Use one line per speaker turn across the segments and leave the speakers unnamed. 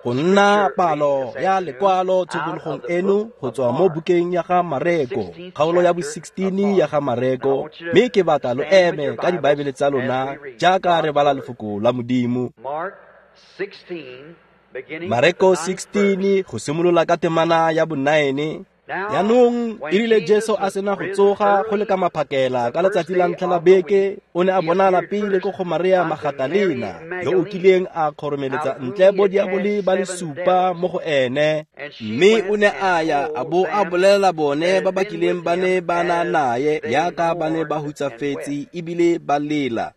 Go nna palo ya lekwalo tshokologong eno go tswa mo bukeng ya ga Mareko, kgaolo ya bo-16 ya ga Mareko, mme ke batla lo eme ka dibaebele tsa lona jaaka re bala lefoko la Modimo. Mareko 16 go simolola ka temana ya bo-9. Jaanong e rile Jesu a sena go tsoga go le ka maphakela ka letsatsi la ntlha la beke, o ne a bonala pele ko go Maria Magatalena, yo o kileng a kgoromeletsa ntle bodiabole ba le supa mo go ene. Mme o ne a ya a bo a bolelela bone ba ba kileng ba ne ba na naye yaka ba ne ba hutsafetse ebile ba lela.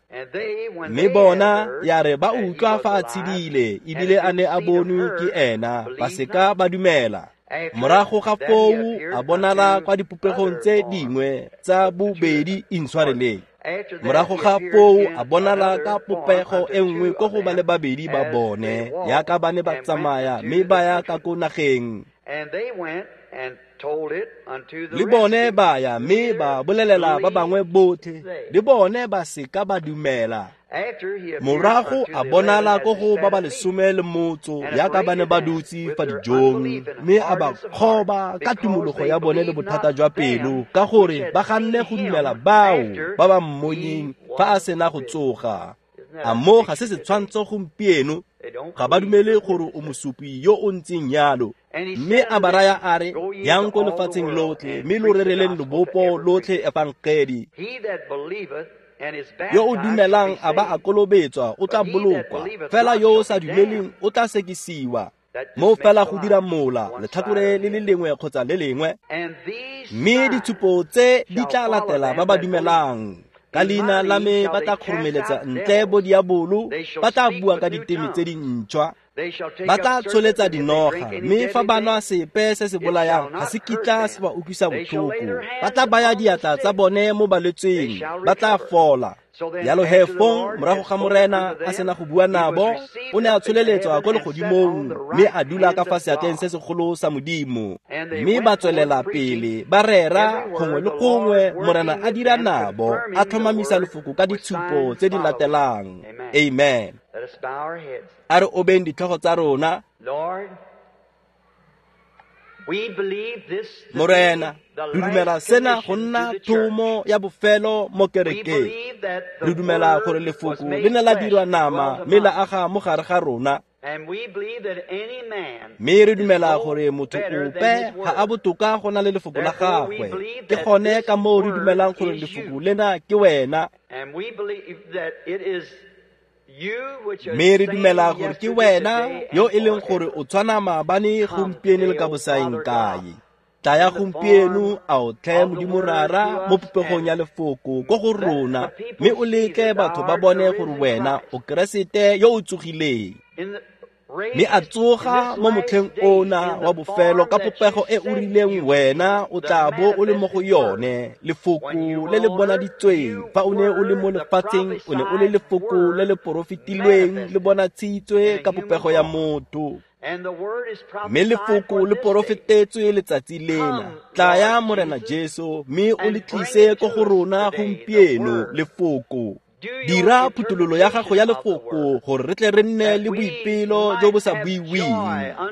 Mme bona ya re ba utlwa fa a tshedile ebile a ne a bonwe ke ena, ba seka ba dumela. Morago ga foo a bonala kwa dipopegong tse dingwe tsa bobedi intshwareleng. Morago ga foo a bonala ka popego e nngwe ko go ba le babedi ba bone, yaka ba ne ba tsamaya mme ba ya ka ko nageng. Le bone ba ya mme ba bolelela ba bangwe botlhe, le bone ba seka ba dumela. Morago a bonala ko go ba ba lesome le motso yaka ba ne ba dutse fa dijong, mme a ba kgoba ka tumologo ya bone le bothata jwa pelo, ka gore ba ganne go dumela bao ba ba mmonyeng fa a sena go tsoga. A mo ga se setshwantsho gompieno? Ga ba dumele gore o mosupi yo o ntseng yalo. Mme a ba raya a re, yang ko lefatsheng lotlhe mme lo rereleng lobopo lotlhe efangedi. Yo o dumelang a ba a kolobetswa o tla bolokwa, fela yo o sa dumeleng o tla sekisiwa. Mo fela go dira mola letlhakore le le lengwe kgotsa le lengwe. Mme ditshupo tse di tla latela ba ba dumelang. Ka leina la me ba tla kgoromeletsa ntle bodiabolo, ba tla bua ka diteme tse dintšhwa, ba tla tsholetsa dinoga, mme fa ba nwa sepe se se bolayang ga se kitla se ba utlwisa botlhoko. Ba tla baya diatla tsa bone mo balwetseng, ba tla fola. Jalo he fong morago ga Morena a sena go bua nabo, o ne a tsholeletswa ko legodimong mme a dula ka fa seatleng se segolo sa Modimo. Mme ba tswelela pele ba rera gongwe le gongwe, Morena a dira nabo, a tlhomamisa lefoko ka ditshupo tse di latelang. Amen. A re obeng ditlhogo tsa rona. Morena, re dumela sena go nna thomo ya bofelo mo kerekeng. Re dumela gore lefoko le ne la dirwa nama mme la aga mo gare ga rona. Mme re dumela gore motho ope ga a botoka go na le lefoko la gagwe. Ke gone ka moo re dumelang gore lefoko lena ke wena. Mme re dumela gore ke wena yo e leng gore o tshwana maabane, gompieno le ka bosaeng kae. Tlaya gompieno a o tlhe Modimo Rara mo popegong ya lefoko ko go rona, mme o letle batho ba bone gore wena o Keresete yo o tsogileng. Mme a tsoga mo motlheng ona wa bofelo ka popego e o rileng wena o tla bo o le mo go yone, lefoko le le bonaditsweng. Fa o ne o le mo lefatsheng, o ne o le lefoko le le porofetilweng le bonatshitswe ka popego ya motho. Mme lefoko le porofetetswe letsatsi lena. Tlaya Morena Jesu mme o le tlise ko go rona gompieno, lefoko. Dira phuthololo ya gago ya lefoko gore re tle re nne le boipelo jo bo sa buiweng,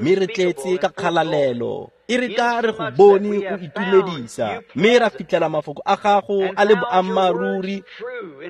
mme re tletse ka kgalalelo. E re ka re go bone o itumedisa, mme ra fitlhela mafoko a gago a le boammaaruri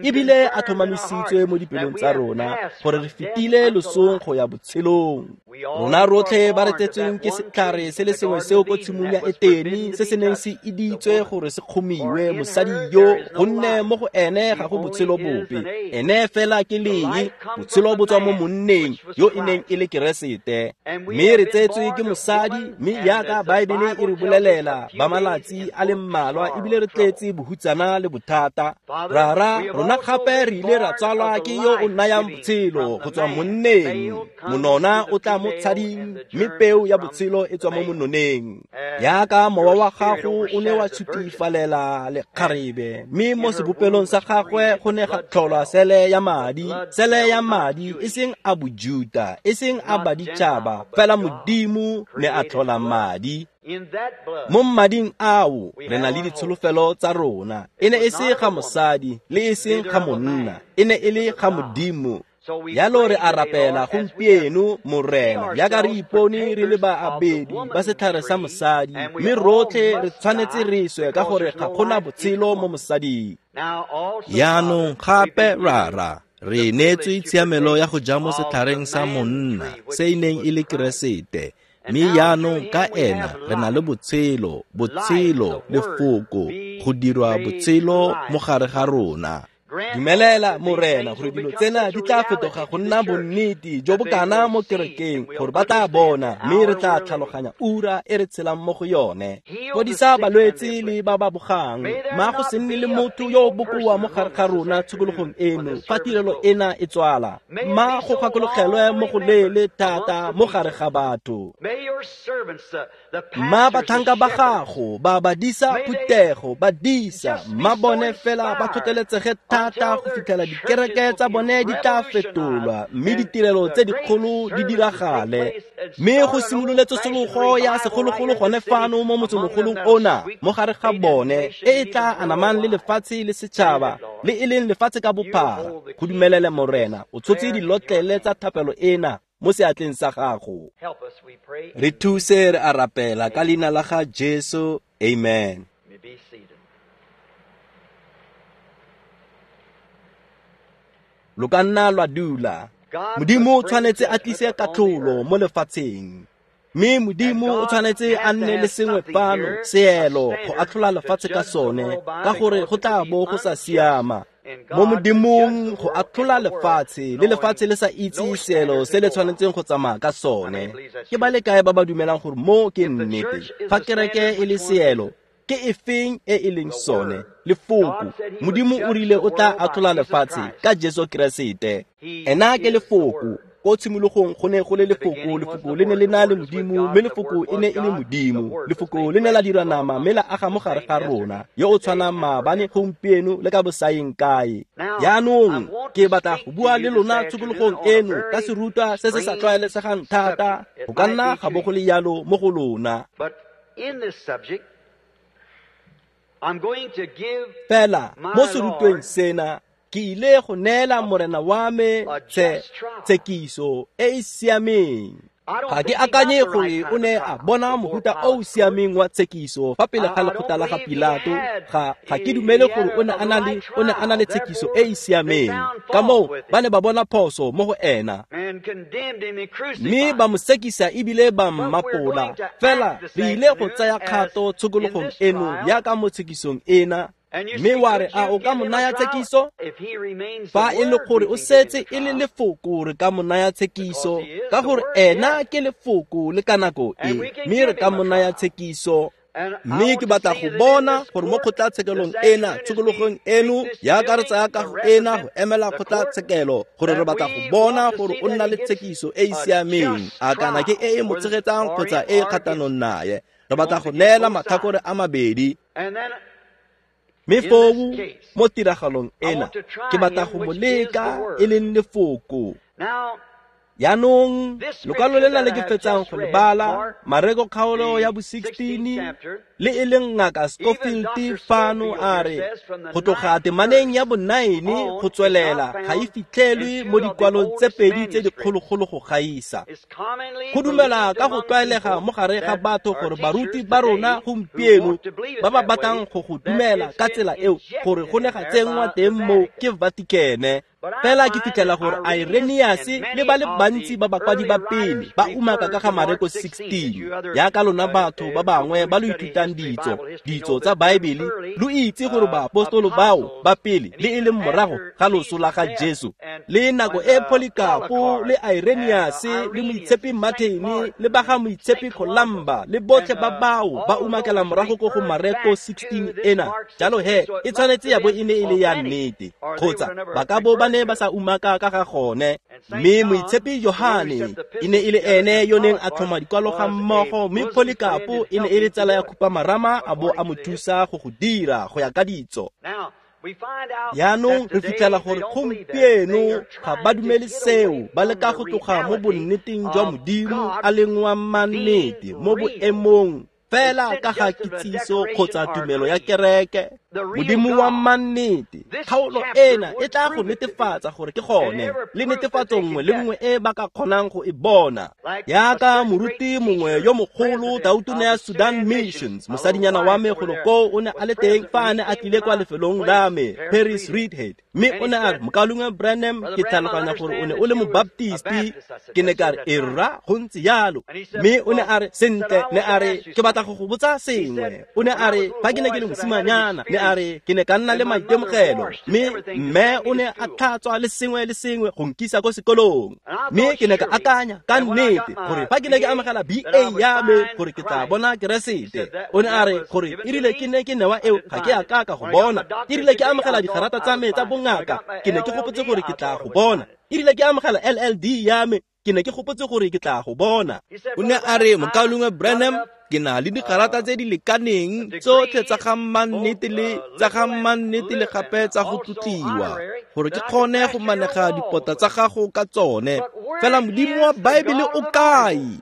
ebile a tlhomamisitswe mo dipelong tsa rona, gore re fetile losong go ya botshelong. Rona rotlhe ba re tsetsweng ke setlhare se le sengwe seo ko tshimong ya Etene, se se neng se iditswe gore se kgomiwe mosadi yo, gonne mo go ene ga go botshelo bope. Ene fela ke lee, botshelo bo tswa mo monneng yo e neng e le Keresete. Mme re tsetswe ke mosadi, mme yaka Baebele e re bolelela ba malatsi a le mmalwa ebile re tletse bohutsana le bothata. Rara, rona gape re ile ra tsalwa ke yo o nayang botshelo go tswa monneng. Monona o tla mo tshading, mme peo ya botshelo e tswa mo mononeng. Yaka mowa wa gago o ne wa tshutifalela lekgarebe, mme mo sebopelong sa gagwe go ne ga tlholwa sele ya madi, sele ya madi e seng a bojuta, e seng a baditšhaba, fela Modimo ne a tlhola madi. Mo mmading ao re na le ditsholofelo tsa rona. E ne e se ga mosadi le e seng ga monna, e ne e le ga Modimo. Jalo re a rapela gompieno, Morena, jaaka re ipone re le baabedi ba setlhare sa mosadi, mme rotlhe re tshwanetse re swe ka gore ga gona botshelo mo mosading. Jaanong gape Rara, re neetswe tshiamelo ya go ja mo setlhareng sa monna, se e neng e le Keresete. Mme jaanong ka ena re na le botshelo, botshelo, lefoko, go dirwa botshelo mo gare ga rona. Dumelela, Morena, gore dilo tsena di tla fetoga go nna bonnete jo bo kana mo kerekeng, gore ba tla bona mme re tla tlhaloganya ura e re tshelang mo go yone. Fodisa balwetse le ba ba bogang, ma go se nne le motho yo o bokoa mo gare ga rona tshokologong eno fa tirelo ena e tswala. Ma go gakologelwe mo go leele thata mo gare ga batho. Ma batlhanka ba gago ba badisa phuthego, badisa, ma bone fela ba tlhotlheletsege thata go fitlhela dikereke tsa bone di tla fetolwa mme ditirelo tse dikgolo di diragale, mme go simolole tsosologo ya segologolo gone fano mo motsemogolong ona mo gare ga bone, e e tla anamang le lefatshe le setšhaba le e leng lefatshe ka bophara. Go dumelele, Morena, o tshotse dilotlele tsa thapelo ena mo seatleng sa gago. Re thuse, re a rapela ka leina la ga Jesu. Amen. Lo ka nna lwa dula. Modimo o tshwanetse a tlise katlholo mo lefatsheng, mme Modimo o tshwanetse a nne le sengwe fano, seelo, go atlhola lefatshe ka sone, ka gore go tla bo go sa siama mo Modimong go atlhola lefatshe, le lefatshe le sa itse seelo se le tshwanetseng go tsamaya ka sone. Ke ba le kae ba ba dumelang gore mo ke nnete? Fa kereke e le seelo, ke efeng e e leng sone? Lefoko. Modimo o rile o tla atlhola lefatshe ka Jesu Keresete. Ena ke lefoko. Ko tshimologong go ne go le lefoko, lefoko le ne le na le Modimo, mme lefoko e ne e le Modimo. Lefoko le ne la dira nama mme la aga mo gare ga rona, yo o tshwanang maabane, gompieno le ka bosaeng kae. Jaanong ke batla go bua le lona tshokologong eno ka serutwa se se sa tlwaelesegang thata, go ka nna ga bo go le jalo mo go lona. Fela mo serutweng sena ke ile go neela Morena wa me tshekiso e e siameng. Ga ke akanye gore o ne a bona mofuta o o siameng wa tshekiso fa pele ga lekgotla la ga Pilato. Ga ke dumele gore o ne a na le tshekiso e e siameng. Ka moo ba ne ba bona phoso mo go ena, mme ba mo sekisa ebile ba mmapola. Fela re ile go tsaya kgato tshokologong eno jaaka mo tshekisong ena. Mme wa re, a o ka mo naya tshekiso? Fa e le gore o setse e le lefoko, re ka mo naya tshekiso, ka gore ena ke lefoko le ka nako e, mme re ka mo naya tshekiso. Mme ke batla go bona gore mo kgotlatshekelong ena, tshokologong eno, jaaka re tsaya kago ena go emela kgotlatshekelo, gore re batla go bona gore o nna le tshekiso e e siameng, a kana ke e e mo tshegetsang kgotsa e e kgatlhanong naye. Re batla go neela matlhakore a mabedi. Mme foo mo tiragalong ena ke batla go mo leka e leng lefoko. Jaanong lokwalo lena le ke fetsang go le bala, Mareko kgaolo ya bo 16, le e leng Ngaka Scofield fano a re go tloga temaneng ya bo 9 go tswelela ga e fitlhelwe mo dikwalong tse pedi tse dikgologolo go gaisa. Go dumela ka go tlwaelega mo gare ga batho gore baruti ba rona gompieno ba ba batlang go go dumela ka tsela eo, gore go ne ga tsenngwa teng mo ke Vatican. Fela ke fitlhela gore Irenaeus le ba le bantsi ba bakwadi ba pele ba umaka ka ga Mareko 16. Jaaka lona batho ba bangwe ba lo ithutang ditso tsa Baebele, lo itse gore baapostolo bao ba pele le e leng morago ga loso la ga Jesu, le nako e Polycarpo le Irenaeus le moitshepi Martin le ba ga moitshepi Columba le botlhe ba bao ba umakela morago ko go Mareko 16 ena. Jalo he e tshwanetse ya bo e ne e le ya nnete, kgotsa ba ka bo ba ne ba sa umaka ka ga gone. Mme moitshepi Johane e ne e le ene yo neng a tlhoma dikwalo ga mmogo, mme Polycarpo e ne e le tsala ya khupamarama a bo a mo thusa go go dira go ya ka ditso. Jaanong re fitlhela gore gompieno ga ba dumele seo, ba leka go tloga mo bonneteng jwa Modimo a leng wa mannete mo boemong. fela ka ga kitsiso kgotsa tumelo ya kereke. Modimo wa mannete, kgaolo ena e tla go netefatsa gore ke gone, le netefatso nngwe le nngwe e ba ka kgonang go e bona. Yaka moruti mongwe yo mogolo tautona ya Sudan Missions, mosadinyana wa me golo koo o ne a le teng fa a ne a tlile kwa lefelong la me, Paris Reidhead, mme o ne a re, Mokaulengwe Branham, ke tlhaloganya gore o ne o le mobaptisti. Ke ne ka re, e rra, go ntse jalo. Mme o ne a re, sentle, ne a re, ke batla go go botsa sengwe. O ne a re, fa ke ne ke le mosimanyana, ne a re, ke ne ka nna le maitemogelo, mme mme o ne a tlhatswa le sengwe le sengwe go nkisa ko sekolong. Mme ke ne ka akanya ka nnete gore fa ke ne ke amogela BA ya me gore ke tla bona Keresete. O ne a re gore erile ke ne ke newa eo ga ke a ka ka go bona. Erile ke amogela digarata tsa me tsa bongaka, ke ne ke gopotse gore ke tla go bona. Erile ke amogela LLD ya me, ke ne ke gopotse gore ke tla go bona. O ne a re, Mokaulengwe Branham, ke na le digarata tse di lekaneng tsotlhe tsa ga mannete le tsa ga mannete le gape tsa go tlotliwa gore ke kgone go manega dipota tsa gago ka tsone. Fela Modimo wa Baebele o kae?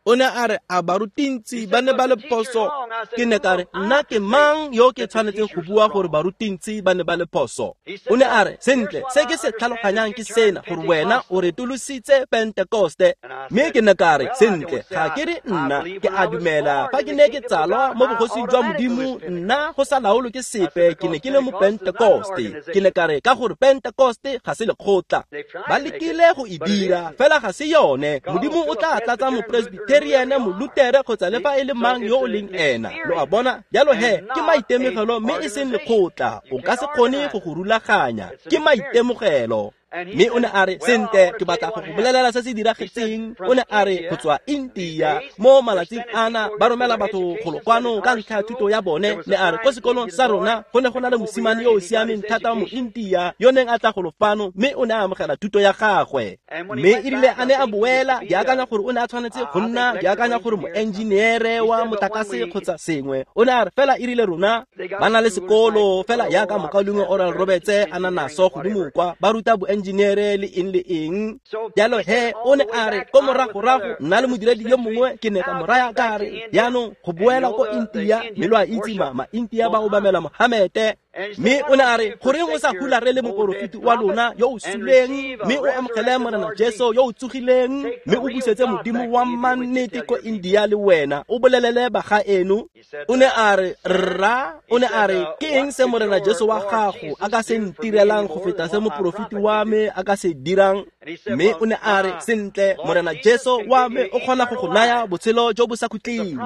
O ne a re, a barutintsi ba ne ba le phoso? Ke ne ka re, nna ke mang yo ke tshwanetseng go bua gore barutintsi ba ne ba le phoso? O ne a re, sentle, se ke se tlhaloganyang ke sena, gore wena o retolositse Pentekoste. Mme ke ne ka re, sentle, ga ke re nna, ke a dumela fa ke ne ke tsalwa mo bogosing jwa Modimo, nna go sa laolwe ke sepe, ke ne ke le mo Pentekoste. Ke ne ka re, ka gore Pentekoste ga se lekgotla. Ba lekile go e dira, fela ga se yone. Modimo o tla tlatsa mopresbiteri, molutere kgotsa le fa e le mang yo o leng ena. Lo a bona? Jalo he, ke maitemogelo mme e seng lekgotla. O ka se kgone go go rulaganya. Ke maitemogelo. Mme o ne a re, sentle, ke batla go go bolelela se se diragetseng. O ne a re, go tswa India mo malatsing ana ba romela batho golo kwano ka ntlha ya thuto ya bone. Ne a re, ko sekolong sa rona go ne go na le mosimane yo o siameng thata mo India yo neng a tla golo fano, mme o ne a amogela thuto ya gagwe. Mme erile a ne a boela, ke akanya gore o ne a tshwanetse go nna, ke akanya gore moengineere wa motlakase kgotsa sengwe. O ne a re, fela erile rona ba na le sekolo fela yaka mokaulengwe Oral Roberts a na naso godimo kwa, ba ruta boengineere le eng le eng. Jalo he, o ne a re, ko moragorago nna le modiredi yo mongwe ke ne ka mo raya ka re, jaanong go boela ko India, mme lo a itse ma-India ba obamela Mohamete. Mme o ne a re, goreng o sa hularele moporofeti wa lona yo o suleng, mme o amogele Morena Jesu yo o tsogileng, mme o busetse Modimo wa mannete ko India le wena, o bolelele bagaeno. O ne a re, rra, o ne a re, ke eng se Morena Jesu wa gago a ka se ntirelang go feta se moporofeti wa me a ka se dirang? Mme o ne a re, sentle, Morena Jesu wa me o kgona go go naya botshelo jo bo sa khutleng.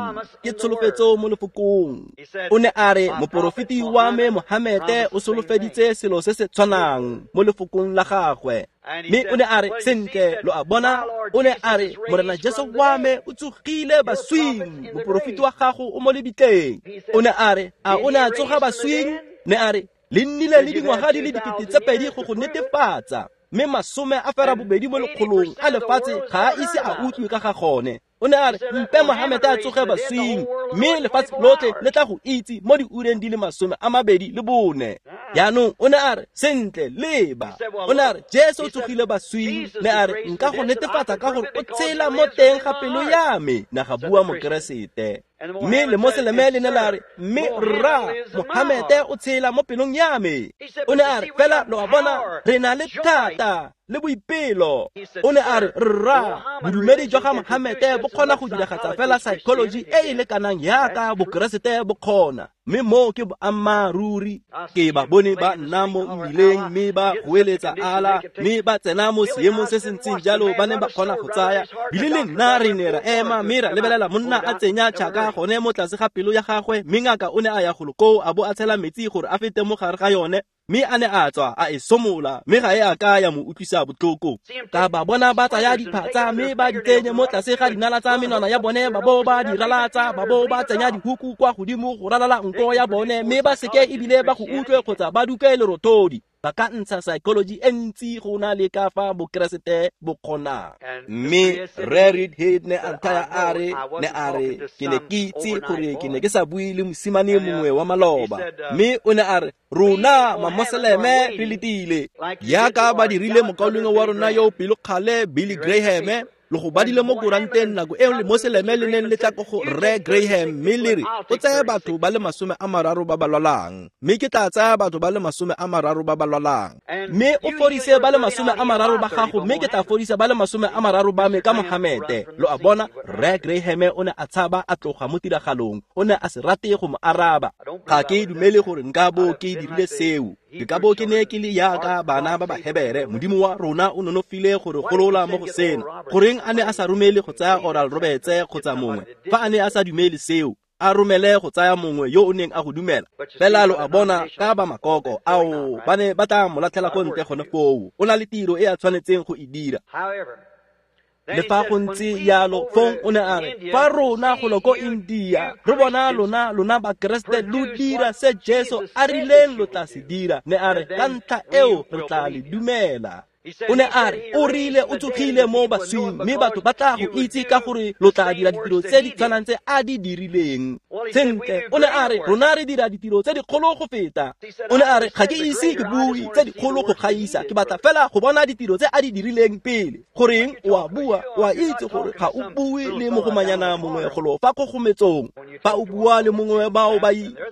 Ke tsholofetso mo lefokong. O ne a re, moporofeti wa me Mohamete o solofeditse selo se se tshwanang mo lefokong la gagwe. Mme o ne a re, sentle, lo a bona? O ne a re, Morena Jesu wa me o tsogile baswing, moporofeti wa gago o mo lebitleng. O ne a re, a o ne a tsoga baswing? Ne a re, le nnile le dingwaga di le 2000 go go netefatsa, mme 80 mo lekgolong a lefatshe ga a ise a utlwe ka ga gone. O ne a re, mpe Mohamete a tsoge baswing, mme lefatshe lotlhe le tla go itse mo diureng di le 24. Jaanong o ne a re, sentle, leba. O ne a re, Jesu o tsogile baswing. Ne a re, nka go netefatsa ka gore o tshela mo teng ga pelo ya me, na ga bua Mokeresete. Mme lemoseleme le ne la re, mme rra, Mohamete o tshela mo pelong ya me. O ne a re, fela lo a bona, re na le thata le boipelo. O ne a re, rra, bodumedi jwa ga Mohamete bo kgona go diragatsa fela psychology e e lekanang yaka Bokeresete bo kgona. Mme moo ke boammaaruri. Ke ba bone ba nna mo mmileng mme ba goeletsa ala, mme ba tsena mo seemong se se ntseng jalo ba ne ba kgona go tsaya. Bile le nna re ne ra ema mme ra lebelela monna a tsenya tšhaka gone mo tlase ga pelo ya gagwe, mme ngaka o ne a ya golo koo a bo a tshela metsi gore a fete mo gare ga yone, mme a ne a tswa a e somola, mme ga e a ka ya mo utlwisa botlhoko. Ka ba bona ba tsaya diphatsa mme ba di tsenye mo tlase ga dinala tsa menwana ya bone, ba bo ba di ralatsa, ba bo ba tsenya dihuku kwa godimo go ralala nko ya bone, mme ba seke ebile ba go utlwe kgotsa ba duke lerothodi. Ba ka ntsha psychology e ntsi go na le ka fa Bokeresete bo kgonang. Mme Rre Reidhead ne a nthaya a re, ne a re, ke ne ke itse gore ke ne ke sa bue le mosimane mongwe wa maloba. Mme o ne a re, rona mamoseleme re letile, yaka ba dirile mokaulengwe wa rona yo pelokgale Billy Graham. Lo go badile mo koranteng nako eo le Moseleme le neng le tla ko go Rre Graham, mme le re o tsaya batho ba le 30 ba ba lwalang, mme ke tla tsaya batho ba le 30 ba ba lwalang, mme o fodise ba le 30 ba gago, mme ke tla fodisa ba le 30 ba me ka Mohamete. Lo a bona, Rre Graham o ne a tshaba a tloga mo tiragalong, o ne a se rate go mo araba. Ga ke dumele gore nka bo ke dirile seo. Ke ka bo ke ne ke le yaka bana ba Bahebere. Modimo wa rona o nonofile gore golola mo go sena. Goreng a ne a sa romele go tsaya Oral Roberts kgotsa mongwe? Fa a ne a sa dumele seo, a romele go tsaya mongwe yo o neng a go dumela. Fela lo a bona, ka ba makoko ao ba ne ba tla mo latlhela ko ntle gone foo. O na le tiro e a tshwanetseng go e dira. Le fa go ntse yalo, fong o ne a re, fa rona golo ko India re bona lona Bakeresete lo dira se Jesu a rileng lo tla se dira, ne a re ka ntlha eo re tla le dumela. O ne a re o rile o tsogile mo baswing, mme batho ba tla go itse ka gore lo tla dira ditiro tse di tshwanang tse a di dirileng. Sentle, o ne a re rona re dira ditiro tse dikgolo go feta. O ne a re ga ke ise ke bue tse dikgolo go gaisa, ke batla fela go bona ditiro tse a di dirileng pele. Goreng o a bua, o a itse gore ga o bue le mogomanyana mongwe golo fa kgogometsong. Fa o bua le mongwe bao ba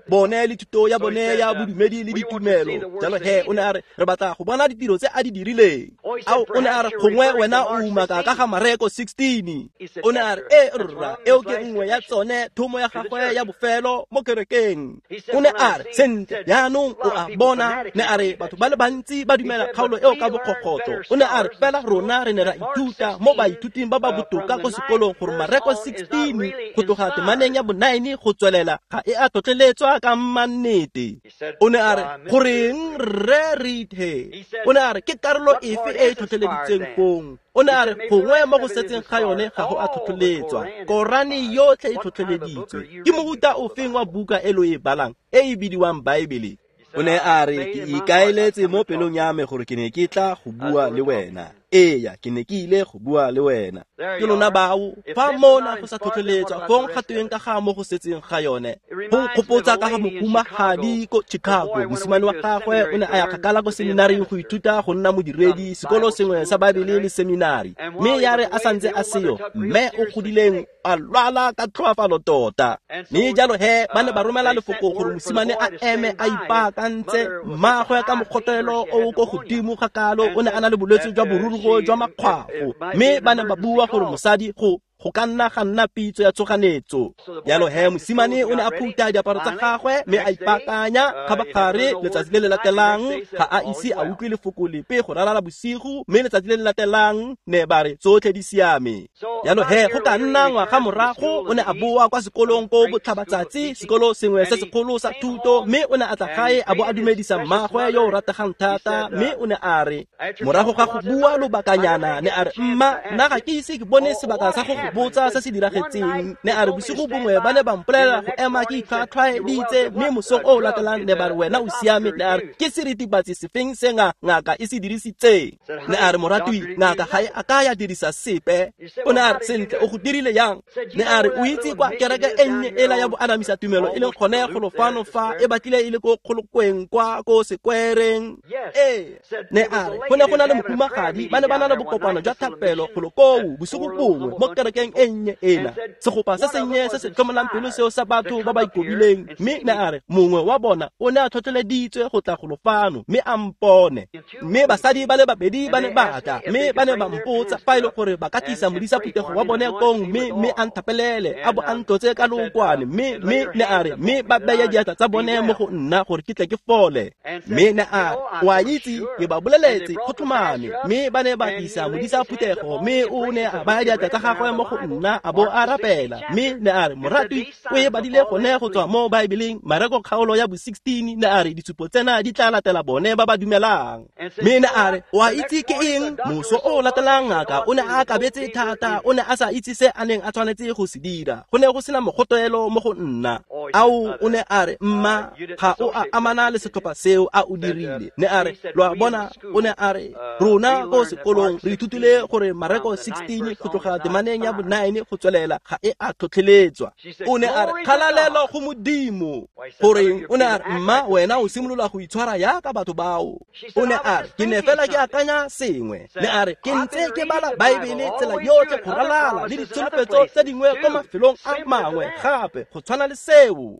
bone le thuto ya bone ya bodumedi le ditumelo. Jalo he o ne a re re batla go bona ditiro tse a di dirileng. Ao, o ne a re gongwe wena o umaka ka ga Mareko 16. O ne a re e rra, eo ke nngwe ya tsone thomo ya gagwe ya bofelo mo kerekeng. O ne a re sentle, jaanong o a bona, ne a re batho ba le bantsi ba dumela kgaolo eo ka bokgokgotso. O ne a re fela rona re ne ra ithuta mo baithuting ba ba botoka ko sekolong gore Mareko 16 go tloga temaneng ya bo-9 go tswelela ga e a tlhotlheletswa ka mannete. O ne a re goreng Rre Reed he? O ne a re ke karolo efe e e tlhotlheleditseng fong? O ne a re gongwe mo go setseng ga yone ga go a tlhotlheletswa. Korane yotlhe e tlhotlheleditswe. Ke mohuta ofeng wa buka e lo e balang e e bidiwang Baebele? O ne a re ke ikaeletse mo pelong ya me gore ke ne ke tla go bua le wena. Eya, ke ne ke ile go bua le wena. Ke lona bao, fa mona go sa tlhotlheletswa, fong ga tweng ka ga mo go setseng ga yone. Go nkgopotsa ka ga mohumagadi ko Chicago. Mosimane wa gagwe o ne a ya kgakala ko seminaring go ithuta go nna modiredi, sekolo sengwe sa Baebele le seminari. Mme ya re a santse a seo, mme o godileng a lwala ka tlhoafalo tota. Mme jalo he ba ne ba romela lefoko gore mosimane a eme a ipaakantse. Mmagwe ka mokgotelo o ko godimo ga kalo o ne a na le bolwetse jwa borurugo jwa makgwafo, mme ba ne ba bua gore mosadi go ka nna ga nna pitso ya tshoganetso. Jalo he mosimane o ne a phutha diaparo tsa gagwe mme a ipaakanya. Kgabagare letsatsi le le latelang ga a ise a utlwe lefoko lepe go ralala bosigo, mme letsatsi le le latelang ne ba re tsotlhe di siame. Jalo he go ka nna ngwaga morago o ne a boa kwa sekolong ko botlhabatsatsi, sekolo sengwe se segolo sa thuto, mme o ne a tla gae a bo a dumedisa mmagwe yo o rategang thata. Mme o ne a re morago ga go bua lobakanyana, ne a re mma, nna ga ke ise ke bone sebaka sa go go botsa se se diragetseng. Ne a re bosigo bongwe ba ne ba mpolelela go ema ke itlhwatlhwaeditse, mme mosong o o latelang ne ba re wena o siame. Ne a re ke seritibatsi sefeng se ngaka e se dirisitseng? Ne a re moratwi, ngaka ga e a ka ya dirisa sepe. O ne a re sentle, o go dirile yang? Ne a re o itse kwa kereke e nnye ela ya boanamisa tumelo e leng gone golo fano fa e batlile e le ko kgolokweng kwa ko sekwereng. Ee, ne a re go ne go na le mohumagadi, ba ne ba na le bokopano jwa thapelo golo koo bosigo bongwe mo kerekeng e nnye ena, segopa se sennye se se tlhomolang pelo seo sa batho ba ba ikobileng. Mme ne a re mongwe wa bona o ne a tlhotlheleditswe go tla golo fano mme a mpone. Mme basadi ba le babedi ba ne ba tla, mme ba ne ba mpotsa fa e le gore ba ka tlisa modisa phuthego wa bone kong, mme a nthapelele a bo a ntlotse ka lookwane. Mme ne a re mme ba beye diatla tsa bone mo go nna gore ke tle ke fole. Mme ne a re o a itse, ke ba boleletse go tlhomame. Mme ba ne ba tlisa modisa phuthego, mme o ne a baya diatla tsa gagwe mo go nna a bo a rapela. Mme ne a re moratwi, o e badile gone go tswa mo Baebeleng, Mareko kgaolo ya bo-16. Ne a re ditshupo tsena di tla latela bone ba ba dumelang. Mme ne a re o a itse ke eng? Moso o latelang ngaka o ne a akabetse thata, o ne a sa itse se a neng a tshwanetse go se dira. Go ne go sena mogotelo mo go nna. Ao, o ne a re mma, ga o a amana le setlhopha seo a o dirile. Ne a re lo a bona, o ne a re rona ko sekolong re ithutile gore Mareko 16 go tloga temaneng ya bo 9 go tswelela ga e a tlhotlheletswa. O ne a re kgalalelo go Modimo. Goreng o ne a re mma wena o simolola go itshwara yaka batho bao. O ne a re ke ne fela ke akanya sengwe. Ne a re ke ntse ke bala Baebele tsela yotlhe go ralala le ditsholofetso tse dingwe ko mafelong a mangwe gape go tshwana le seo.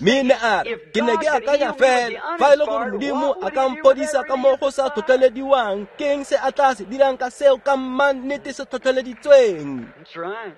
Mme ne a re ke ne ke akanya fela fa e le gore Modimo a ka mpodisa ka mo go sa tlhotlhelediwang, ke eng se a tla se dirang ka seo ka mannete se tlhotlheleditsweng?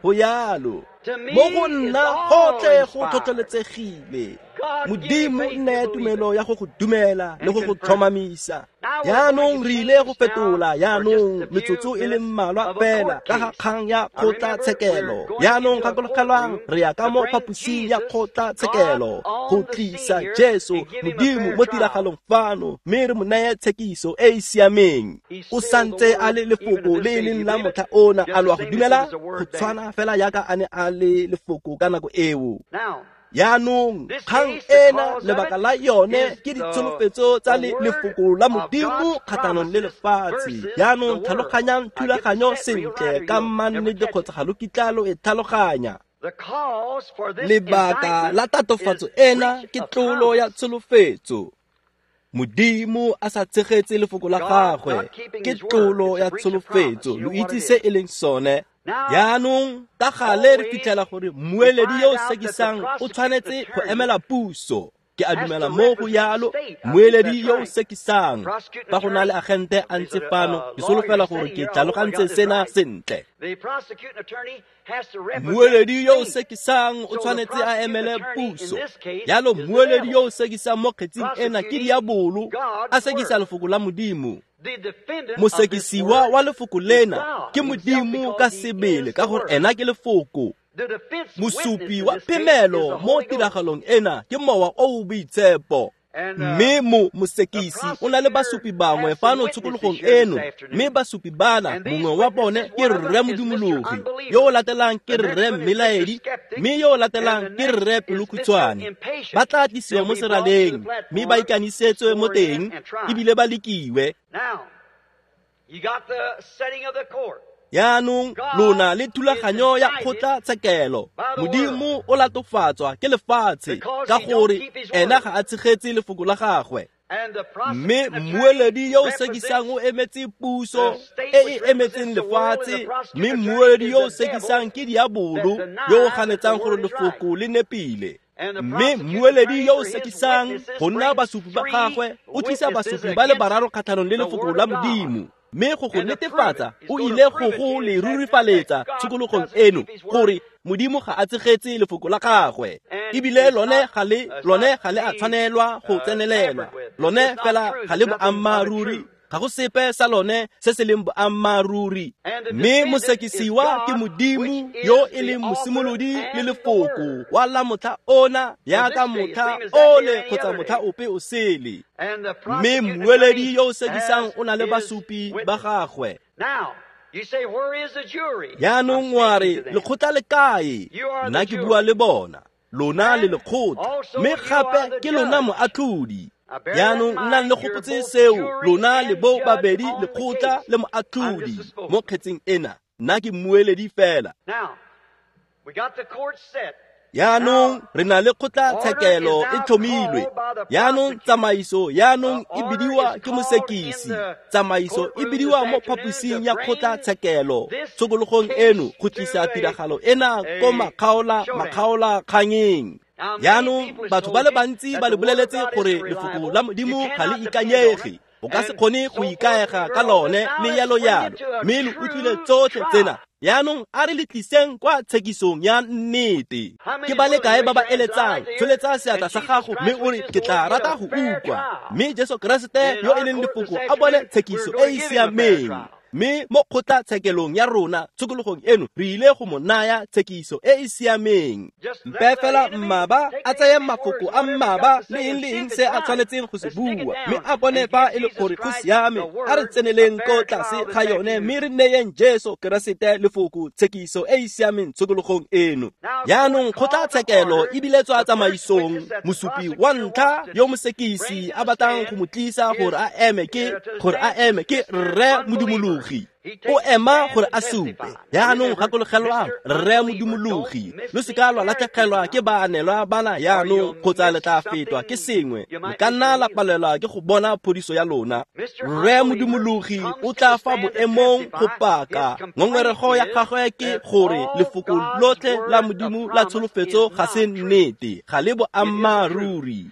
Go yalo mo go nna gotlhe go tlhotlheletsegile. Modimo nne tumelo ya go go dumela le go go tlhomamisa. Jaanong re ile go fetola jaanong metsotso e le mmalwa fela ka ga kgang ya kgotlatshekelo. Jaanong gakologelwang re ya ka mo phaposing ya kgotlatshekelo go tlisa Jesu Modimo mo tiragalong fano, mme re mo neye tshekiso e e siameng. O santse a le lefoko le e leng la motlha ona, a lo a go dumela? Go tshwana fela yaka a ne a le lefoko ka nako eo. Jaanong kgang ena lebaka la yone ke ditsholofetso tsa lefoko la Modimo kgatlhanong le lefatshe. Jaanong tlhaloganyang thulaganyo sentle ka mannete kgotsa ga lo kitla lo e tlhaloganya. Lebaka la tatofatso ena ke tlolo ya tsholofetso. Modimo a sa tshegetse lefoko la gagwe ke tlolo ya tsholofetso. Lo itse se e leng sone. Jaanong ka gale re fitlhela gore mmueledi yo o sekisang o tshwanetse go emela puso. Ke a dumela mo go yalo, mmueledi yo o sekisang. Fa go na le agente a ntse fano, ke solofela gore ke tlhalogantse sena sentle. Mmueledi yo o sekisang o tshwanetse a emele puso. Yalo mmueledi yo o sekisang mo kgetsing ena ke diabolo, a sekisa lefoko la Modimo. Mosekisiwa wa lefoko lena ke Modimo ka sebele ka gore ena ke lefoko. Mosupi wa phemelo mo tiragalong ena ke mowa o o boitshepo. Mme mosekisi o na le basupi bangwe fano tshokologong eno, mme basupi bana mongwe wa bone ke rre Modumologi, yo o latelang ke rre Mmelaedi, mme yo o latelang ke rre Pelokhutshwane. Ba tla tlisiwa mo seraleng mme ba ikanisetswe mo teng ebile ba lekiwe. Jaanong lona le thulaganyo ya kgotlatshekelo. Modimo o latofatswa ke lefatshe ka gore ena ga a tshegetse lefoko la gagwe. Mme mmueledi yo o sekisang o emetse puso e e emetseng lefatshe, mme mmueledi yo o sekisang ke diabolo yo o ganetsang gore lefoko le nepile. Mme mmueledi yo o sekisang go nna basupi ba gagwe o tlisa basupi ba le bararo kgatlhanong le lefoko la Modimo. Mme go go netefatsa o ile go go le rurifaletsa tshokologong eno gore Modimo ga a tshegetse lefoko la gagwe, ebile lone ga le a tshwanelwa go tsenelelwa. Lone fela ga le boammaaruri, ga go sepe sa lone se se leng boammaaruri. Mme mosekisiwa ke Modimo yo e leng mosimolodi le lefoko wa la motlha ona yaka motlha ole kgotsa motlha ope o sele. Mme mmueledi yo o sekisang o na le basupi ba gagwe. Jaanong wa re lekgotla le kae? Nna ke bua le bona, lona le lekgotla, mme gape ke lona moatlhodi. Jaanong nnang le gopotse seo, lona le bo babedi lekgotla le moatlhodi mo kgetsing ena. Nna ke mmueledi fela. Jaanong re na le kgotlatshekelo e tlhomilwe. Jaanong tsamaiso jaanong e bidiwa ke mosekisi. Tsamaiso e bidiwa mo phaposing ya kgotlatshekelo tshokologong eno go tlisa tiragalo ena ko makgaola kgangeng. Jaanong batho ba le bantsi ba le boleletse gore lefoko la Modimo ga le ikanyege, o ka se kgone go ikaega ka lone le yalo yalo, mme le utlwile tsotlhe tsena. Jaanong a re le tliseng kwa tshekisong ya nnete. Ke ba le kae ba ba eletsang? Tsholetsa seatla sa gago mme o re ke tla rata go utlwa. Mme Jesu Keresete yo e leng lefoko a bone tshekiso e e siameng. Mme mo kgotlatshekelong ya rona tshokologong eno re ile go mo naya tshekiso e e siameng. Mpe fela mmaba a tseye mafoko a mmaba le eng le eng se a tshwanetseng go se bua, mme a bone fa e le gore go siame. A re tseneleng ko tlase ga yone mme re neyeng Jesu Keresete lefoko tshekiso e e siameng tshokologong eno. Jaanong kgotlatshekelo e biletswa tsamaisong. Mosupi wa ntlha yo mosekisi a batlang go mo tlisa gore a eme ke rre Modumologi. O ema gore a supe. Yaanong gakologelwang, rre modumologi, lo seka lwa latlhegelwa ke baanelwa bana yaanong kgotsa le tla fetwa ke sengwe. Le ka nna la palelwa ke go bona phodiso ya lona. Rre modumologi o tla fa boemong go paka. Ngongorego ya gagwe ke gore lefoko lotlhe la Modimo la tsholofetso ga se nnete, ga le boammaaruri.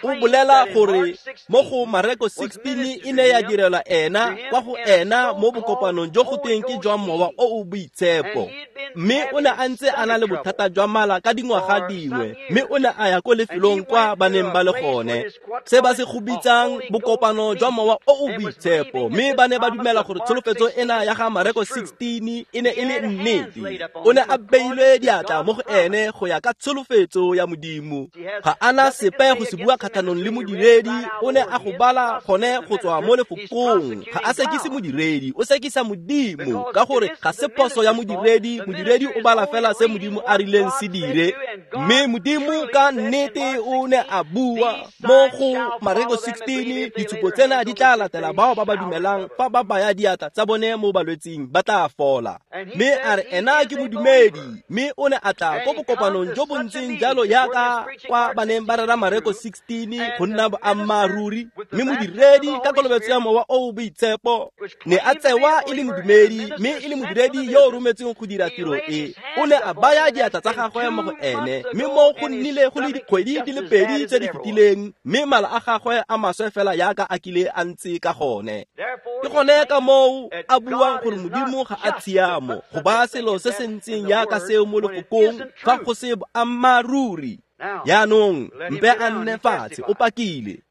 O bolela gore mo go Mareko 16 e ne ya direlwa ena kwa go ena mo bokopanong jo go tweng ke jwa mowa o o boitshepo. Mme o ne a ntse a na le bothata jwa mala ka dingwaga dingwe, mme o ne a ya ko lefelong kwa ba neng ba le gone, se ba se go bitsang bokopano jwa mowa o o boitshepo, mme ba ne ba dumela gore tsholofetso ena ya ga Mareko 16 e ne e le nnete. O ne a beilwe diatla mo go ene go ya ka tsholofetso ya Modimo. Ga ana sepe go se bua kgatlhanong le modiredi, o ne a go bala gone go tswa mo lefokong. Ga a sekise modiredi, o sekisa Modimo, ka gore ga se phoso ya modiredi. Modiredi o bala fela se Modimo a rileng se dire. Mme Modimo ka nnete o ne a bua mo go Mareko 16, ditshupo tsena di tla latela bao ba ba dumelang, fa ba baya diatla tsa bone mo balwetsing ba tla fola. Mme a re ena ke modumedi, mme o ne a tla ko bokopanong jo bo ntseng jalo yaka kwa ba neng ba rera Mareko 16 go nna boammaaruri. Mme modiredi ka kolobetso ya mowa o o boitshepo ne a tsewa e le modumedi, mme e le modiredi yo o rometsweng go dira tiro e. O ne a baya diatla tsa gagwe mo go ene, mme mo go nnile go le dikgwedi di le pedi tse di fetileng, mme mala a gagwe a maswe fela yaka a kile a ntse ka gone. Ke gone ka moo a buang gore Modimo ga a tshiamo go baya selo se se ntseng yaka seo mo lefokong fa go se boammaaruri. Yaanong mpe a nne fatshe, o pakile.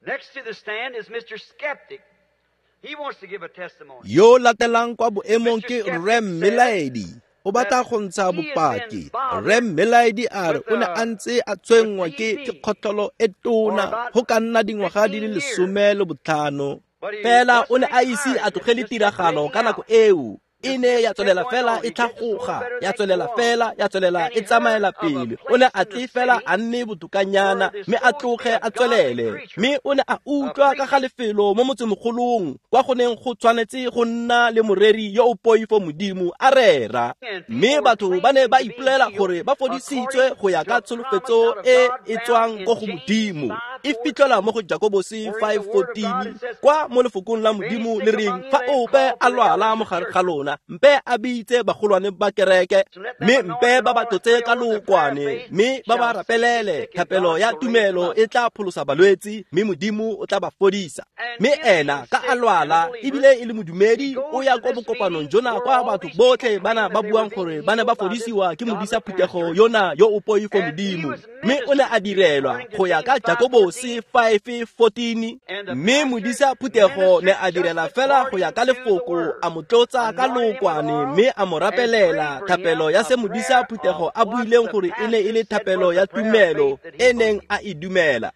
Yo latelang kwa boemong ke Rre Mmelaedi. O batla go ntsha bopaki. Rre Mmelaedi a re o ne a ntse a tshwenngwa ke kgotlholo e tona go ka nna dingwaga di le 15.
Fela o ne a ise a tlogele tiragalo ka nako eo. E ne ya tswelela fela e tlhagoga, ya tswelela fela, ya tswelela e tsamaela pele. O ne a tle fela a nne botokanyana, mme a tloge a tswelele. Mme o ne a utlwa ka ga lefelo mo motsemogolong kwa go neng go tshwanetse go nna le moreri yo o poifo Modimo a rera. Mme batho ba ne ba ipolela gore ba fodisitswe go ya ka tsholofetso e e tswang ko go Modimo. E fitlhelwa mo go Jakobose 5:14 kwa mo lefokong la Modimo le reng fa ope a lwala mo gare ga lona, mpe a bitse bagolwane ba kereke, mme mpe ba ba tlotse ka lookwane, mme ba ba rapelele. Thapelo ya tumelo e tla pholosa balwetsi, mme Modimo o tla ba fodisa. Mme ena ka a lwala ebile e le modumedi, o ya ko bokopanong jona kwa batho botlhe bana ba buang gore ba ne ba fodisiwa ke modisa phuthego yona yo o poifo Modimo. Mme o ne a direlwa go ya ka Jakobose 5:14. Mme modisa phuthego ne a direla fela go ya ka lefoko, a mo tlotsa ka lookwane, mme a mo rapelela thapelo ya se modisa phuthego a buileng gore e ne e le thapelo ya tumelo e neng a e dumela.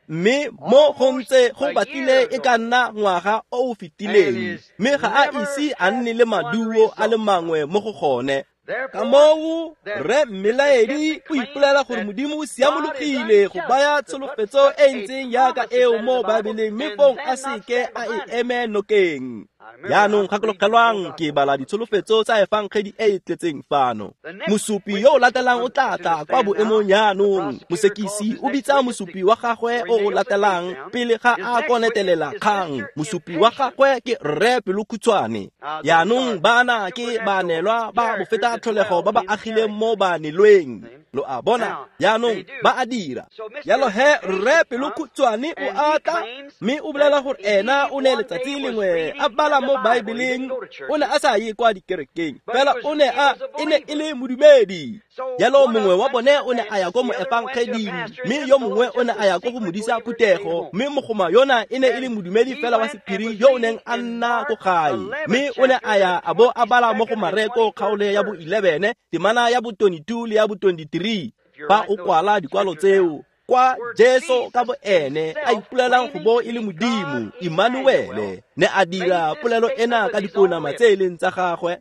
Mme mo go ntse go batlile e ka nna ngwaga o o fetileng, mme ga a ise a nne le maduo a le mangwe mo go gone. Ka moo Rre Mmelaedi o ipolela gore Modimo o siamologile go baya tsholofetso e ntseng yaka eo mo Baebeleng, mme fong a seke a e eme nokeng. Yaanong gakologelwang, ke bala ditsholofetso tsa efangedi e e tletseng fano. Mosupi yo o latelang o tla tla kwa boemong yaanong. Mosekisi o bitsa mosupi wa gagwe o o latelang pele ga a konetelela kgang. Mosupi wa gagwe ke Rre Pelokhutshwane. Yaanong bana ke baanelwa ba bofeta tlholego ba ba agileng mo baanelweng. Lo a bona, yaanong ba a dira. Jalo he Rre Pelokhutshwane o a tla, mme o bolela gore ena o ne letsatsi lengwe a bala mo Baebeleng. O ne a sa ye kwa dikerekeng, fela o ne a e ne e le modumedi. Jalo mongwe wa bone o ne a ya ko moefangeding, mme yo mongwe o ne a ya ko go modisa phuthego, mme mogoma yona e ne e le modumedi fela wa sephiri yo o neng a nna ko gae. Mme o ne a ya a bo a bala mo go Mareko kgaolo ya bo 11, temana ya bo 22 le ya bo 23. Fa o kwala dikwalo tseo, Kwa Jesu ka boene a ipolelang go bo e le Modimo, Immanuele, ne a dira polelo ena ka dipounama tse e leng tsa gagwe.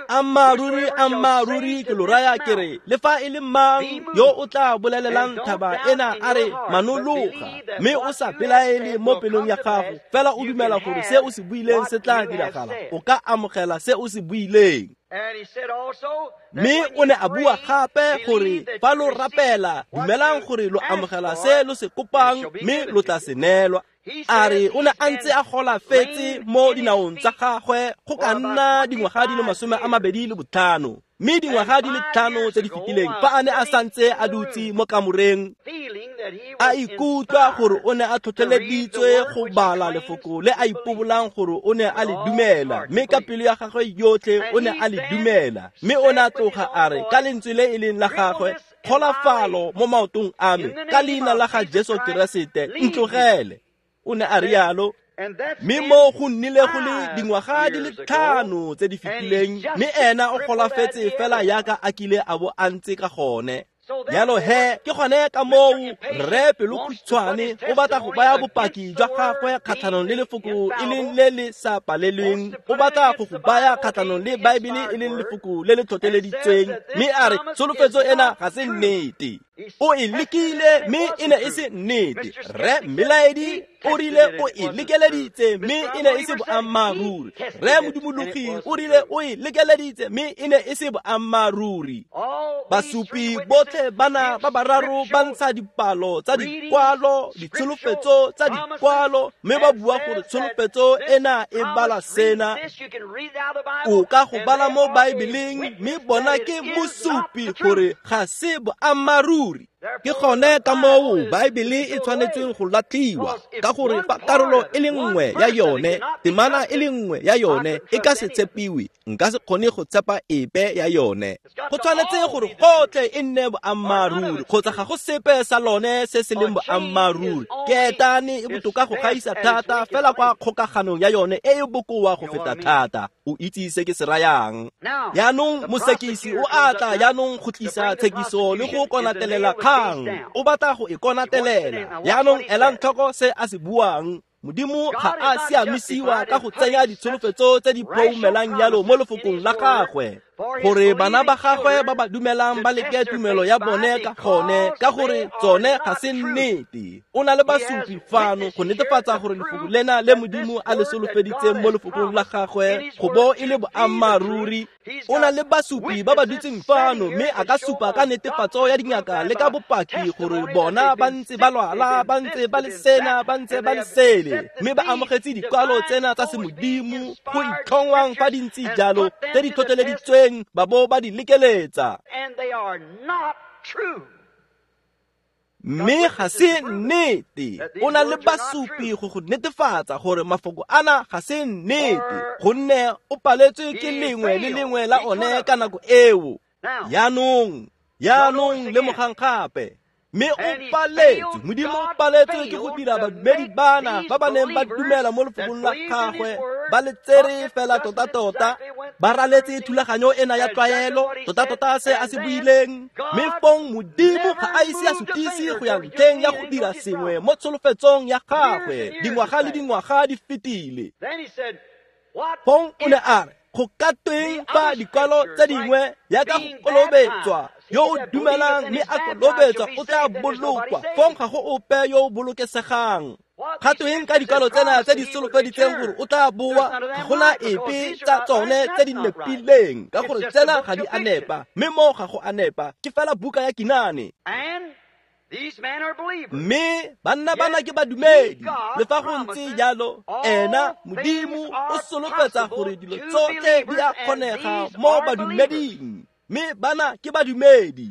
Ammaaruri, ammaaruri ke lo raya ke re, le fa e le mang yo o tla bolelelang thaba ena a re manologa, mme o sa belaele mo pelong ya gago, fela o dumela gore se o se buileng se tla diragala, o ka amogela se o se buileng. Mme o ne a bua gape gore fa lo rapela, dumelang gore lo amogela se lo se kopang, mme lo tla se neelwa. A re o ne a ntse a golafetse mo dinaong tsa gagwe go ka nna dingwaga di le 25, mme dingwaga di le 5 tse di fetileng fa a ne a santse a dutse mo kamoreng, a ikutlwa gore o ne a tlhotlheleditswe go bala lefoko le a ipobolang gore o ne a le dumela, mme ka pelo ya gagwe yotlhe o ne a le dumela. Mme o ne a tloga a re ka lentswe le e leng la gagwe, kgolafalo mo maotong a me, ka leina la ga Jesu Keresete, ntlogele. O ne a rialo. Mme mo go nnile go le dingwaga di le 5 tse di fetileng, mme ena o golafetse fela yaka a kile a bo a ntse ka gone. Jalo he, ke gone ka moo rre pelokhutshwane o batla go baya bopaki jwa gagwe kgatlhanong le lefoko e leng le le sa palelweng, o batla go go baya kgatlhanong le Baebele e leng lefoko le le tlhotlheleditsweng, mme a re tsholofetso ena ga se nnete. O e lekile mme e ne e se nnete. Rre Mmelaedi o rile o e lekeleditse mme e ne e se boammaaruri. Rre Modumologi o rile o e lekeleditse mme e ne e se boammaaruri. Basupi botlhe bana ba bararo ba ntsha dipalo tsa dikwalo, ditsholofetso tsa dikwalo, mme ba bua gore tsholofetso ena e bala sena. O ka go bala mo Baebeleng, mme bona ke mosupi gore ga se boammaaruri.
Ke gone ka moo Baebele e tshwanetseng go latlhiwa, ka gore fa karolo e le nngwe ya yone, temana e le nngwe ya yone e ka se tshepiwe, nka se kgone go tshepa epe ya yone.
Go tshwanetse gore gotlhe e nne boammaaruri, kgotsa ga go sepe sa lone se se leng boammaaruri. Keetane e botoka go gaisa thata fela kwa kgokaganong ya yone e e bokoa go feta thata. O itse se ke se rayang. Jaanong mosekisi o a tla jaanong go tlisa tshekiso le go konatelela kgang. O batla go e konatelela. Jaanong elang tlhoko se a se buang. Modimo ga a siamisiwa ka go tsenya ditsholofetso tse di phoumelang jalo mo lefokong la gagwe, gore bana ba gagwe ba ba dumelang ba leke tumelo ya bone ka gone, ka gore tsone ga se nnete. O na le basupi fano go netefatsa gore lefoko lena le Modimo a le solofeditseng mo lefokong la gagwe go bo e le boammaaruri. O na le basupi ba ba dutseng fano, mme a ka supa ka netefatso ya dingaka le ka bopaki gore bona ba ntse ba lwala, ba ntse ba le sena, ba ntse ba le sele, mme ba amogetse dikwalo tsena tsa semodimo go itlhongwang fa di ntse jalo tse di tlhotlheleditsweng, ba bo ba di lekeletsa. Mme ga se nnete. O na le basupi go go netefatsa gore mafoko ana ga se nnete, gonne o paletswe ke lengwe le lengwe la one ka nako eo. Jaanong lemogang gape. Mme o paletswe, Modimo o paletswe ke go dira badumedi bana ba ba neng ba dumela mo lefokong la gagwe, ba le tsere fela tota-tota, ba raletse thulaganyo ena ya tlwaelo, tota-tota se a se buileng. Mme fong Modimo ga a ise a sutise go ya ntlheng ya go dira sengwe mo tsholofetsong ya gagwe. Dingwaga le dingwaga di fetile. Fong o ne a re, go ka tweng fa dikwalo tse dingwe yaka go kolobetswa, yo o dumelang mme a kolobetswa o tla bolokwa, fong ga go ope yo o bolokesegang. Ga tweng ka dikwalo tsena tse di solofeditseng gore o tla boa, ga gona epe tsa tsone tse di nepileng, ka gore tsena ga di a nepa, mme mo ga go a nepa, ke fela buka ya kinane. Mme banna bana ke badumedi, le fa go ntse jalo, ena Modimo o solofetsa gore dilo tsotlhe di a kgonega mo badumeding, mme bana ke badumedi.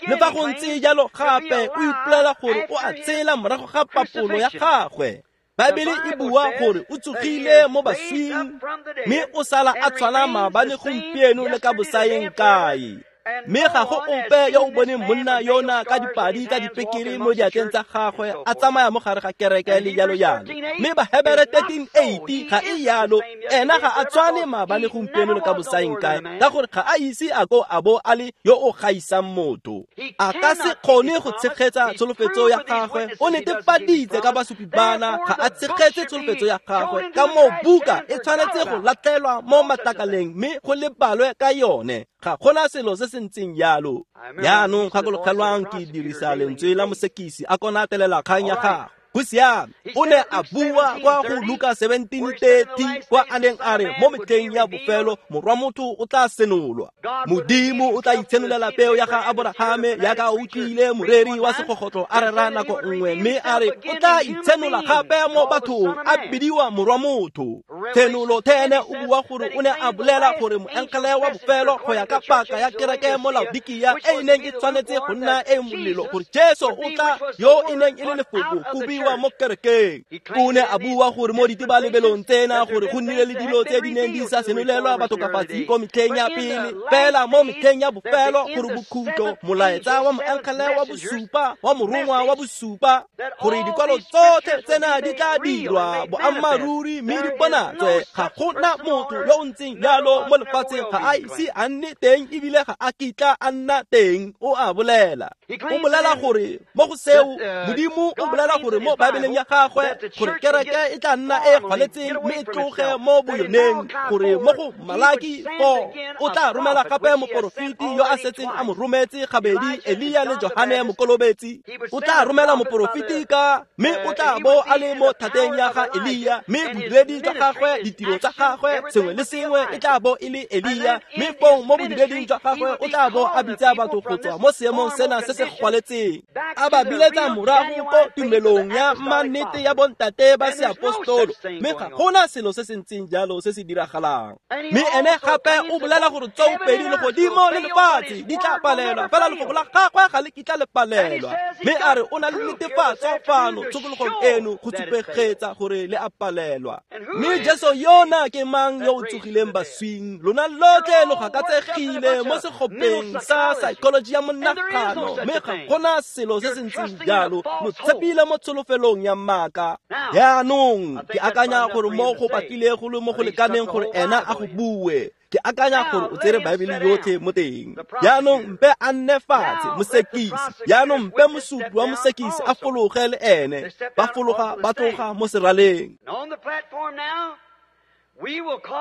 Le fa go ntse jalo gape o ipolela gore o a tshela morago ga papolo ya gagwe. Baebele e bua gore o tsogile mo baswing, mme o sala a tshwana maabane gompieno le ka bosaeng kae. Mme ga go ope yo o boneng monna yona ka dipadi tsa dipekere mo diatleng tsa gagwe a tsamaya mo gare ga kereke le jalo jalo. Mme Bahebere 13:8 ga e yalo, ena ga a tshwane maabane gompieno le ka bosaeng kae, ka gore ga a ise a ko a bo a le yo o gaisang motho. A ka se kgone go tshegetsa tsholofetso ya gagwe, o netefaditse ka basupi bana ga a tshegetse tsholofetso ya gagwe, ka moo buka e tshwanetse go latlhelwa mo matlakaleng mme go lebalwe ka yone. Ga gona selo se se ntseng jalo. Jaanong gakologelwang ke dirisa lentswe la mosekisi a konatelela kgang ya gagwe. Go siame, o ne a bua kwa go Luka 17:30 kwa a neng a re mo metlheng ya bofelo morwa motho o tla senolwa. Modimo o tla itshenolela peo ya ga Aborahame jaaka o utlwile moreri wa segogotlo a rera nako nngwe, mme a re o tla itshenola gape mo bathong a bidiwa morwa motho. Tshenolo 10 o bua gore o ne a bolela gore moengele wa bofelo go ya ka paka ya kereke mo Laodikia e e neng e tshwanetse go nna e molelo, gore Jesu o tla yo e neng e le lefoko go biwa mo kerekeng. O ne a bua gore mo ditebalebelong tsena gore go nnile le dilo tse di neng di sa senolelwa batokafatsi ko metlheng ya pele, fela mo metlheng ya bofelo gore bokhutlo molaetsa wa moengele wa bosupa wa morongwa wa bosupa, gore dikwalo tsotlhe tsena di tla dirwa boammaaruri mme di bonatswe. Ga gona motho yo o ntseng jalo mo lefatsheng, ga a ise a nne teng ebile ga a kitla a nna teng, o a bolela. O bolela gore mo go seo Modimo o bolela gore mo Baebeleng ya gagwe gore kereke e tla nna e gwaletseng mme e tloge mo boyoneng, gore mo go Malaki 4 o tla romela gape moporofeti yo a setseng a mo rometse gabedi, Elia le Johane Mokolobetsi. O tla romela moporofeti ka mme o tla bo a le mo thateng ya ga Elia, mme bodiredi jwa gagwe, ditiro tsa gagwe, sengwe le sengwe e tla bo e le Elia, mme fong mo bodireding jwa gagwe o tla bo a bitsa batho go tswa mo seemong sena se se gwaletseng, a ba biletsa morago ko tumelong ya mannete ya bontate ba seapostolo. Mme ga gona selo se se ntseng jalo se se diragalang. Mme ene gape o bolela gore tsoopedi legodimo le lefatshe di tla palelwa, fela lefoko la gagwe ga le kitla le palelwa. Mme a re o na le netefatso fano tshokologong eno go supegetsa gore le a palelwa. Mme Jesu yona ke mang yo o tsogileng baswing? Lona lotlhe lo gakatsegile mo segopeng sa psychology ya monagano, mme ga gona selo se se ntseng jalo. Lo tshepile mo tsholofelong ya maaka. Jaanong ke akanya gore mo go batlile go le mo go lekaneng gore ena a go bue. Ke akanya gore o tsere Baebele yotlhe mo teng. Jaanong mpe a nne fatshe mosekisi, jaanong mpe mosupi wa mosekisi a fologe le ene. Ba fologa ba tloga mo seraleng.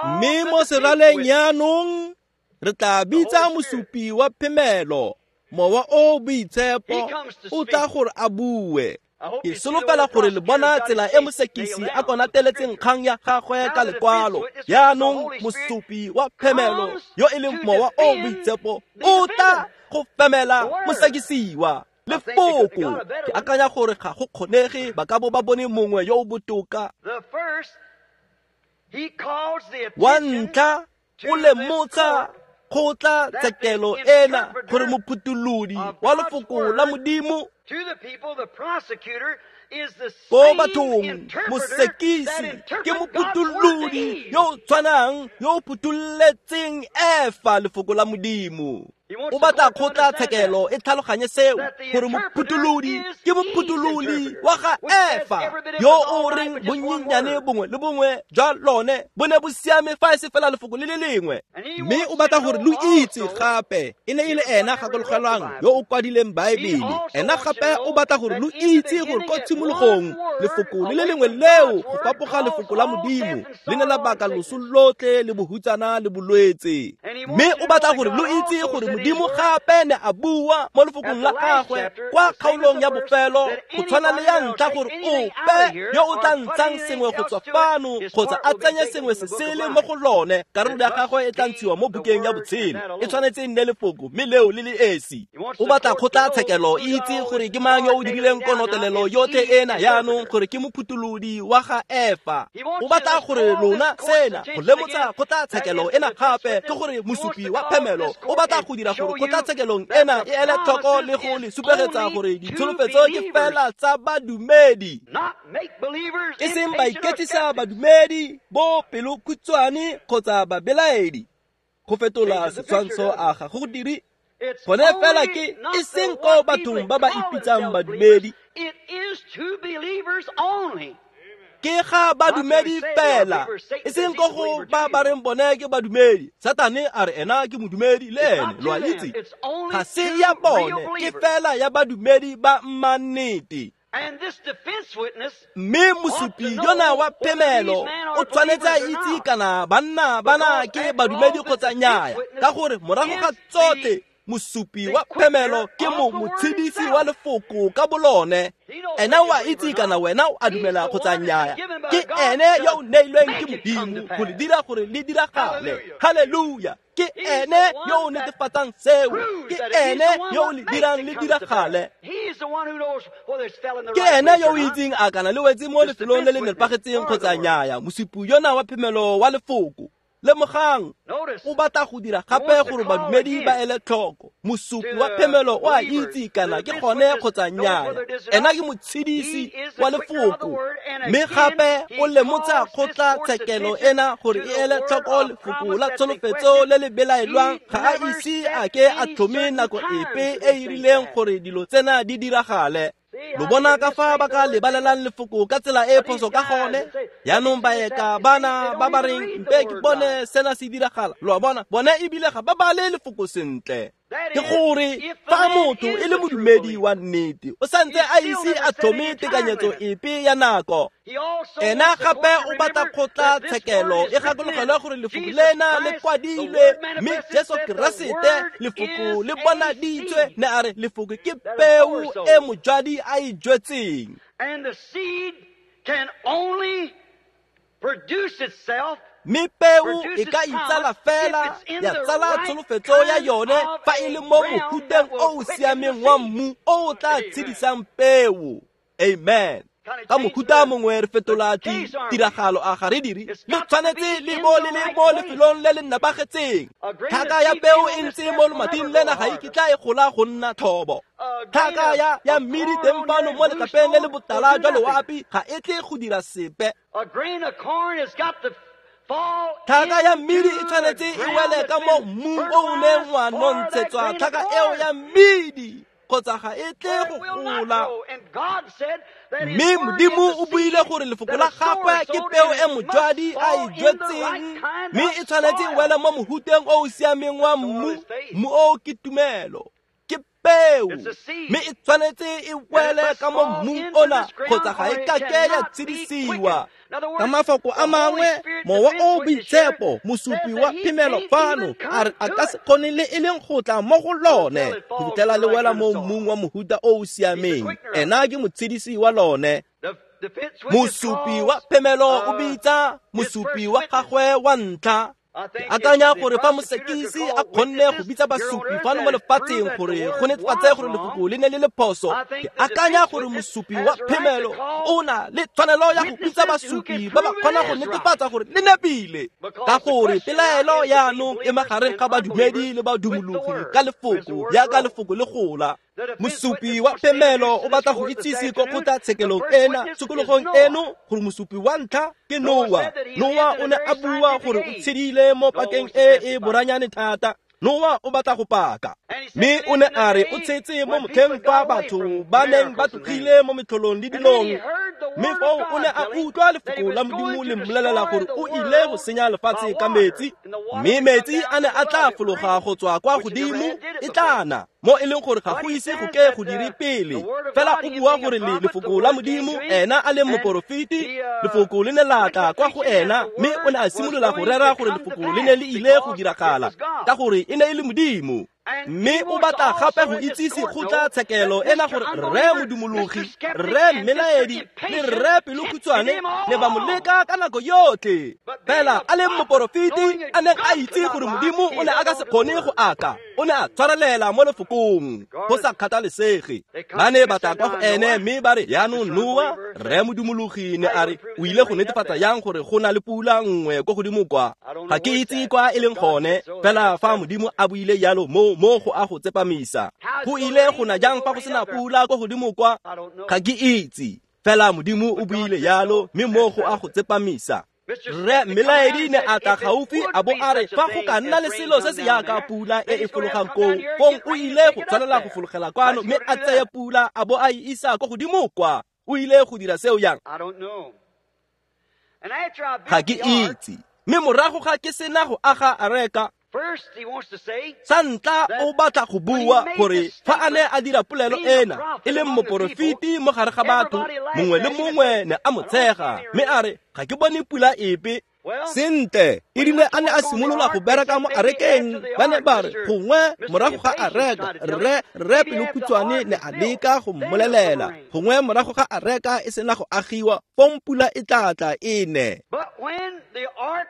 Mme mo seraleng jaanong re tla bitsa mosupi wa phemelo, Mowa o Boitshepo, o tla gore a bue. Ke solofela gore le bona tsela e mosekisi a konateletseng kgang ya gagwe ka lekwalo. Jaanong mosupi wa phemelo yo e leng Mowa o Boitshepo o tla go femela mosekisiwa lefoko. Ke akanya gore ga go kgonege ba ka bo ba bone mongwe yo o botoka. Wa ntlha o lemotsha kgotla tshekelo ena gore mophutholodi wa lefoko la Modimo ko bathong, mosekisi ke mophutholodi yo o tshwanang yo o phutholetseng Efa lefoko la Modimo. O batla kgotla tshekelo e tlhaloganye seo, gore mophutholodi ke mophutholodi wa ga Efa yo o reng bonnyenyane bongwe le bongwe jwa lone bo ne bo siame fa e se fela lefoko le le lengwe. Mme o batla gore lo itse gape e ne e le ena gakologelwang yo o kwadileng Baebele. Ena gape o batla gore lo itse gore ko tshimologong lefoko le le lengwe leo go fapoga lefoko la Modimo le ne la baka loso lotlhe le bohutsana le bolwetse. Mme o batla gore lo itse gore Modimo gape ne a bua mo lefokong la gagwe kwa kgaolong ya bofelo go tshwana le ya ntlha, gore ope yo o tla ntshang sengwe go tswa fano kgotsa a tsenye sengwe se sele mo go lone, karolo ya gagwe e tla ntshiwa mo bukeng ya botshelo. E tshwanetse e nne lefoko, mme leo le le esi. O batla kgotlatshekelo e itse gore ke mang yo o dirileng konotelelo yotlhe ena jaanong, gore ke mophutholodi wa ga Efa. O batla gore lona sena go lemotsa kgotlatshekelo ena gape ke gore mosupi wa phemelo o batla go dira gore kgotlatshekelong ena e ele tlhoko le go le supegetsa gore ditsholofetso ke fela tsa badumedi, e seng baiketsisa badumedi bo pelokhutshwane kgotsa babelaedi. Go fetola setshwantsho a ga go dire Gone fela ke e seng ko bathong ba ba ipitsang badumedi. Ke ga badumedi fela, e seng ko go ba ba reng bone ke badumedi. Satane a re ena ke modumedi le ene, lo a itse. Ga se ya bone, ke fela ya badumedi ba mmannete. Mme mosupi yona wa phemelo o tshwanetse a itse kana banna bana ke badumedi kgotsa nnyaya, ka gore morago ga tsotlhe mosupi wa phemelo ke motshedisi wa lefoko ka bolone. Ena o a itse kana wena o a dumela kgotsa nnyaya. Ke ene yo o neilweng ke Modimo go le dira gore le diragale. Haleluya! Ke ene yo o netefatsang seo. Ke ene yo o le dirang le diragale. Ke ene yo o itseng a kana le wetse mo lefelong le le nepagetseng kgotsa nnyaya. Mosupi yona wa phemelo wa lefoko. Lemogang, o batla go dira gape gore badumedi ba ele tlhoko. Mosupi wa phemelo o a itse kana ke gone kgotsa nnyaya. Ena ke motshedisi wa lefoko, mme gape o lemotsa kgotlatshekelo ena gore e ele tlhoko lefoko la tsholofetso le le belaelwang. Ga a ise a ke a tlhome nako epe e e rileng gore dilo tsena di diragale. Lo bona ka fa ba ka lebalelang lefoko ka tsela e phoso ka gone. Yaanong baeka bana ba ba reng mpe ke bone sena se diragala, lo a bona, bone ebile ga ba bale lefoko sentle. Ke gore fa motho e le modumedi wa nnete, o santse a ise a tlhome tekanyetso epe ya nako. Ena gape o batla kgotlatshekelo e gakologelwe gore lefoko lena le kwadilwe, mme Jesu Keresete lefoko le bonaditswe, ne a re lefoko ke peo e mojwadi a e jwetseng. Mme peo e ka itsala fela ya tsala tsholofetso ya yone fa e le mo mohuteng o o siameng wa mmu o o tla tshedisang peo. Amen. Ka mohuta mongwe re fetola tiragalo a ga re dire, le tshwanetse le bo le le mo lefelong le le nepagetseng. Tlhaka ya peo e ntse mo lomating lena ga e kitla e gola go nna thobo. Tlhaka ya mmidi teng fano mo letlapeng le le botala jwa loapi ga e tle go dira sepe. Tlhaka ya mmidi e tshwanetse e wele ka mo mmung o o neng wa nontshetswa tlhaka eo ya mmidi, kgotsa ga e tle go gola. Mme Modimo o buile gore lefoko la gagwe ke peo e mojwadi a e jwetseng, mme e tshwanetse e wele mo mohuteng o o siameng wa mmu. Mmu o ke tumelo, ke peo, mme e tshwanetse e wele ka mo mmung ona kgotsa ga e kake ya tshedisiwa. Ka mafoko a mangwe, Mowa o o Boitshepo, mosupi wa phemelo fano, a re a ka se kgone le e leng go tla mo go lone go fitlhela le wela mo mmung wa mohuta o o siameng. Ena ke motshedisi wa lone. Mosupi wa phemelo o bitsa mosupi wa gagwe wa ntlha. Ke akanya gore fa mosekisi a kgonne go bitsa basupi fano mo lefatsheng gore go netefatse gore lefoko le ne le le phoso, ke akanya gore mosupi wa phemelo o na le tshwanelo ya go bitsa basupi ba ba kgona go netefatsa gore le nepile, ka gore pelaelo yaanong e magareng ga badumedi le badumologi ka lefoko jaaka lefoko le gola. Mosupi wa phemelo o batla go itsise ko kgotlatshekelong ena tshokologong eno gore mosupi wa ntlha ke Noa. Noa o ne a bua gore o tshedile mo pakeng e e boranyane thata. Noa o batla go paka, mme o ne a re o tshetse mo motlheng fa batho ba neng ba tlogile mo metlholong le dilong. Mme foo o ne a utlwa lefoko la Modimo le mmolelela gore o ile go senya lefatshe ka metsi, mme metsi a ne a tla fologa go tswa kwa godimo e tla na, mo e leng gore ga go ise go ke go dire pele. Fela o bua gore lefoko la Modimo, ena a leng moporofeti, lefoko le ne la tla kwa go ena, mme o ne a simolola go rera gore lefoko le ne le ile go diragala, ka gore e ne e le Modimo. Mme o batla gape go itsise kgotlatshekelo ena gore rre modumologi, rre mmelaedi le rre pelokhutshwane ne ba mo leka ka nako yotlhe. Fela a leng moporofeti a neng a itse gore Modimo o ne a ka se kgone go aka, o ne a tshwarelela mo lefokong go sa kgathalesege. Ba ne ba tla kwa go ene mme ba re, yaanong Noa, rre modumologi ne a re o ile go netefatsa yang gore go na le pula nngwe ko godimo kwa? Ga ke itse kwa e leng gone, fela fa Modimo a buile jalo mo go a go tsepamisa. Go ile go na jang fa go sena pula ko godimo kwa? Ga ke itse, fela Modimo o buile jalo, mme mo go a go tsepamisa. Rre Mmelaedi ne a tla gaufi a bo a re fa go ka nna le selo se se yaka pula e e fologang koo, fong o ile go tshwanela go fologela kwano mme a tseye pula a bo a e isa ko godimo kwa. O ile go dira seo yang? Ga ke itse. Mme morago ga ke sena go aga areka, sa ntla o batla go bua gore fa a ne a dira polelo ena e leng moporofeti mo gare ga batho, mongwe le mongwe ne a mo tshega mme a re ga ke bone pula epe.
Sentle, e rile a ne a simolola go bereka mo arekeng, ba ne ba re gongwe morago ga areka, rre Pelokhutshwane ne a leka go mmolelela, gongwe morago ga areka e sena go agiwa, fong pula e tla tla e ne.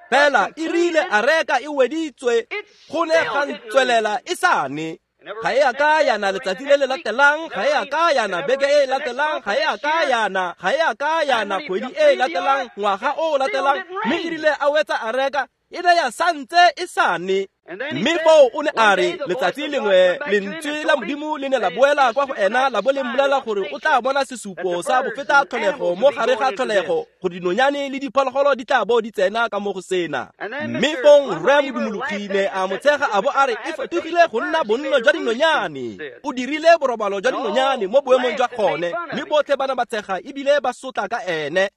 Fela e rile areka e weditswe, go ne ga ntswelela e sa ne. Ga e a ka yana letsatsi le le latelang, ga e a ka yana beke e e latelang, ga e a ka yana, ga e a ka yana kgwedi e e latelang, ngwaga o o latelang, mme e rile a wetsa areka, e ne ya santse e sa ne. Mme foo o ne a re letsatsi lengwe lentswe la Modimo le ne la boela kwa go ena la bo le mmolela gore o tla bona sesupo sa bofeta tlholego mo gare ga tlholego, gore dinonyane le diphologolo di tla bo di tsena ka mo go sena. Mme fong rre Modumologi ne a mo tshega a bo a re e fetogile go nna bonno jwa dinonyane, o dirile borobalo jwa dinonyane mo boemong jwa gone, mme botlhe ba ne ba tshega ebile ba sotla ka ene.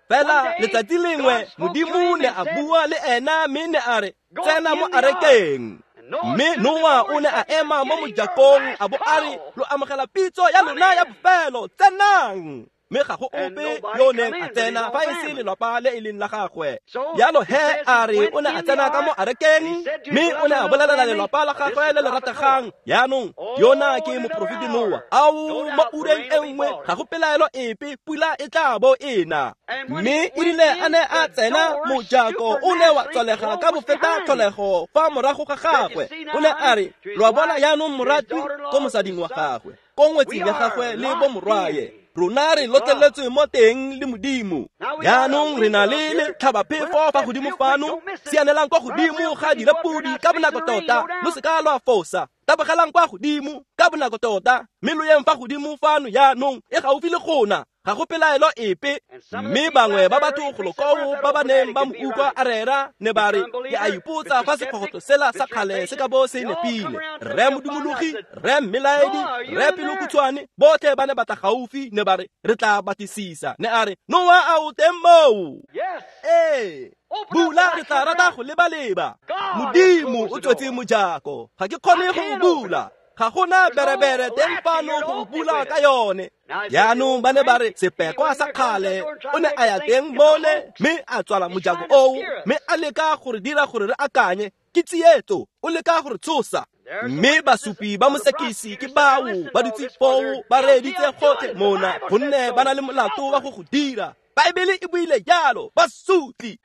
Fela letsatsi lengwe Modimo ne a bua le ena mme ne a re tsena mo arekeng. Mme Noa o ne a ema mo mojakong a bo a re lo amogela pitso ya lona ya bofelo, tsenang. Mme ga go ope yo neng a tsena fa e se lelapa le e leng la gagwe. Jalo he a re o ne a tsena ka mo arekeng mme o ne a bolelela lelapa la gagwe le le rategang, jaanong yona ke moporofeti Noa, ao mo ureng e nngwe ga go pelaelo epe pula e tla bo e na. Mme e rile a ne a tsena, mojako o ne wa tswalega ka bofeta tlholego fa morago ga gagwe. O ne a re lo a bona jaanong moratwi ko mosading wa gagwe, ko ngwetsing ya gagwe le bo morwaye, rona re lotleletswe mo teng le Modimo. Jaanong re na le letlhabaphefo fa godimo fano, sianelang kwa godimo ga direpodi ka bonako tota, lo se ka lwa fosa. Tabogelang kwa godimo ka bonako tota, mme lo yeng fa godimo fano jaanong e gaufi le gona, ga go pelaelo epe. Mme bangwe ba batho golo koo ba ba neng ba mo utlwa a rera ne ba re ke a ipotsa fa sekgogotlo sela sa kgale se ka bo se nepile. Rre Modumologi, rre Mmelaedi, rre Pelokhutshwane, botlhe ba ne ba tla gaufi ne ba re re tla batlisisa. Ne a re Noa a o teng moo? Ee, bula re tla rata go leba-leba. Modimo o tswetse mojako, ga ke kgone go o bula, ga gona berebere teng fano go bula ka yone. Jaanong ba ne ba re sepekwa sa kgale o ne a ya teng mole mme a tswala mojako oo, mme a leka gore dira gore re akanye ke tsietso, o leka gore tshosa. Mme basupi ba mosekisi ke bao ba dutse foo ba reeditse gotlhe mona, gonne ba na le molato wa go go dira. Baebele e buile jalo, ba sotli.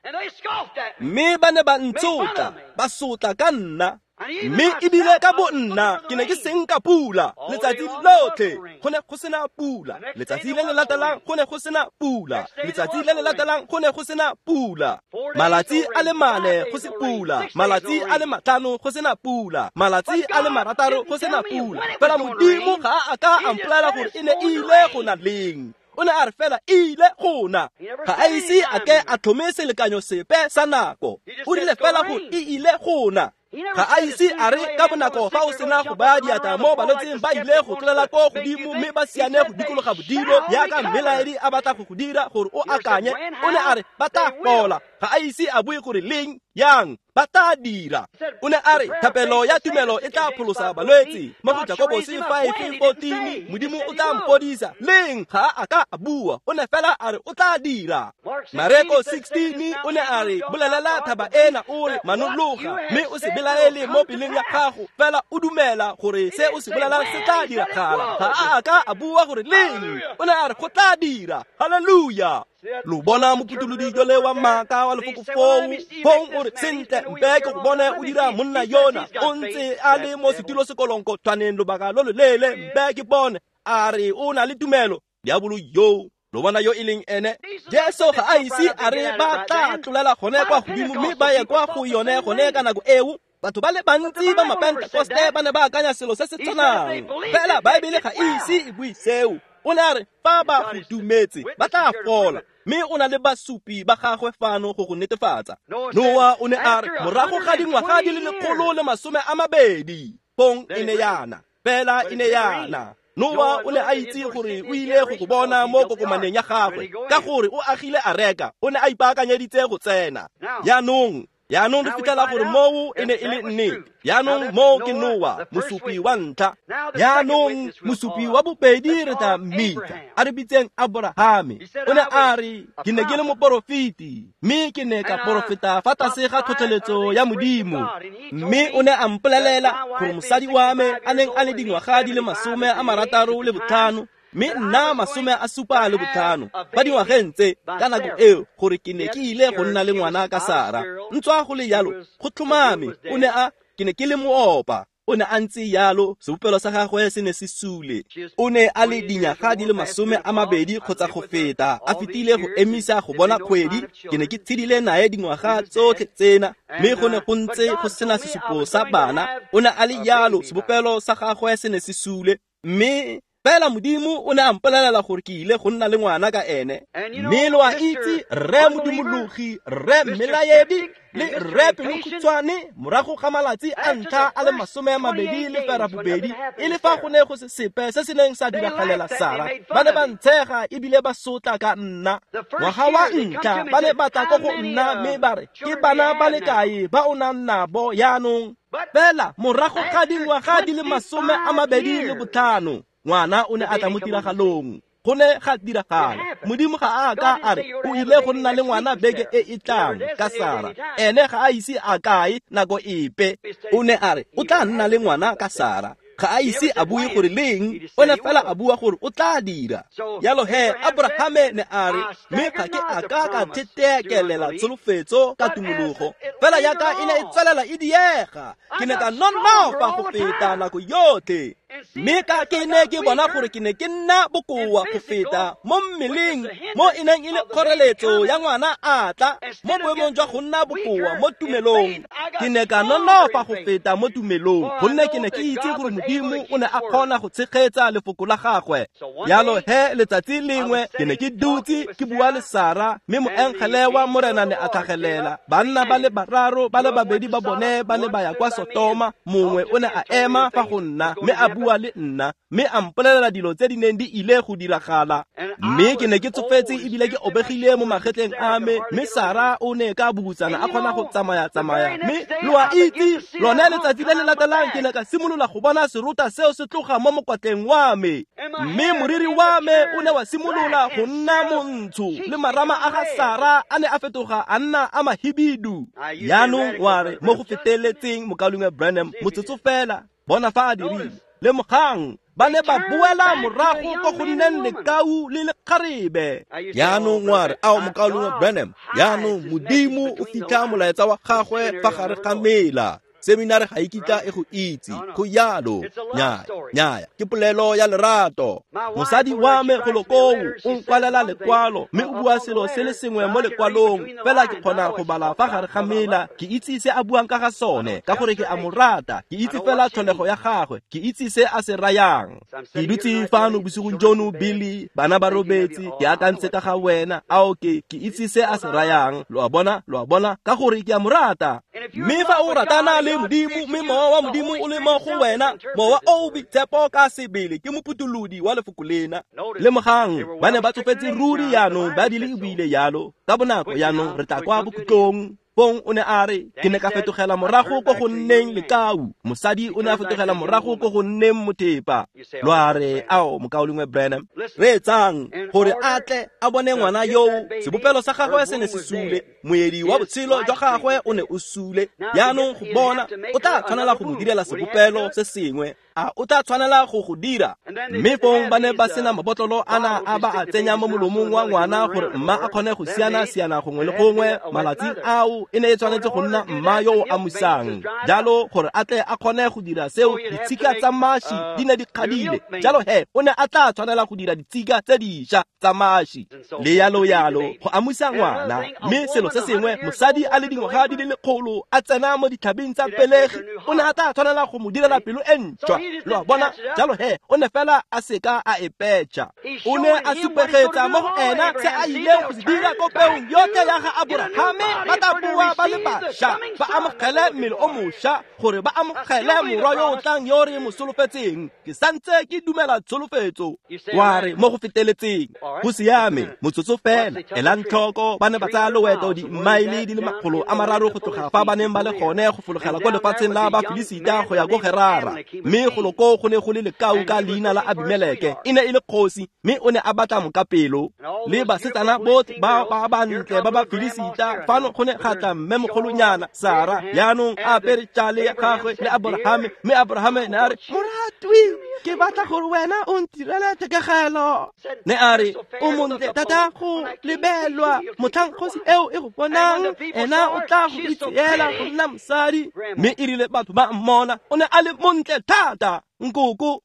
Mme ba ne ba ntshotla, ba sotla ka nna. Mme ebile ka bo nna ke ne ke senka pula letsatsi lotlhe, go ne go sena pula. Letsatsi le le latelang go ne go sena pula, letsatsi le le latelang go ne go sena pula. Malatsi a le 4 go se pula, malatsi a le 5 go sena pula, malatsi a le 6 go sena pula. Fela Modimo ga a ka a mpolelela gore e ne e ile go na leng. O ne a re fela e ile go na. Ga a ise a ke a tlhome selekanyo sepe sa nako, o rile fela gore e ile go na. Ga a ise a re ka bonako fa o sena go baya diatla mo balwetseng ba ile go tlolela ko godimo mme ba siane go dikologa bodilo yaka Mmelaedi a batla go go dira gore o akanye. O ne a re ba tla fola, ga a ise a bue gore leng yang ba tla dira. O ne a re thapelo ya tumelo e tla pholosa balwetse mo go Jakobose 5:14, Modimo o tla mpodisa leng. Ga a ka a bua, o ne fela a re o tla dira. Mareko 16 o ne a re bolelela thaba ena o re manologa, mme o se belaele mo peleng ya gago, fela o dumela gore se o se bolelang se tla diragala. Ga a ka a bua gore leng, o ne a re go tla dira. Haleluya. Lo bona moputulodi jole wa maaka wa lefoko foo, fong o re sentle mpe ke go bone o dira monna yona, o ntse a le mo setulo sekolonko tshwaneng lobaka lo loleele, mpe ke bone a re o na le tumelo. Diabolo yo lo bona yo e leng ene. Jesu ga a ise a re ba tla tlolela gone kwa godimo mme ba ye kwa go yone gone ka nako eo. Batho ba le bantsi ba Mapentekoste ba ne ba akanya selo se se tshwanang, fela Baebele ga e ise e bue seo. O ne a re fa ba go dumetse ba tla fola. Mme o na le basupi ba gagwe fano go go netefatsa. Noa o ne a re morago ga dingwaga di le 120 pong e ne yana, fela e ne yana. Noa o ne a itse gore o ile go go bona mo kokomaneng ya gagwe, ka gore o agile areka, o ne a ipaakanyeditse go tsena. Jaanong re fitlhela gore moo e ne e le nnete. Jaanong moo ke Noa, mosupi wa ntlha. Jaanong mosupi wa bobedi re tla mmitsa, a re bitseng Aborahame. O ne a re, ke ne ke le moporofeti, mme ke ne ka porofeta fa tlase ga tlhotlheletso ya Modimo. Mme o ne a mpolelela gore mosadi wa me a neng a le dingwaga di le 65, mme nna 75 ba dingwageng tse ka nako eo, gore ke ne ke ile go nna le ngwana ka Sara. Ntswa go le yalo, go tlhomame o ne a, ke ne ke le moopa. O ne a ntse yalo, sebopelo sa gagwe se ne se sule. O ne a le dinyaga di le 20 kgotsa go feta, a fetile go emisa go bona kgwedi. Ke ne ke tshedile nae dingwaga tsotlhe tsena, mme go ne go ntse go sena sesupo sa bana. O ne a le yalo, sebopelo sa gagwe se ne se sule, mme fela Modimo o ne a mpolelela gore ke ile go nna le ngwana ka ene. Mme lo a itse, rre Modimologi, rre Mmelaedi le rre Pelokhutshwane, morago ga malatsi a ntlha a le 28, e le fa go ne go se sepe se se neng sa diragalela Sara, ba ne ba ntshega ebile ba sotla ka nna. Ngwaga wa ntlha ba ne ba tla ko go nna mme ba re, ke bana ba le kae ba o nang nabo jaanong? Fela morago ga dingwaga di le 25, ngwana o ne a tla mo tiragalong. Go ne ga diragala. Modimo ga a ka a re o ile go nna le ngwana beke e e tlang ka Sara. Ene ga a ise a kae nako epe. O ne a re o tla nna le ngwana ka Sara. Ga a ise a bue gore leng, o ne fela a bua gore o tla dira. Jalo he Abrahame ne a re, mme ga ke a ka ka thetekelela tsholofetso ka tumologo, fela yaka e ne e tswelela e diega, ke ne ka nonofa go feta nako yotlhe. Mme ka ke ne ke bona gore ke ne ke nna bokoa go feta mo mmeleng, mo e neng e le kgoreletso ya ngwana a tla, mo boemong jwa go nna bokoa mo tumelong, ke ne ka nonofa go feta mo tumelong, gonne ke ne ke itse gore Modimo o ne a kgona go tshegetsa lefoko la gagwe. Jalo he letsatsi lengwe ke ne ke dutse ke bua le Sara, mme moengele wa Morena ne a tlhagelela. Banna ba le bararo, ba le babedi ba bone ba ne ba ya kwa Sotoma, mongwe o ne a ema fa go nna mme a bua le nna, mme a mpolelela dilo tse di neng di ile go diragala. Mme ke ne ke tsofetse ebile ke obegile mo magetleng a me, mme Sara o ne ka bubutsana a kgona go tsamaya-tsamaya. Mme lo a itse, lone letsatsi le le latelang ke ne ka simolola go bona serota seo se tloga mo mokwatleng wa me, mme moriri wa me o ne wa simolola go nna montsho, le marama a ga Sara a ne a fetoga a nna a mahibidu. Jaanong wa re mo go feteletseng, mokaulengwe Branham, motsotso fela, bona fa a dirile. Lemogang, ba ne ba boela morago ko go nneng lekau le lekgarebe.
Jaanong wa re, ao mokaulengwe Branham, jaanong Modimo o fitlha molaetsa wa gagwe fa gare ga mela. Seminare ga e kitla e go itse, go yalo. Nnyaya, ke polelo ya lerato.
Mosadi wa me golo koo o nkwalela lekwalo, mme o bua selo se le sengwe mo lekwalong, fela ke kgona go bala fa gare ga mela. Ke itse se a buang ka ga sone, ka gore ke a mo rata. Ke itse fela tlholego ya gagwe, ke itse se a se rayang. Ke dutse fano bosigong jono, Billy, bana ba robetse, ke akantse ka ga wena. Ao ke itse se a se rayang. Lo a bona, ka gore ke a mo rata. Mme fa o ratana le Modimo, mme mowa wa Modimo o le mo go wena, mowa o o boitshepo ka sebele ke moputulodi wa lefoko lena. Lemogang, ba ne ba tsofetse ruri jaanong, ba di le ebile yalo. Ka bonako jaanong re tla kwa bokhutlong. Fong o ne a re, ke ne ka fetogela morago ko go nneng lekau. Mosadi o ne a fetogela morago ko go nneng mothepa. Lo a re, ao mokaulengwe Branham, reetsang, gore a tle a bone ngwana yoo, sebopelo sa gagwe se ne se sule, moedi wa botshelo jwa gagwe o ne o sule. Jaanong go bona, o tla tshwanela go mo direla sebopelo se sengwe. A o tla tshwanela go go dira? Mme fong ba ne ba sena mabotlolo ana a ba a tsenya mo molomong wa ngwana gore mma a kgone go siana-siana gongwe le gongwe. Malatsing ao eo e ne e tshwanetse go nna mma yo o amusang. Jalo gore a tle a kgone go dira seo, ditshika tsa mashi di ne di kgadile. Jalo he o ne a tla tshwanela go dira ditshika tse dišwa tsa mashi le yalo yalo go amusa ngwana. Mme selo se sengwe, mosadi a le dingwaga di le 100 a tsena mo ditlhabing tsa pelegi, o ne a tla tshwanela go mo direla pelo e ntšhwa. Lo a bona? Jalo he o ne fela a seka a e petšha. O ne a supegetsa mo go ena se a ileng go se dira ko peong yotlhe ya ga Aborahame. Ba tla boa ba le bašwa, ba amogele mmele o mošwa, gore ba amogele morwa yo o tlang yo re mo solofetseng. Ke santse ke dumela tsholofetso. Wa re mo go feteletseng. Go siame, motsotso fela. Elang tlhoko, ba ne ba tsaya loeto dimmaele di le 300 go tloga fa ba neng ba le gone go fologela kwa lefatsheng la Bafilisita go ya ko Gerara. Mme golo koo go ne go le lekau ka leina la Abimeleke. E ne e le kgosi, mme o ne a batla mokapelo. Le basetsana botlhe ba ba bantle ba Bafilisita, fano go ne ga tla mmemogolonyana Sara, jaanong a apere tšale ya gagwe le Aborahame. Mme Aborahame ne a re, moratwi, ke batla gore wena o ntirele thekegelo. Ne a re, o montle thata go lebelwa, motlhang kgosi eo e go bonang, ena o tla go itseela go nna mosadi. Mme e rile batho ba mmona, o ne a le montle thata. Nkoko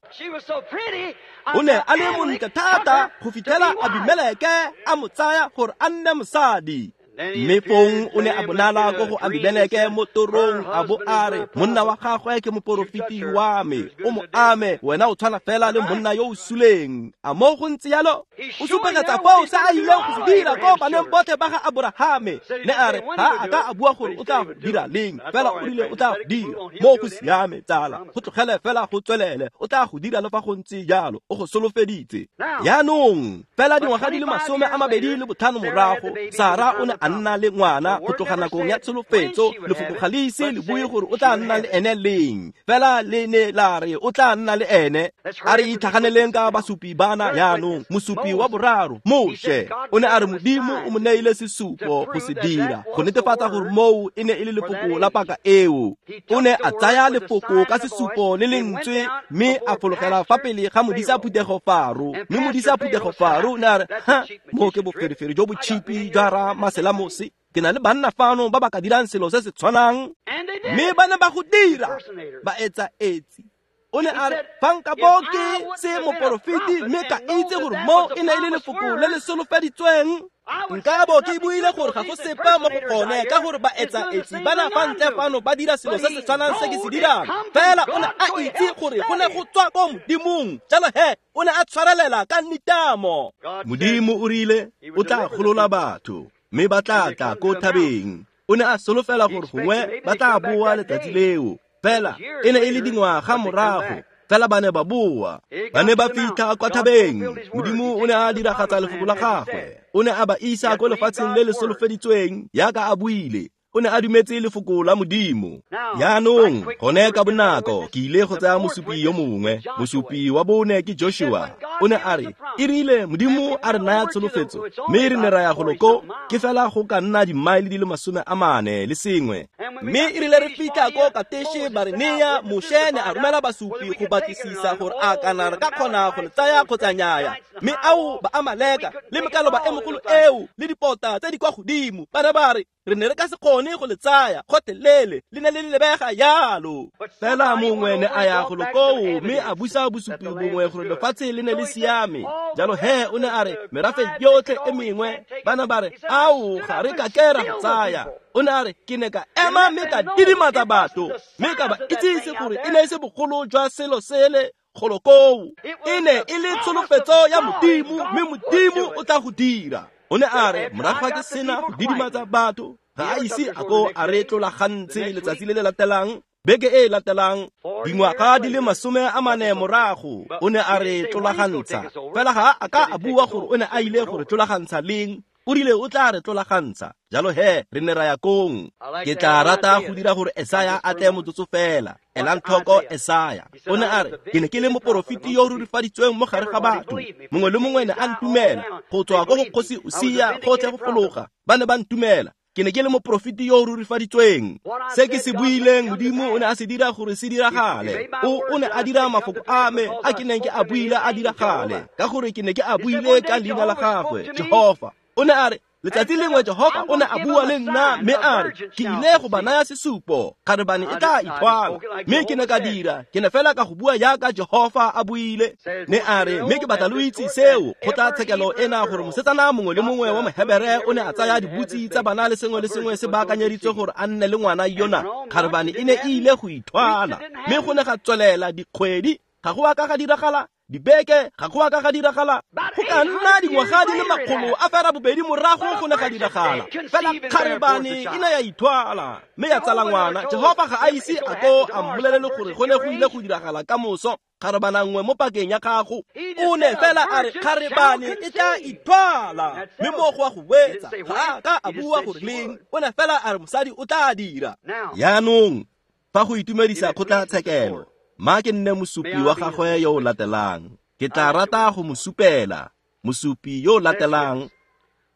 o ne a le montle thata go fitlhela Abimeleke a mo tsaya gore a nne mosadi. Mme fong o ne a bonala ko go Abimeleke mo torong, a bo a re, monna wa gagwe ke moporofeti wa me, o mo ame, wena o tshwana fela le monna yo o suleng. A mo go ntse yalo? O supegetsa foo se a ileng go se dira ko baneng botlhe ba ga Aborahame. Ne a re ga a ka a bua gore o tla go dira leng, fela o rile o tla go dira. Mo go siame, tsala, go tlogele fela go tswelele, o tla go dira le fa go ntse jalo, o go solofeditse. Jaanong fela dingwaga di le 25 morago, Sara o ne a nna le ngwana go tloga nakong ya tsholofetso. Lefoko ga le ise le bue gore o tla nna le ene leng, fela le ne la re o tla nna le ene. A re itlhaganeleng ka basupi bana jaanong. Mosupi wa boraro, Moshe, o ne a re Modimo o mo neile sesupo go se dira, go netefatsa gore moo e ne e le lefoko la paka eo. O ne a tsaya lefoko ka sesupo le lentswe, mme a fologela fa pele ga modisa phuthego Faro. Mme modisa phuthego Faro o ne a re, ha, mo ke boferefere jo bo tšhipi jwa ra maselamose. Ke na le banna fano ba ba ka dirang selo se se tshwanang. Mme ba ne ba go dira, ba etsa etsi. O ne a re, fa nka bo ke se moporofeti mme ka itse gore mo e ne e le lefoko le le solofeditsweng, nka bo ke buile gore ga go sepe mo go gone, ka gore ba etsa etsi bana fa ntle fano ba dira selo se se tshwanang se ke se dirang. Fela o ne a itse gore go ne go tswa ko Modimong, jalo he o ne a tshwarelela ka nitamo. Modimo o rile o tla golola batho, mme ba tla tla ko thabeng. O ne a solofela gore gongwe ba tla boa letsatsi leo, fela e ne e le dingwaga morago, fela ba ne ba boa. Ba ne ba fitlha kwa thabeng. Modimo o ne a diragatsa lefoko la gagwe. O ne a ba isa ko lefatsheng le le solofeditsweng yaka a buile. O ne a dumetse lefoko la Modimo. Jaanong gone ka bonako ke ile go tsaya mosupi yo mongwe. Mosupi wa bone ke Joshua. O ne a re, e rile Modimo a re naya tsholofetso, mme re ne ra ya golo ko, ke fela go ka nna dimmaele di le 41. Mme e rile re fitlha ko Kateshe Barenea, Moshe ne a romela basupi go batlisisa gore a kana re ka kgona go le tsaya kgotsa nnyaya. Mme ao ba Amaleka le mekaloba e mogolo eo le dipota tse di kwa godimo, ba ne ba re, re ne re ka se kgone go le tsaya gotlhelele, le ne le lebega yalo. Fela mongwe ne a ya golo koo mme a busa bosupi bongwe gore lefatshe le ne le siame. Jalo he o ne a re merafe yotlhe e mengwe, bana ba re, ao ga re ka ke ra go tsaya. O ne a re, ke ne ka ema mme ka didimatsa batho, mme ka ba itsise gore e ne e se bogolo jwa selo sele golo koo. E ne e le tsholofetso ya Modimo, mme Modimo o tla go dira. O ne a re, morago ga ke sena go didimatsa batho, ga a ise a ko a re tlolagantse letsatsi le le latelang, beke e latelang, dingwaga di le 40 morago, o ne a re tlolagantsha. Fela ga a ka a bua gore o ne a ile gore tlolagantsha leng, o rile o tla re tlolagantsha. Jalo he re ne ra ya kong. Ke tla rata go dira gore Esaya a tle motsotso fela. Elang tlhoko Esaya. O ne a re, ke ne ke le moporofeti yo o rurifaditsweng mo gare ga batho. Mongwe le mongwe ne a ntumela, go tswa ko go kgosi Usia gotlhe go fologa, ba ne ba ntumela. Ke ne ke le moporofeti yo o rurifaditsweng. Se ke se buileng, Modimo o ne a se dira gore se diragale. O ne a dira mafoko a me a ke neng ke a buile a diragale, ka gore ke ne ke a buile ka leina la gagwe, Jehofa. O ne a re, Letsatsi lengwe Jehofa o ne a bua le nna mme a re, ke ile go ba naya sesupo, kgarebane e tla ithwala. Mme ke ne ka dira, ke ne fela ka go bua jaaka Jehofa a buile. Ne a re, mme ke batla lo itse seo, kgotlatshekelo ena gore mosetsana mongwe le mongwe wa Mohebere o ne a tsaya dibutsi tsa bana le sengwe le sengwe se baakanyeditswe gore a nne le ngwana yona. Kgarebane e ne e ile go ithwala. Mme go ne ga tswelela dikgwedi, ga go a ka ga diragala, dibeke, ga go a ka ga diragala. Go ka nna dingwaga di le 820 morago go ne ga diragala. Fela kgarebane e ne ya ithwala mme ya tsala ngwana. Jehofa ga a ise a ko a mmolelele gore go ne go ile go diragala ka moso. Kgarebana nngwe mo pakeng ya gago. O ne fela a re kgarebane e tla ithwala, mme mo go a go wetsa ga a ka a bua gore leng. O ne fela a re mosadi o tla dira. Yaanong fa go itumedisa kgotlatshekelo, ma ke nne mosupi wa gagwe yo o latelang. Ke tla rata go mo supela, mosupi yo o latelang.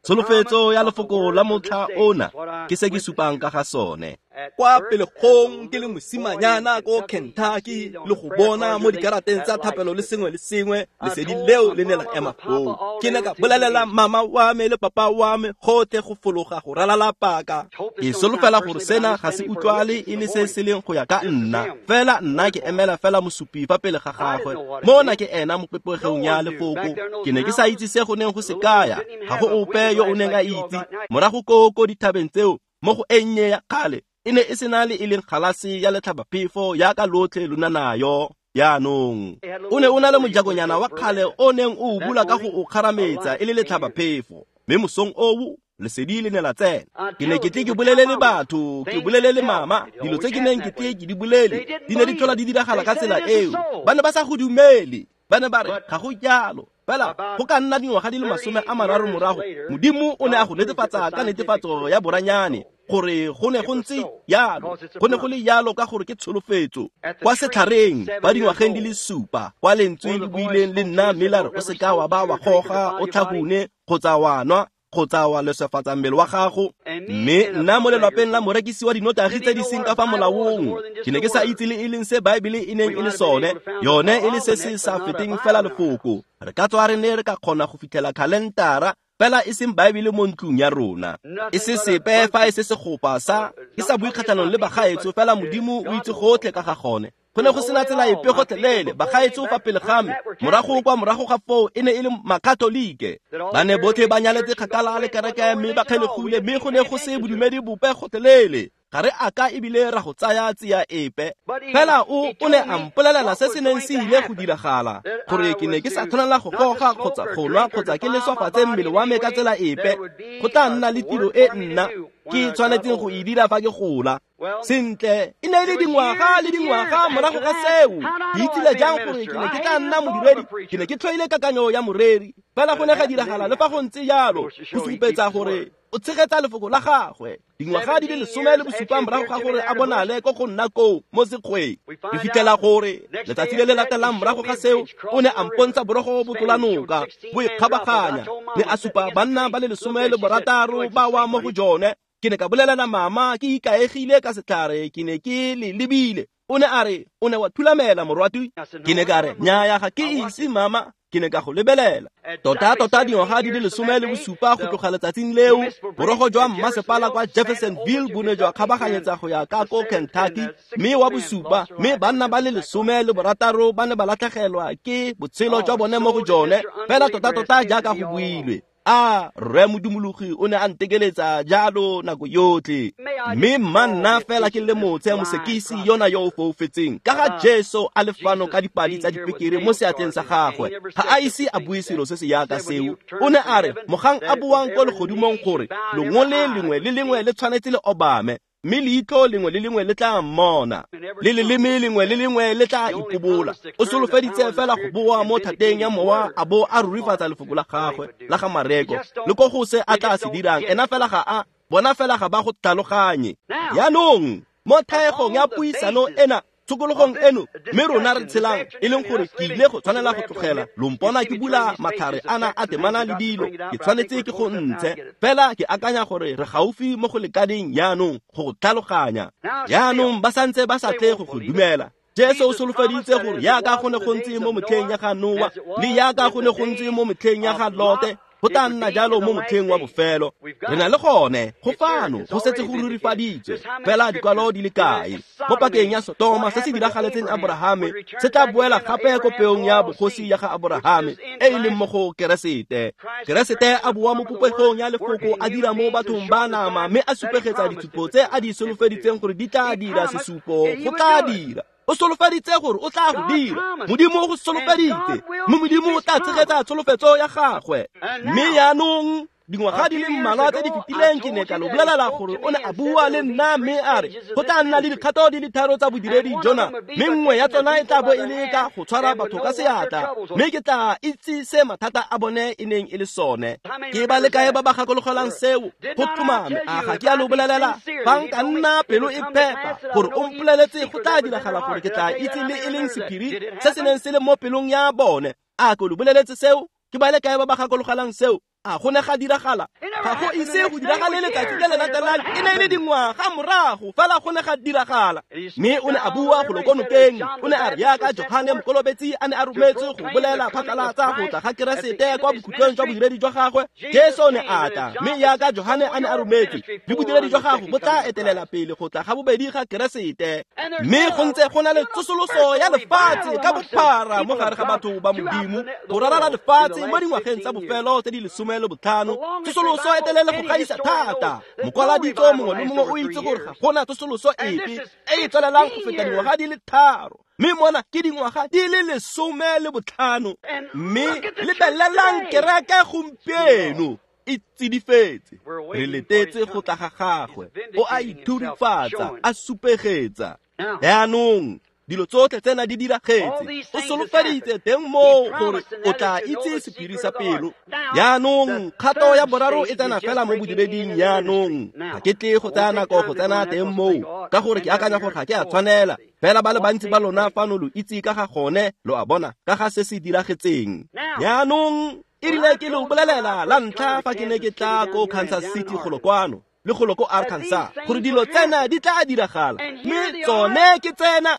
Tsholofetso ya lefoko la motlha ona ke se ke supang ka ga sone. Kwa pelegong ke le mosimanyana ko Kentucky le go bona mo dikarateng tsa thapelo le sengwe le sengwe, lesedi leo le ne la ema foo. Ke ne ka bolelela mama wa me le papa wa me gotlhe go fologa go ralala paka. Ke solofela gore sena ga se utlwale e le se se leng go ya ka nna, fela nna ke emela fela mosupi fa pele ga gagwe. Mona ke ena mo popegong ya lefoko. Ke ne ke sa itse se go neng go se kaya, ga go ope yo o neng a itse. Morago ko dithabeng tseo, mo go e nnye ya kgale, e ne e sena le e leng galase ya letlhabaphefo yaka lotlhe lona nayo. Yaanong o ne o na le mojakonyana wa kgale o neng o o bula ka go o kgarametsa e le letlhabaphefo, mme mosong oo lesedi le ne la tsena. Ke ne ke tle ke bolelele batho, ke bolelele mama dilo tse ke neng ke tle ke di bolele, di ne di tlhola di diragala ka tsela eo. Ba ne ba sa go dumele, ba ne ba re ga go jalo. Fela go ka nna dingwaga di le 30 morago, Modimo o ne a go netefatsa ka netefatso ya boranyane gore go ne go ntse jalo. Go ne go le jalo ka gore ke tsholofetso. Kwa setlhareng ba dingwageng di le 7, kwa lentswe le buileng le nna mme la re o seka wa ba wa goga, o tlhahune kgotsa wa nwa kgotsa wa leswefatsa mmele wa gago. Mme nna mo lelwapeng la morekisi wa dinotagi tse di seng ka fa molaong, ke ne ke sa itse le e leng se Baebele e neng e le sone, yone e le se se sa feteng fela lefoko. Re ka tswa re ne re ka kgona go fitlhela khalentara, fela e seng Baebele mo ntlong ya rona. E se sepe fa e se segopa sa, ke sa bue kgatlhanong le bagaetso, fela Modimo o itse gotlhe ka ga gone. Go ne go sena tsela epe gotlhelele. Bagaetso fa pele ga me, morago kwa morago ga foo e ne e le makatolike. Ba ne botlhe ba nyaletse kgakala le kereke mme ba kgelegile, mme go ne go se bodumedi bope gotlhelele. Ga re a ka ebile ra go tsaya tsia epe. Fela o ne a mpolelela se se neng se ile go diragala, gore ke ne ke sa tshwanela go goga kgotsa go nwa kgotsa ke leswafatse mmele wa me ka tsela epe. Go tla nna le tiro e nna ke tshwanetseng go e dira fa ke gola. Sentle, e ne e le dingwaga le dingwaga morago ga seo. Ke itsile jang gore ke ne ke tla nna modiredi? Ke ne ke tlhoile kakanyo ya moreri. Fela go ne ga diragala le fa go ntse jalo, go supetsa gore o tshegetsa lefoko la gagwe. Dingwaga di le 17 morago ga gore a bonale ko go nna koo mo sekgweng. Re fitlhela gore letsatsi le le latelang morago ga seo, o ne a mpontsha borogo bo tlola noka, bo ikgabaganya, mme a supa banna ba le 16 ba wa mo go jone. Ke ne ka bolelela mama ke ikaegile ka setlhare, ke ne ke le lebile. O ne a re, o ne wa thulamela morwati. Ke ne ka re, nnyaya ga ke ise mama, ke ne ka go lebelela. Tota dingwaga di le 17 go tloga letsatsing leo, borogo jwa mmasepala kwa Jeffersonville bo ne jwa kgabaganyetsa go ya ka ko Kentucky, mme wa bosupa, mme banna ba le 16 ba ne ba latlhegelwa ke botshelo jwa bone mo go jone, fela tota jaaka go builwe. A rre modumologi o ne a ntekeletsa jalo nako yotlhe. Mme mma nna fela ke le motse mosekisi yona yo o foufetseng ka ga Jesu a le fano ka dipadi tsa dipekere mo seatleng sa gagwe. Ga a ise a bue selo se se yaka seo. O ne a re mogang a buang ko legodimong gore longole lengwe le lengwe le tshwanetse le obame, mme leitlho lengwe le lengwe le tla mmona, le leleme lengwe le lengwe le tla ipobola. O solofeditse fela go boa mo thateng ya mowa a bo a rurifatsa lefoko la gagwe la ga Mareko le ko go se a tla se dirang. Ena fela ga a bona, fela ga ba go tlhaloganye. Yaanong mo thaegong ya puisano ena, tshokologong eno, mme rona re tshelang, e leng gore ke ile go tshwanela go tlogela. Lo mpona ke bula matlhare ana a temana le dilo, ke tshwanetse ke go ntshe. Fela ke akanya gore re gaufi mo go lekaneng yaanong go go tlhaloganya. Yaanong ba santse ba sa tle go go dumela. Jesu o solofeditse gore yaka go ne go ntse mo metlheng ya ga Noa, le yaka go ne go ntse mo metlheng ya ga Lote, Go tla nna jalo mo motlheng wa bofelo. Re na le gone go fano go setse go rurifaditswe fela dikwalo di le kae. Mo pakeng ya Sotoma se se diragaletseng Aborahame se tla boela gape ko peong ya bogosi ya ga Aborahame e e leng mo go Keresete. Keresete a boa mo popegong ya lefoko a dira mo bathong ba nama mme a supegetsa ditshupo tse a di solofeditseng gore di tla dira sesupo go tla dira. O solofeditse gore o tla go dira. Modimo o go solofeditse, mme Modimo o tla tshegetsa tsholofetso ya gagwe. Mme jaanong dingwaga di le mmalwa tse di fetileng ke ne ka lo bolelela gore o ne a bua le nna mme a re go tla nna le dikgato di le tharo tsa bodiredi jona, mme nngwe ya tsona e tla bo e le ka go tshwara batho ka seatla, mme ke tla itse se mathata a bone e neng e le sone. Ke ba le kae ba ba gakologelang seo? Go tlhomame, a ga ke a lo bolelela? Fa nka nna pelo e phepa gore o mpoleletse go tla diragala gore ke tla itse le e leng sephiri se se neng se le mo pelong ya bone. A ke lo boleletse seo? Ke ba le kae ba ba gakologelang seo? A go ne ga diragala? Ga go ise go diragale letsatsi le le latelang, e ne e le dingwaga morago fela go ne ga diragala. Mme o ne a bua go lo ko nokeng, o ne a re yaka Johane Mokolobetsi a ne a rometswe go bolela phatlalatsa go tla ga Keresete kwa bokhutlong jwa bodiredi jwa gagwe, Jesu o ne a tla, mme yaka Johane a ne a rometswe, le bodiredi jwa gagwe bo tla etelela pele go tla ga bobedi ga Keresete. Mme go ntse go na le tsosoloso ya lefatshe ka bophara mo gare ga batho ba Modimo go rarala lefatshe mo dingwageng tsa bofelo tse di 15. Tsosoloso e telele go gaisa thata. Mokwaladitso mongwe le mongwe o itse gore ga gona tsosoloso epe e e tswelelang go feta dingwaga di le 3, mme mona ke dingwaga di le 15. Mme lebelelang kereke gompieno e tsidifetse, re letetse go tla ga gagwe. O a ithurifatsa, a supegetsa. Jaanong dilo tsotlhe tsena di diragetse, o solofeditse teng moo gore o tla itse sephiri sa pelo. Jaanong kgato ya boraro e tsena fela mo bodireding. Jaanong ga ke tle go tsaya nako go tsena teng moo, ka gore ke akanya gore ga ke a tshwanela. Fela ba le bantsi ba lona fano lo itse ka ga gone, lo a bona ka ga se se diragetseng. Jaanong e rile ke lo bolelela la ntlha fa ke ne ke tla ko Kansas City golo kwano le golo ko Arkansas gore dilo tsena di tla diragala, mme tsone ke tsena.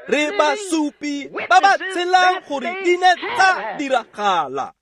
Re basupi ba ba tshelang gore di ne tsa diragala.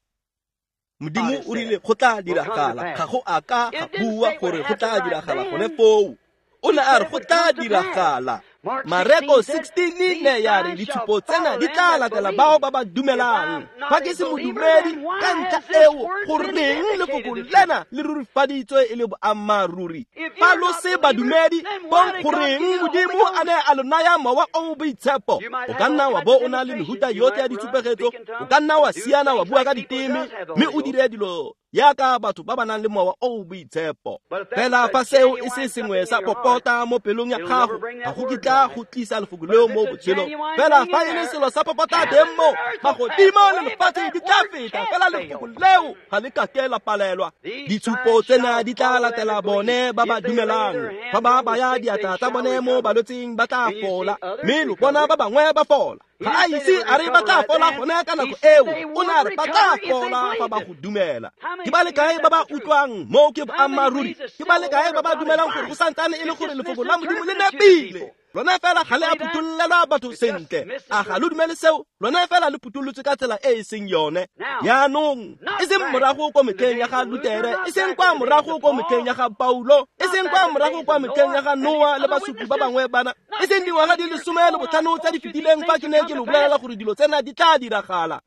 Modimo o rile go tla diragala, ga go a ka ga bua gore go tla diragala gone foo. O ne a re go tla diragala. Mareko 16 ne ya re ditshupo tsena di tla latela bao ba ba dumelang. Fa ke se modumedi, ka ntlha eo goreng lefoko lena le rurifaditswe e le boammaaruri? Fa lo se badumedi, bong goreng Modimo a ne a lo naya mowa o o boitshepo? O ka nna wa bo o na le mehuta yotlhe ya ditshupegetso, o ka nna wa siana wa bua ka diteme, mme o dire dilo yaka batho ba ba nang le mowa o o boitshepo. Fela fa seo e se sengwe sa popota mo pelong ya gago, ga go kitla go tlisa lefoko leo mo botshelong. Fela fa e le selo sa popota teng mo, magodimo le lefatshe di tla feta, fela lefoko leo ga le kake la palelwa. Ditshupo tsena di tla latela bone ba ba dumelang. Fa ba baya diatla tsa bone mo balwetseng ba tla fola, mme lo bona ba bangwe ba fola. Ga a ise a re ba tla fola gone ka nako eo, o ne a re ba tla fola fa ba go dumela. Ke ba le kae ba ba utlwang moo ke boammaaruri? Ke ba le kae ba ba dumelang gore go santsane e le gore lefoko la Modimo le nepile? Lona fela ga le a phuthollela batho sentle. A ga lo dumele seo? Lona fela le phuthollotswe ka tsela e e seng yone. Jaanong e seng morago ko metlheng ya ga Lutere, e seng kwa morago ko metlheng ya ga Paulo, e seng kwa morago kwa metlheng ya ga Noa le basupi ba bangwe bana, e seng dingwaga di le 15 tse di fetileng fa ke ne ke lo bolelela gore dilo tsena di tla diragala.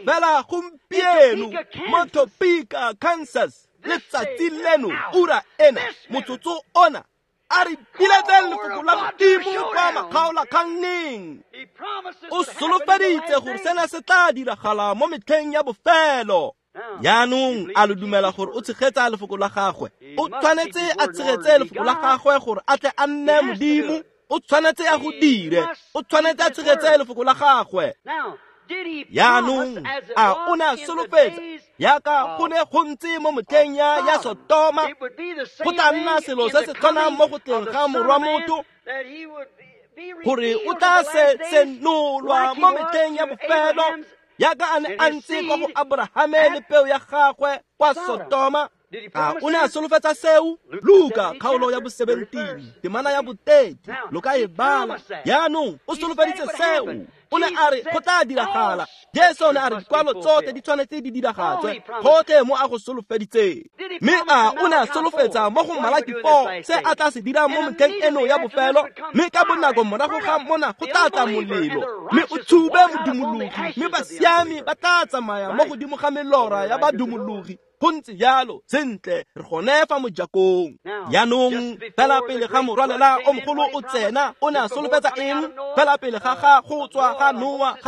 Fela gompieno mo Topeka, Kansas, letsatsi leno, ura ena, motsotso ona, a re biletseng lefoko la Modimo kwa makgaolakganneng. O solofeditse gore sena se tla diragala mo metlheng ya bofelo. Jaanong a lo dumela gore o tshegetsa lefoko la gagwe? O tshwanetse a tshegetse lefoko la gagwe gore a tle a nne Modimo. O tshwanetse a go dire, o tshwanetse a tshegetse lefoko la gagwe. Jaanong a o ne a solofetsa yaka go ne go ntse mo motlheng ya Sotoma, go tla nna selo se se tshwanang mo go tleng ga morwa motho, gore o tla se senolwa mo metlheng ya bofelo yaka a ne a ntse kwa go Aborahame le peo ya gagwe kwa Sotoma. A o ne a solofetsa seo? Luka kgaolo ya bo 17 temana ya bo 30, lo ka e bala. Jaanong o solofeditse seo. O ne a re go tla diragala. Jesu o ne a re dikwalo tsotlhe di tshwanetse di diragatswe, gotlhe mo a go solofeditseng. Mme a o ne a solofetsa mo go Malaki 4 se a tla se dirang mo metlheng eno ya bofelo, mme ka bonako morago ga mona go tla tla molelo, mme o tshube modumologi, mme basiami ba tla tsamaya mo godimo ga melora ya badumologi. Go ntse jalo, sentle, re gone fa mojakong. Jaanong fela pele ga morwalela o mogolo o tsena, o ne a solofetsa eng? Fela pele ga go tswa ga Noa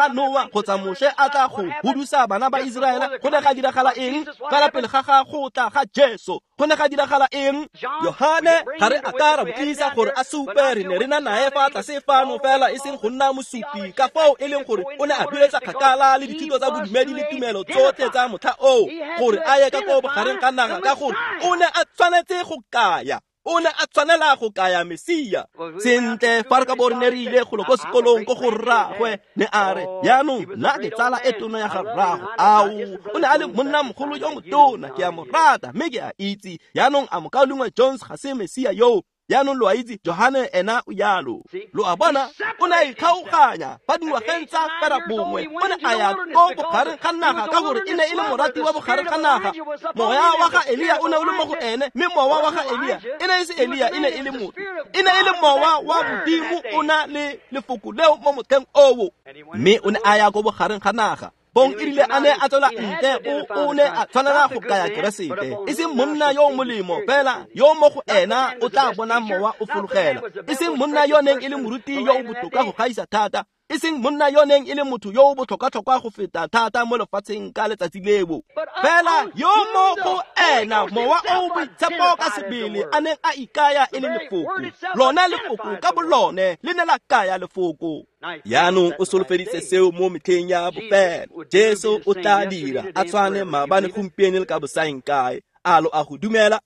kgotsa Moshe a tla go hudusa bana ba Iseraele, go ne ga diragala eng? Fela pele ga go tla ga Jesu, go ne ga diragala eng? Yohane ga re a ka ra mo tlisa gore a supe, re ne re na nae fa tlase fano fela e seng go nna mosupi, ka fao e leng gore o ne a biletsa kgakala le dithuto tsa bodumedi le tumelo tsotlhe tsa motlha oo gore a ye ka ko bogareng ga naga, ka gore o ne a tshwanetse go kaya, o ne a tshwanela go kaya Mesia. Sentle, fa re ka bo re ne re ile golo ko sekolong ko go rraagwe, ne a re, jaanong nna ke tsala e tona ya ga rraago. Ao, o ne a le monna mogolo yo motona, ke a mo rata mme ke a itse. Jaanong a mokaulengwe Jones ga se Mesia yoo? Jaanong lo a itse, Johane ena o jalo. Lo a bona, o ne a ikgaoganya fa dingwageng tsa fera bongwe, o ne a ya ko bogareng ga naga ka gore e ne e le morati wa bogareng ga naga. Moya wa ga Elia o ne o le mo go ene, mme mowa wa ga Elia e ne e se Elia, e ne e le motho, e ne e le mowa wa Modimo o na le lefoko leo mo motlheng oo. Mme o ne a ya ko bogareng ga naga. Bong e rile a ne a tswela ntle, o ne a tshwanela go kaya Keresete, e seng monna yo o molemo fela yo mo go ena o tla bonang mowa o fologela, e seng monna yo neng e le moruti yo o botoka go gaisa thata, e seng monna yo neng e le motho yo o botlhokwa-tlhokwa go feta thata mo lefatsheng ka letsatsi leo, fela yo mo go ena mowa o boitshepo ka sebele a neng a ikaya e le lefoko. Lona lefoko ka bolone le ne la kaya lefoko. Jaanong o solofeditse seo mo metlheng ya bofelo. Jesu o tla dira a tshwane maabane, gompieno le ka bosaeng kae. A lo a go dumela?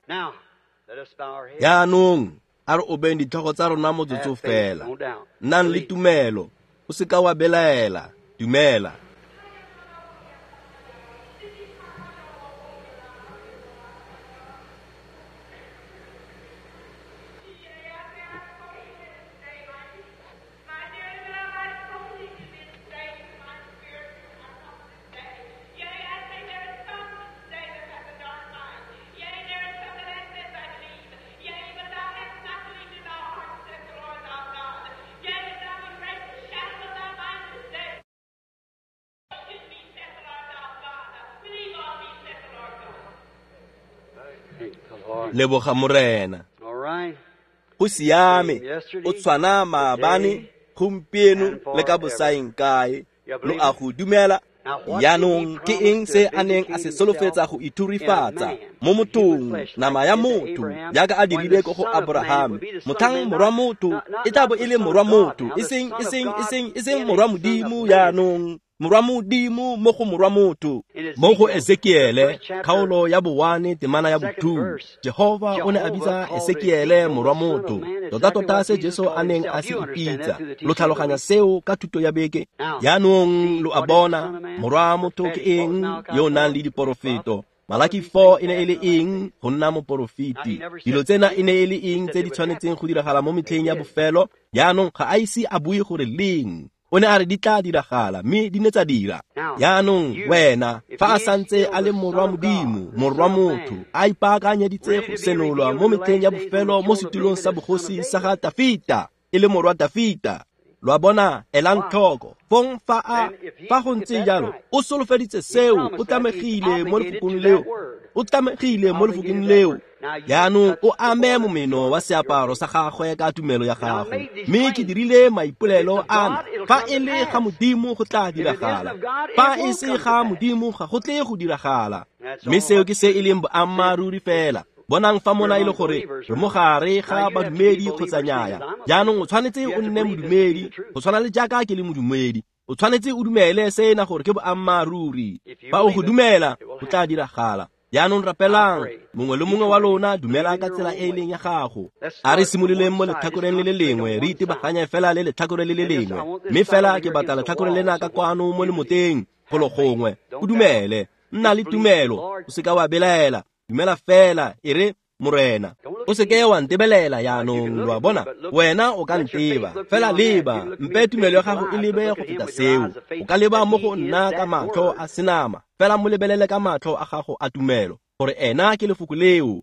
Jaanong a re obeng ditlhogo tsa rona motsotso fela. Nnang le tumelo, o seka wa belaela, dumela. Leboga Morena. Go siame, o tshwana maabane, gompieno le ka bosaeng kae. Lo a go dumela? Jaanong ke eng se a neng a se solofetsa go ithurifatsa mo mothong, nama ya motho, jaaka a dirile ko go Abrahame? Motlhang morwa motho e tla bo e le morwa motho, e seng morwa Modimo. Jaanong morwa Modimo mo go morwa motho. Mo go Ezekiele kgaolo ya bo-1 temana ya bo-2, Jehova o ne a bitsa Ezekiele morwa motho, tota-tota se Jesu a neng a se ipitsa. Lo tlhaloganya seo ka thuto ya beke? Jaanong lo a bona, morwa motho ke eng yo o nang le diporofeto? Malaki 4 e ne e le eng? Go nna moporofeti. Dilo tsena e ne e le eng tse di tshwanetseng go diragala mo metlheng ya bofelo? Jaanong ga a ise a bue gore leng. O ne a re di tla diragala, mme di ne tsa dira. Jaanong wena, fa a santse a le morwa Modimo, morwa motho, a ipaakanyeditse go senolwa mo metlheng ya bofelo mo setulong sa bogosi sa ga Dafita, e le morwa Dafita. Lo a bona, elang tlhoko. Fong fa go ntse jalo, o solofeditse seo, o tlamegile mo lefokong leo. O tlamegile mo lefokong leo. Jaanong o ame momeno wa seaparo sa gagwe ka tumelo ya gago. Mme ke dirile maipolelo ana, fa e le ga Modimo go tla diragala, fa e se ga Modimo ga go tle go diragala. Mme seo ke se e leng boammaaruri fela. Bonang fa mona e le gore re mo gare ga badumedi kgotsa nnyaya. Jaanong o tshwanetse o nne modumedi, go tshwana le jaaka ke le modumedi. O tshwanetse o dumele sena gore ke boammaaruri. Fa o go dumela, go tla diragala. Jaanong rapelang, mongwe le mongwe wa lona dumela ka tsela e e leng ya gago. A re simololeng mo letlhakoreng le le lengwe, re itebaganye fela le letlhakore le le lengwe. Mme fela ke batla letlhakore lena ka kwano mo lemoteng, golo gongwe. O dumele, nna le tumelo, o seka wa belaela. Dumela fela, e re Morena. O seke wa ntebelela jaanong, lo a bona, wena o ka nteba fela leba, mpe tumelo ya gago e lebe go feta seo. O ka leba mo go nna ka matlho a senama, fela mo lebelele ka matlho a gago a tumelo, gore ena ke lefoko leo.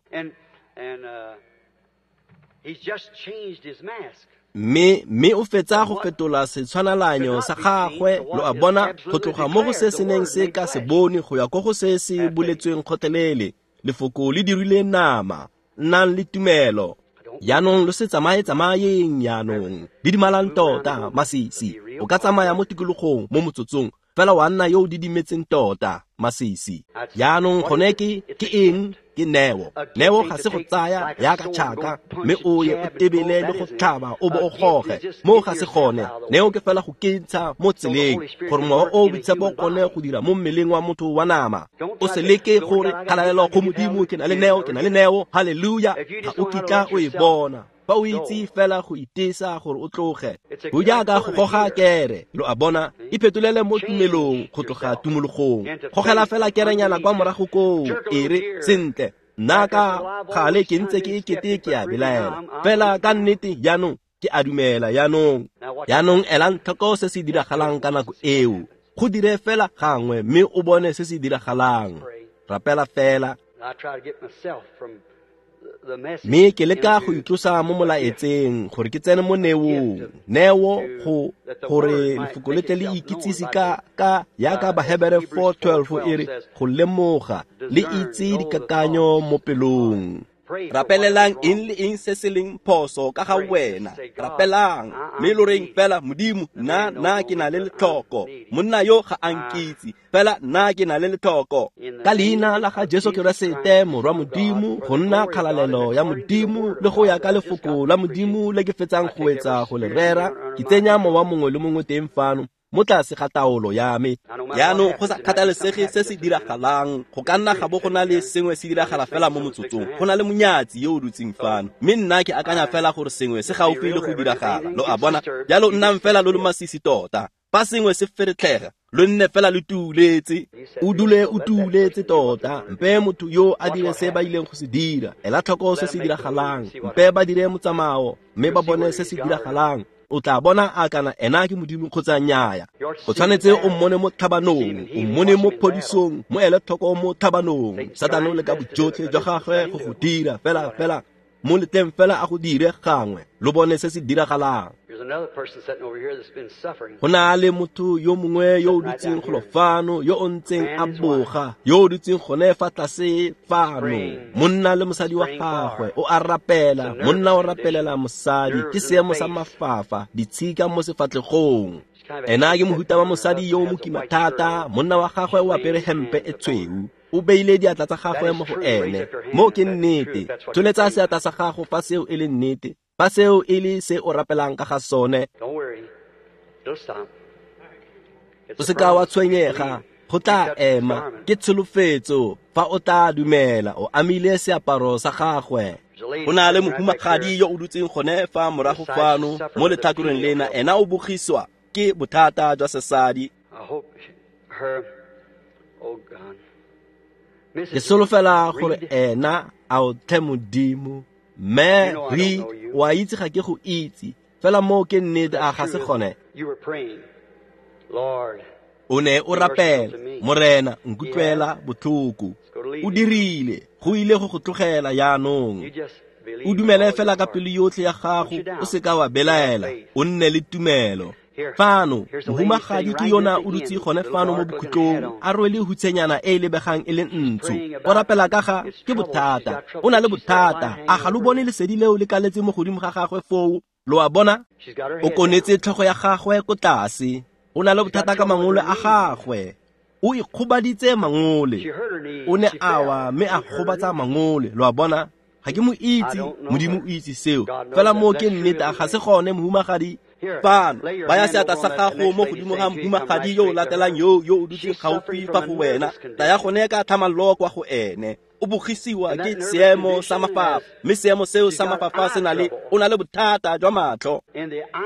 Mme o fetsa go fetola setshwanalanyo sa gagwe, lo a bona, go tloga mo go se se neng se ka se bone go ya ko go se se boletsweng kgotlelele. Lefoko le dirile nama, nnang le tumelo. Jaanong lo se tsamaye-tsamayeng jaanong, didimalang tota, masisi. O ka tsamaya mo tikologong mo motsotsong, fela wa nna yo o didimetseng tota, masisi. Jaanong gone ke eng? Ke neo. Neo ga se go tsaya yaka tšhaka, mme o ye o tebele le go tlhaba o bo o goge. Mo ga se gone. Neo ke fela go kentsha mo tseleng, gore mowa o boitshepo o kgone go dira mo mmeleng wa motho wa nama. O se leke gore kgalalelo go Modimo, ke na le neo, ke na le neo, haleluya. Ga o kitla o e bona. Fa o itse fela go itesa gore o tloge. Go jaaka go goga kere, lo a bona, iphetolele mo tumelong go tloga tumologong. Gogela fela kerenyana kwa morago koo, e re, sentle, nna ka gale ke ntse ke ekete ke a belaela. Fela ka nnete jaanong ke a dumela jaanong. Jaanong elang tlhoko se se diragalang ka nako eo. Go dire fela gangwe mme o bone se se diragalang. Rapela fela. Mme ke leka go itlosa mo molaetseng gore ke tsene mo neong. Neo go gore lefoko le tle le ikitsise ka yaka Bahebere 4:12 e re go lemoga le itse dikakanyo mo pelong. Rapelelang eng le eng se se leng phoso ka ga wena. Rapelang mme lo reng fela, Modimo, nna ke na le letlhoko. Monna yo ga a nkitse, fela nna ke na le letlhoko. Ka leina la ga Jesu Keresete, Morwa Modimo, go nna kgalalelo ya Modimo le go ya ka lefoko la Modimo le ke fetsang go etsa go le rera, ke tsenya mowa mongwe le mongwe teng fano mo tlase ga taolo ya me. Jaanong go sa kgathalesege se se diragalang, go ka nna ga bo go na le sengwe se diragala fela mo motsotsong. Go na le monyatsi yo o dutseng fano, mme nna ke akanya fela gore sengwe se gaufi le go diragala, lo a bona. Jalo nnang fela lo le masisi tota. Fa sengwe se feretlhega, lo nne fela lo tuuletse. O dule o tuuletse tota. Mpe motho yo a dire se ba ileng go se dira. Ela tlhoko se se diragalang. Mpe ba dire motsamao, mme ba bone se se diragalang. O tla bona a kana ena ke Modimo kgotsa nnyaya. O tshwanetse o mmone mo tlhabanong, o mmone mo phodisong, mo ele tlhoko mo tlhabanong. Satane o leka bojotlhe jwa gagwe go go dira fela mo letleng fela a go dire gangwe, lo bone se se diragalang. Go na le motho yo mongwe yo o dutseng golo fano, yo o ntseng a boga, yo o dutseng gone fa tlase fano. Monna le mosadi wa gagwe o a rapela, monna o rapelela mosadi, ke seemo sa mafafa, ditshika mo sefatlhegong. Ena ke mohuta wa mosadi yo o mokima thata, monna wa gagwe o apere hempe e tshweu. O beile diatla tsa gagwe mo go ene. Mo ke nnete. Tsholetsa seatla sa gago fa seo e le nnete, fa seo e le se o rapelang ka ga sone. O se ka wa tshwenyega, go tla ema. Ke tsholofetso fa o tla dumela, o amile seaparo sa gagwe. Go na le mohumagadi yo o dutseng gone fa morago fano mo letlhakoreng lena, ena o bogiswa ke bothata jwa sesadi. Ke solofela gore ena a o tlhe Modimo. Mme re wa itse ga ke go itse, fela moo ke nnete, a ga se gone? O ne o rapela, Morena, nkutlwela botlhoko. O dirile, go ile go go tlogela jaanong. O dumele fela ka pelo yotlhe ya gago, o se ka wa belaela, o nne le tumelo. Fano, mohumagadi ke yona o dutse gone fano mo bokhutlong, a rwele hutshenyana e e lebegang e le ntsho. O rapela ka ga ke bothata, o na le bothata. A ga lo bone lesedi leo le kaletse mo godimo ga gagwe foo? Lo a bona? O konetse tlhogo ya gagwe ko tlase. O na le bothata ka mangole a gagwe. O ikgobaditse mangole. O ne a wa mme a gobatsa mangole. Lo a bona? Ga ke mo itse, Modimo o itse seo. Fela moo ke nnete, a ga se gone, mohumagadi? Fano, baya seatla sa gago mo godimo ga mohumagadi yo o latelang yo o dutseng gaufi fa go wena. Taya gone ka tlhamallo kwa go ene. O bogisiwa ke seemo sa mafafa, mme seemo seo sa mafafa se na le, o na le bothata jwa matlho.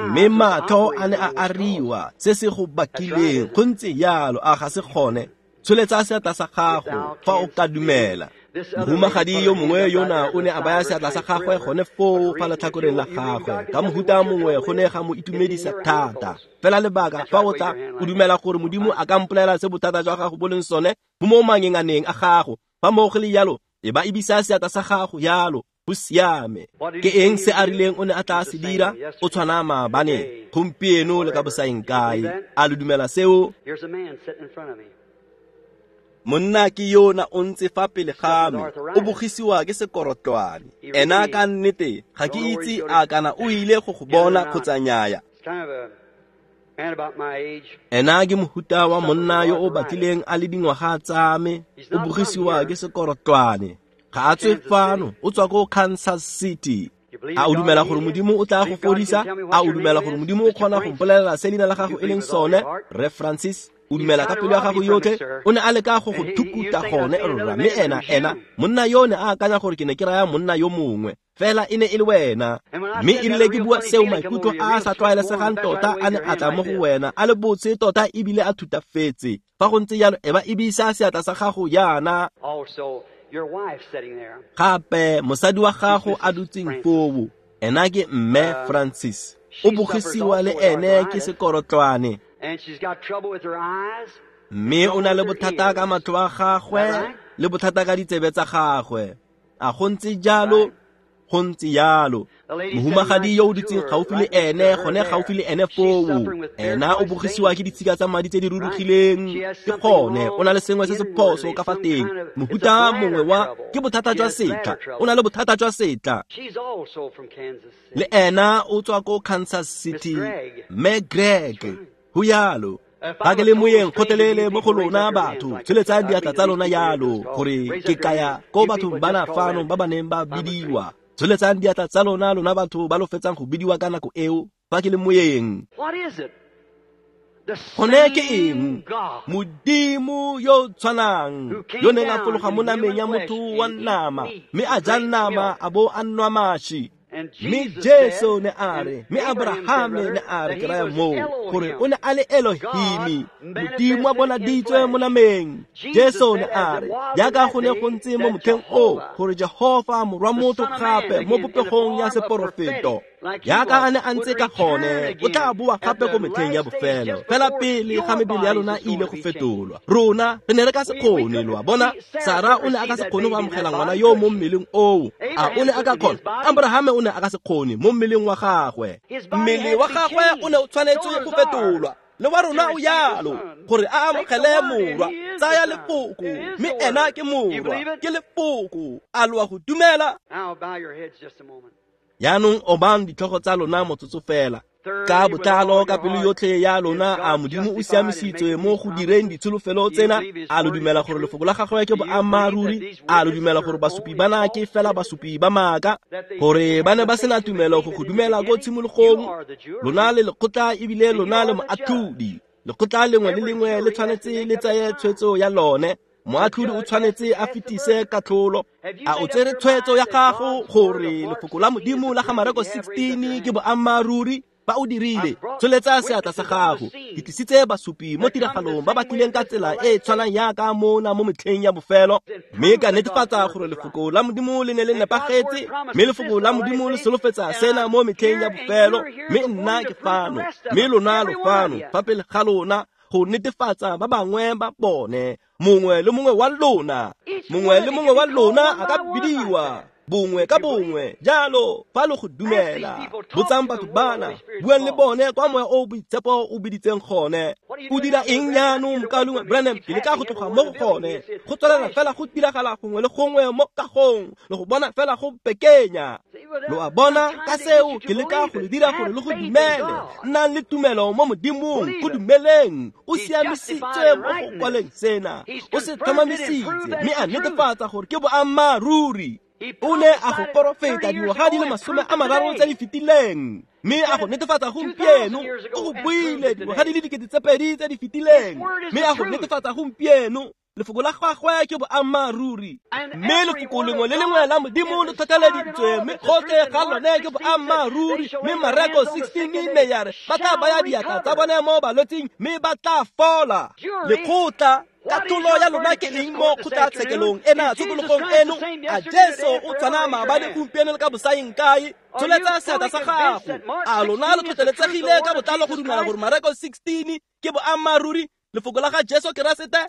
Mme matlho a ne a ariwa, se se go bakileng, go ntse jalo, a ga se gone? Tsholetsa seatla sa gago fa o ka dumela. Mohumagadi yo mongwe yona o ne a baya seatla sa gagwe gone foo fa letlhakoreng la gagwe ka mohuta mongwe go ne ga mo itumedisa thata. Fela lebaka fa o tla o dumela gore Modimo a ka mpolelela se bothata jwa gago bo leng sone bo mo mangenganeng a gago, fa moo go le jalo e ba ebisa seatla sa gago jalo. Go siame. Ke eng se a rileng o ne a tla se dira? O tshwana maabane, gompieno le ka bosaeng kae. A lo dumela seo? Monna ke yona o ntse fa pele ga me, o bogisiwa ke sekorotlwane. Ena ka nnete ga ke itse a kana o ile go go bona kgotsa nnyaya. Ena ke mohuta wa monna yo o batlileng a le dingwaga tsa me, o bogisiwa ke sekorotlwane. Ga a tswe fano, o tswa ko Kansas City. A o dumela gore Modimo o tla go fodisa? A o dumela gore Modimo o kgona go mpolelela se leina la gago e leng sone? Rre Francis, o dumela ka pelo ya gago yotlhe? O ne a leka go go thukuta gone, rra, mme ena monna yo ne a akanya gore ke ne ke raya monna yo mongwe, fela e ne e le wena. Mme e rile ke bua seo, maikutlo a a sa tlwaelesegang tota a ne a tla mo go wena, a le botse tota ebile a thutafetse. Fa go ntse jalo, e ba ebisa seatla sa gago jaana. Gape mosadi wa gago a dutseng foo, ena ke Mme Francis, o bogisiwa le ene ke sekorotlwane. Mme o na le bothata ka matlho a gagwe le bothata ka ditsebe tsa gagwe. A go ntse jalo? Go ntse jalo. Mohumagadi yo o dutseng gaufi le ene, gone gaufi le ene foo, ena o bogisiwa ke ditshika tsa madi tse di rurugileng. Ke gone, o na le sengwe se se phoso ka fa teng. Mohuta mongwe wa ke bothata jwa setla, o na le bothata jwa setla. Le ena o tswa ko Kansas City, Mme Greg. Go jalo. Ga ke le moyeng kgotlelele mo go lona batho, tsholetsang diatla tsa lona jalo, gore ke kaya ko bathong bana fano ba ba neng ba bidiwa. Tsholetsang diatla tsa lona, lona batho ba lo fetsang go bidiwa ka nako eo, fa ke le moyeng. Gone ke eng? Modimo yo tshwanang, yo neng a fologa mo nameng ya motho wa nama, mme a ja nama a bo a nwa mashi. Mme Jesu ne a re, mme Abrahame ne a re, ke raya moo, gore o ne a le Elohimi, Modimo a bonaditswe mo nameng. Jesu ne a re, jaaka go ne go ntse mo motlheng o, gore Jehofa morwa motho gape mo popegong ya seporofeto, jaaka a ne a ntse ka gone, o tla boa gape ko metlheng ya bofelo, fela pele ga mebele ya lona e ile go fetolwa. Rona re ne re ka se kgone, lo a bona. Sara o ne a ka se kgone go amogela ngwana yo mo mmeleng oo. A o ne a ka kgona? Abrahame o ne a ka se kgone mo mmeleng wa gagwe. Mmele wa gagwe o ne o tshwanetse go fetolwa, le wa rona o jalo, gore a amogele morwa. Tsaya lefoko, mme ena ke morwa, ke lefoko. A lo a go dumela? Jaanong obang ditlhogo tsa lona motsotso fela. Ka botlalo ka pelo yotlhe ya lona, a Modimo o siamisitswe mo go direng ditsholofelo tsena? A lo dumela gore lefoko la gagwe ke boammaaruri? A lo dumela gore basupi bana ke fela basupi ba maaka, gore ba ne ba sena tumelo go go dumela ko tshimologong? Lona le lekgotla ebile lona le moatlhodi. Lekgotla lengwe le lengwe le tshwanetse le tsaye tshwetso ya lone. Moatlhodi o tshwanetse a fetise katlholo. A o tsere tshwetso ya gago gore lefoko la Modimo la ga Mareko 16 ke boammaaruri? Ba o dirile, tsholetsa seatla sa gago. Ke tlisitse basupi mo tiragalong ba ba tlileng ka tsela e e tshwanang yaka mona mo metlheng ya bofelo, mme ka netefatsa gore lefoko la Modimo le ne le nepagetse, mme lefoko la Modimo le solofetsa sena mo metlheng ya bofelo. Mme nna ke fano, mme lona lo fano fa pele ga lona go netefatsa ba bangwe ba bone. Mongwe le mongwe wa lona, mongwe le mongwe wa lona a ka bidiwa bongwe ka bongwe jalo fa lo go dumela. Botsang batho bana, buang le bone kwa moya o boitshepo o biditseng gone. O dira eng jaanong, mokaulengwe Branham? Ke leka go tloga mo go gone, go tswelela fela go diragala gongwe le gongwe mo kagong, le go bona fela go pekenya. Lo a bona ka seo ke leka go le dira gore le go dumele. Nnang le tumelo mo Modimong, go dumeleng. O siamisitswe mo go kwaleng sena, o se tlhomamisitse mme a netefatsa gore ke boammaaruri. O ne a go porofeta dingwaga di le 30 tse di fetileng, mme a go netefatsa gompieno. O go buile dingwaga di le 2000 tse di fetileng, mme a go netefatsa gompieno. Lefoko la gagwe ke boammaaruri. Mme lefoko lengwe le lengwe la Modimo le tlhotlheleditswe, mme gotlhe ga lone ke boammaaruri. Mme Mareko 16 ne ya re ba tla baya diatla tsa bone mo balwetsing mme ba tla fola. Lekgotla, katlholo ya lona ke eng mo kgotlatshekelong ena tshokologong eno? A Jesu o tshwana maabane, gompieno le ka bosaeng kae? Tsholetsa seatla sa gago. A lona lo tlhotlheletsegile ka botlalo go dumela gore Mareko 16 ke boammaaruri, lefoko la ga Jesu Keresete?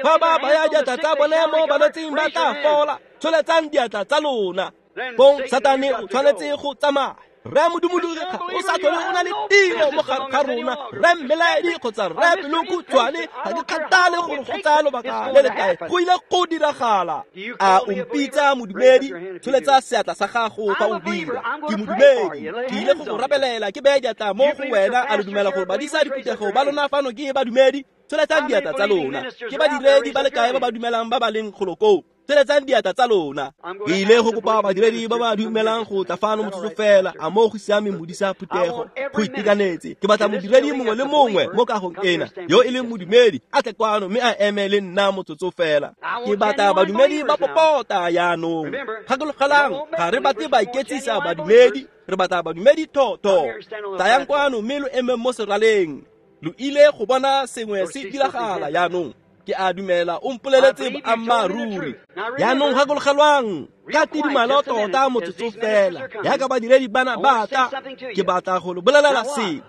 Fa ba baya diatla tsa bone mo balwetsing ba tla fola. Tsholetsang diatla tsa lona. Bong Satane o tshwanetse go tsamaya. Rre Modumologi ga o sa tlhole o na le tiro mo gare ga rona. Rre Mmelaedi kgotsa Rre Pelokhutshwane, ga ke kgathale gore go tsaya lobaka le le kae, go ile go diragala. A o mpitsa modumedi? Tsholetsa seatla sa gago fa o dira. Ke modumedi, ke ile go go rapelela, ke beye diatla mo go wena. A lo dumela gore badisa diphuthego ba lona fano ke badumedi? Tsholetsang diatla tsa lona. Ke badiredi ba le kae ba ba dumelang ba ba leng golo koo? Tsholetsang diatla tsa lona. Ke ile go kopa badiredi ba ba dumelang go tla fano motsotso fela. A mo go siameng modisa phuthego? Go itekanetse. Ke batla modiredi mongwe le mongwe mo kagong ena yo e leng modumedi a tle kwano mme a eme le nna motsotso fela. Ke batla badumedi ba popota jaanong. Gakologelang, ga re batle ba iketsisa badumedi, re batla badumedi thotho. Tlayang kwano mme lo emeng mo seraleng. Lo ile go bona sengwe se diragala jaanong. Ke a dumela o mpoleletse boammaaruri. Jaanong gakologelwang, ka tidimalo tota motsotso fela, jaaka badiredi bana ba tla, ke batla go lo bolelela sengwe.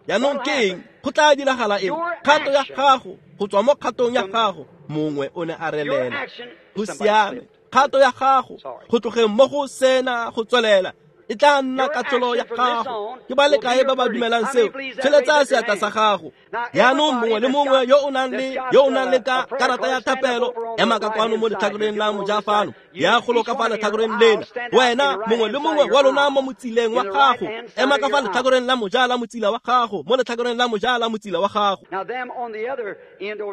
Jaanong ke eng? Go tla diragala eng? Kgato ya gago, go tswa mo kgatong ya gago, mongwe o ne a relela. Go siame. Kgato ya gago, go tlogeng mo go sena go tswelela, e tla nna katlholo ya gago. Ke ba le kae ba ba dumelang seo? Tsholetsa seatla sa gago. Jaanong mongwe le mongwe yo o nang le ka karata ya thapelo, ema ka kwano mo letlhakoreng la moja fano, ya golo ka fa letlhakoreng lena. Wena mongwe le mongwe wa lona mo motsileng wa gago, ema ka fa letlhakoreng la moja la motsila wa gago, mo letlhakoreng la moja la motsila wa gago.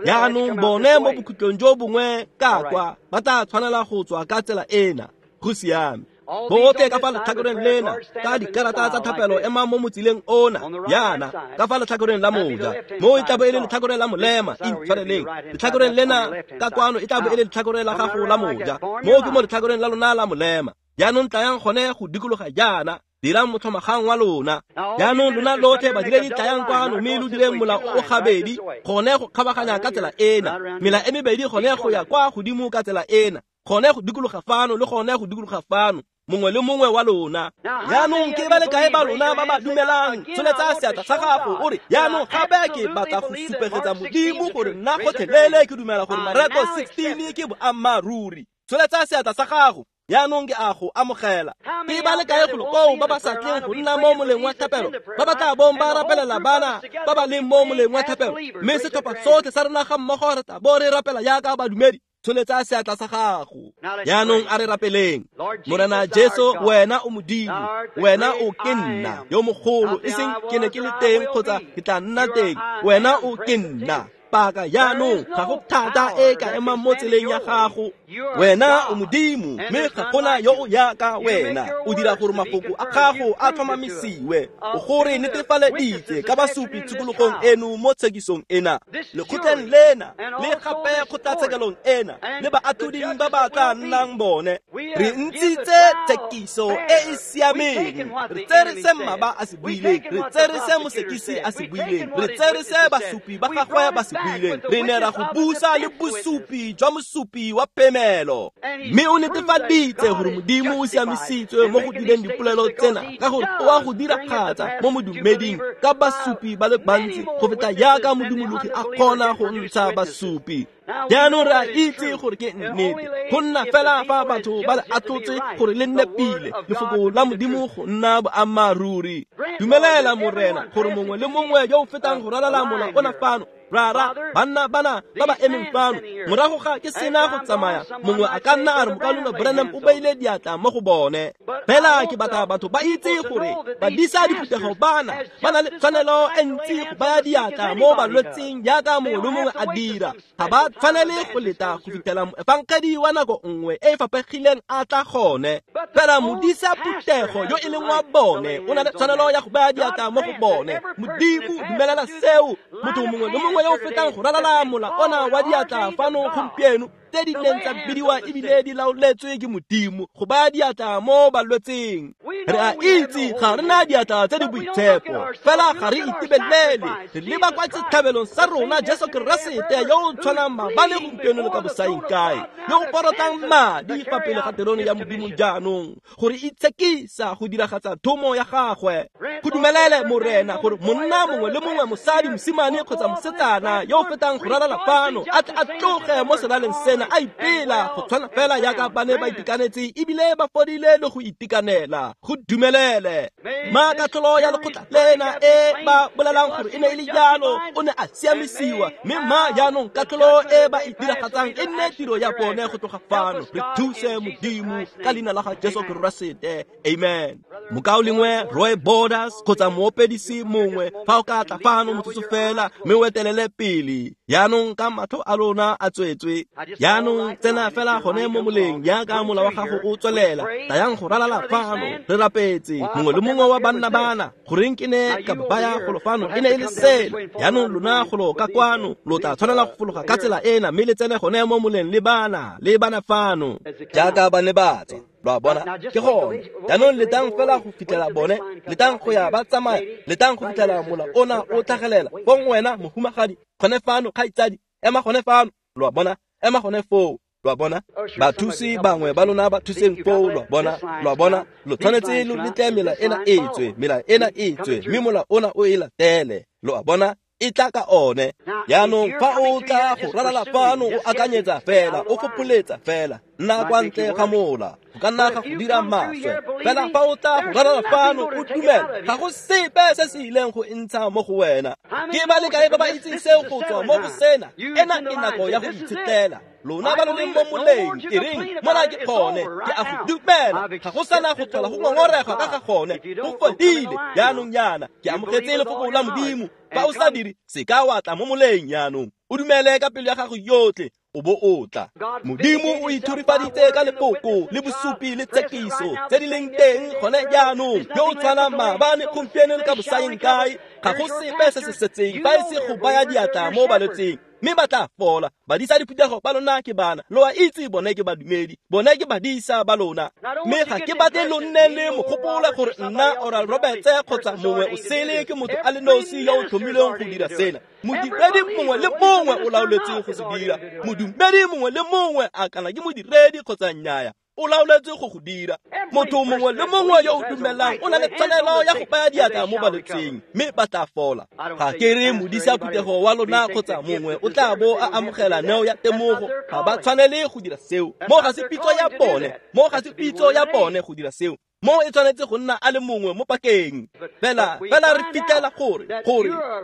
Jaanong bone mo bokhutlong jo bongwe ka kwa ba tla tshwanela go tswa ka tsela ena. Go siame. Botlhe ka fa letlhakoreng lena ka dikarata tsa thapelo, ema mo motsileng ona yana ka fa letlhakoreng la moja. Mo e tla bo e le letlhakoreng la molema, intshwareleng. Letlhakoreng lena ka kwano e tla bo e le letlhakoreng la gago la moja. Mo ke mo letlhakoreng la lona la molema. Jaanong tlayang gone go dikologa jaana, dirang motlhomagang wa lona. Jaanong lona lotlhe badiredi tlayang kwano mme lo direng mola o gabedi, gone go kgabaganya ka tsela ena. Mela e mebedi gone go ya kwa godimo ka tsela ena, gone go dikologa fano le gone go dikologa fano, mongwe le mongwe wa lona. Jaanong ke ba le kae ba lona ba ba dumelang? Tsholetsa seatla sa gago o re, jaanong gape ke batla go supegetsa Modimo gore nna gotlhelele ke dumela gore Mareko 16 ke boammaaruri. Tsholetsa seatla sa gago. Jaanong ke a go amogela. Ke ba le kae golo koo ba ba sa tleng go nna mo moleng wa thapelo, ba ba tla bong ba rapelela bana ba ba leng mo moleng wa thapelo, mme setlhopha sotlhe sa rona ga mmogo re tla bo re rapela jaaka badumedi? Tsholetsa seatla sa gago. Jaanong a re rapeleng. Morena Jesu, wena o Modimo, wena o ke nna yo mogolo, e seng ke ne ke le teng kgotsa ke tla nna teng. Wena o ke nna. Paka jaanong ga go thata e ka emang mo tseleng ya gago. Wena o Modimo, mme ga gona yo o yaka wena. O dira gore mafoko a gago a tlhomamisiwe. O gore netefaleditse ka basupi tshokologong eno mo tshekisong ena, lekgotleng lena le gape kgotlatshekelong ena, le baatlhoding ba ba tla nnang bone. Re ntshitse tshekiso e e siameng. Re tsere se mmaba a se buileng, re tsere se mosekisi a se buileng, re tsere se basupi ba gagwe ba se buileng. Re ne ra go busa le bosupi jwa mosupi wa phemelo, mme o netefaditse gore Modimo o siamisitswe mo go direng dipolelo tsena, ka gore o a go diragatsa mo modumeding ka basupi ba le bantsi go feta jaaka modumologi a kgona go ntsha basupi. Jaanong re a itse gore ke nnete, go nna fela fa batho ba le atlotse gore le nne pile lefoko la Modimo go nna boammaaruri. Dumelela Morena gore mongwe le mongwe yo o fetang go ralala mola ona fano, rara banna bana ba ba emeng fano, morago ga ke sena go tsamaya, mongwe a ka nna a re mokaulengwe Branham o beile diatla mo go bone. Fela ke batla batho ba itse gore badisa diphuthego bana ba na le tshwanelo e ntsi go baya diatla mo balwetseng jaaka mongwe le mongwe a dira. Ga ba tshwanele go leta go fitlhela moefangedi wa nako nngwe e e faphegileng a tla gone. Fela modisa phuthego yo e leng wa bone o na le tshwanelo ya go baya diatla mo go bone. Modimo dumelela seo. Motho mongwe le mongwe yo o fetang go ralala mola ona wa diatla fano gompieno tse di neng tsa bidiwa ebile di laoletswe ke Modimo go baya diatla mo balwetseng. Re a itse ga re na diatla tse di boitshepo, fela ga re itebelele, re leba kwa setlhabelong sa rona Jesu Keresete yo o tshwanang maabane gompieno le ka bosaeng kae, yo o porotang madi fa pele ga terone ya Modimo jaanong gore itshekisa go diragatsa thomo ya gagwe. Go dumelele Morena gore monna mongwe le mongwe, mosadi, mosimane kgotsa mosetsana yo o fetang go ralala fano a tle a tloge mo selaleng sena a ipela go tshwana fela jaaka ba ne ba itekanetse ebile ba fodile le go itekanela. Go dumelele ma katlholo ya lekgotla lena e ba bolelang gore e ne e le jalo, o ne a siamisiwa, mme ma jaanong katlholo e ba e diragatsang e nne tiro ya bone go tloga fano. Re thuse Modimo ka leina la ga Jesu Keresete, amen. Mokaulengwe Roy Borders kgotsa moopedisi mongwe, fa o ka tla fano motsotso fela mme o etelele pele jaanong ka matlho a lona a tswetswe. Jaanong tsena fela gone mo moleng jaaka mola wa gago o tswelela, tlayang go ralala fano. Re rapetse mongwe le mongwe wa banna bana goreng ke ne ka baya golo fano e ne e le sele. Jaanong lona golo ka kwano lo tla tshwanela go fologa ka tsela ena mme le tsene gone mo moleng le bana fano jaaka ba ne ba tswa. Lo a bona, ke gone. Jaanong letang fela go fitlhela bone, letang go ya ba tsamaya, letang go fitlhela mola ona o tlhagelela. Fong wena mohumagadi gone fano, kgaitsadi, ema gone fano. Lo a bona, ema gone foo. Lo a bona, bathusi bangwe ba lona ba thuseng foo. Lo a bona, lo a bona, lo tshwanetse lo letle mela ena e tswe, mela ena e tswe, mme mola ona o e latele. Lo a bona, e tla ka one. Jaanong fa o tla go ralala fano o akanyetsa fela, o fopholetsa fela, nna kwa ntle ga mola, go ka nna ga go dira maswe. Fela fa o tla go ralala fano o dumela, ga go sepe se se ileng go ntsha mo go wena. Ke ba le kae ba ba itseng seo go tswa mo go sena? Ena ke nako ya go itshetlela. Lona ba lo leng mo moleng, e reng mona ke gone, ke a go dumela, ga go sana go tlhola go ngongorega ka ga gone, go fodile jaanong yana. Ke amogetse lefoko la Modimo. Fa o sa dire, se ka wa tla mo moleng jaanong, o dumele ka pelo ya gago yotlhe, o bo o tla. Modimo o ithurifaditse ka lefoko le bosupi le tshekiso tse di leng teng gone jaanong, yo o tshwanang maabane gompieno le ka bosaeng kae. Ga go sepe se se setseng fa e se go baya diatla mo balwetseng, mme ba tla fola. Badisa diphuthego ba lona ke bana, lo a itse bone ke badumedi, bone ke badisa ba lona. Mme ga ke batle lo nne le mogopolo gore nna Oral Roberts kgotsa mongwe o sele ke motho a le nosi yo o tlhomilweng go dira sena. Modiredi mongwe le mongwe o laoletswe go se dira. Modumedi mongwe le mongwe, a kana ke modiredi kgotsa nnyaya, o laoletswe go go dira. Motho mongwe le mongwe yo o dumelang o na le tshwanelo ya go baya diatla mo balwetseng, mme ba tla fola. Ga ke re modisa phuthego wa lona kgotsa mongwe o tla bo a amogela neo ya temogo, ga ba tshwanele go dira seo. Mo ga se pitso ya bone, mo ga se pitso ya bone go dira seo. Mo e tshwanetse go nna a le mongwe mo pakeng. Fela re fitlhela gore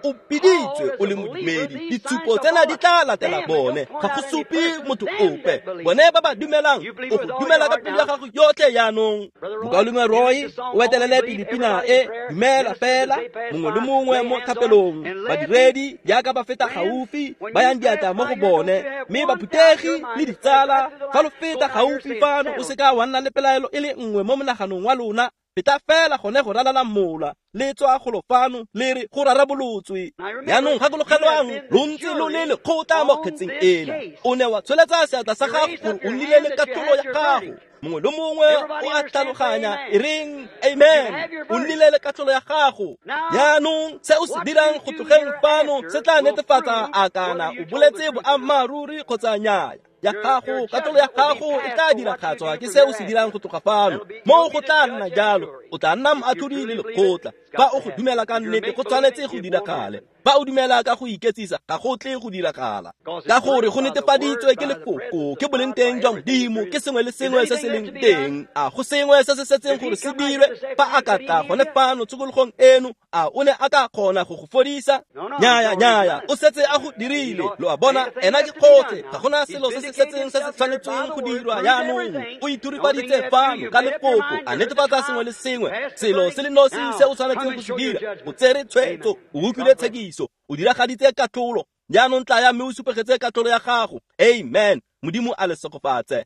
o biditswe o le modumedi. Ditshupo tsena di tla latela bone, ga go supe motho ope. Bone ba ba dumelang, o go dumela ka pelo ya gago yotlhe jaanong. Mokaulengwe Roy o etelele pele pina e, dumela fela, mongwe le mongwe mo thapelong. Badiredi jaaka ba feta gaufi, ba yang diatla mo go bone, mme baphuthegi le ditsala, fa lo feta gaufi fano, o seka wa nna le pelaelo e le nngwe mo monaganong wa lona. Feta fela gone go ralala mola, le tswa golo fano le re go rarabolotswe. Jaanong gakologelwang, lo ntse lo le lekgotla mo kgetseng ena. O ne wa tsholetsa seatla sa gago gore o nnile le katlholo ya gago. Mongwe le mongwe o a tlhaloganya, e reng amen. O nnile le katlholo ya gago. Jaanong se o se dirang go tlogeng fano se tla netefatsa a kana o boletse boammaaruri kgotsa nnyaya. Ya gago, katlholo ya gago e tla diragatswa ke se o se dirang go tloga fano. Mo go tla nna jalo, o tla nna moatlhodi le lekgotla. Fa o go dumela ka nnete, go tshwanetse go diragale. Fa o dumela ka go iketsisa, ga go tle go diragala. Ka gore go netefaditswe ke lefoko, ke boleng teng jwa Modimo, ke sengwe le sengwe se se leng teng. A go sengwe se se setseng gore se dirwe? Fa a ka tla gone fano tshokologong eno, a o ne a ka kgona go go fodisa? Nnyaya, nnyaya, o setse a go dirile. Lo a bona, ena ke kgotlhe, ga gona selo se se setseng se se tshwanetsweng go dirwa jaanong. O ithurifaditse fano ka lefoko, a netefatsa sengwe le sengwe. Selo se le nosi se o tshwanetseng go se dira, o tsere tshwetso, o utlwile tshekiso, o diragaditse katlholo. Jaanong tlaya mme o supegetse katlholo ya gago. Amen. Modimo a le segofatse.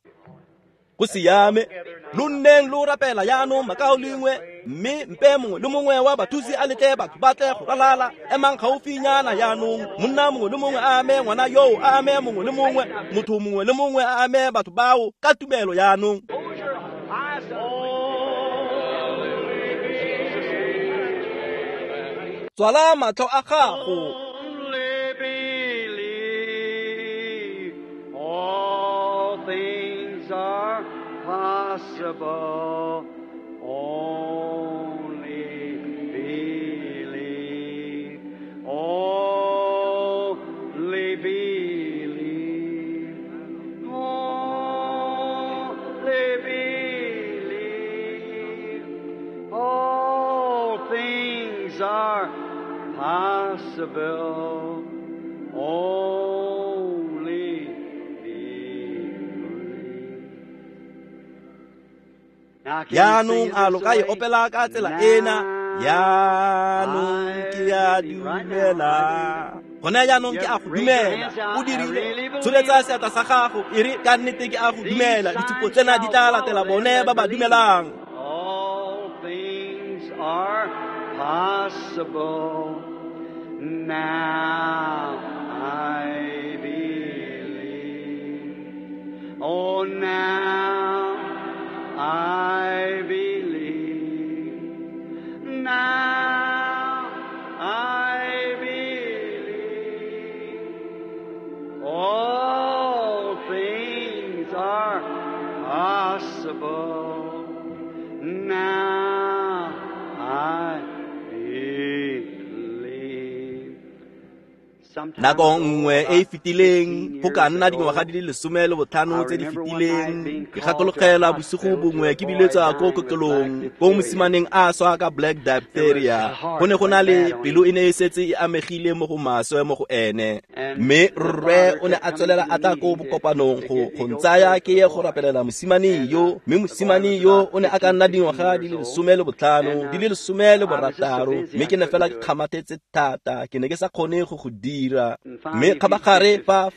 Go siame, lo nneng lo rapela jaanong makaulengwe. Mme mpe mongwe le mongwe wa bathusi a letle batho ba tle go ralala. Emang gaufinyana jaanong. Monna mongwe le mongwe a ame ngwana yoo, a ame mongwe le mongwe, motho mongwe le mongwe a ame batho bao ka tumelo jaanong. Tswala matlho a gago.
All things are possible. Only believe. Only believe. Only believe. All things are possible. Only believe.
Jaanong a lo ka e opela ka tsela ena. Jaanong ke a dumela. Gone jaanong ke a go dumela. O dirile. Tsholetsa seatla sa gago e re ka nnete ke a go dumela. Ditshupo tsena di tla latela bone ba ba dumelang.
All things are possible. Now I believe. Oh, now I believe. Now I believe. All things are possible. Now I believe.
Nako nngwe e e fetileng, go ka nna dingwaga di le 15 tse di fetileng, ke gakologela bosigo bongwe ke biletswa ko kokelong, ko mosimaneng a swa ka black diphtheria. Go ne go na le pelo e ne e setse e amegile mo go maswe mo go ene. Mme rre o ne a tswelela a tla ko bokopanong go ntsaya ke ye go rapelela mosimane yo. Mme mosimane yo o ne a ka nna dingwaga di le 15, di le 16, mme ke ne fela ke kgamathetse thata, ke ne ke sa kgone go go dira. Mme kgabagare fa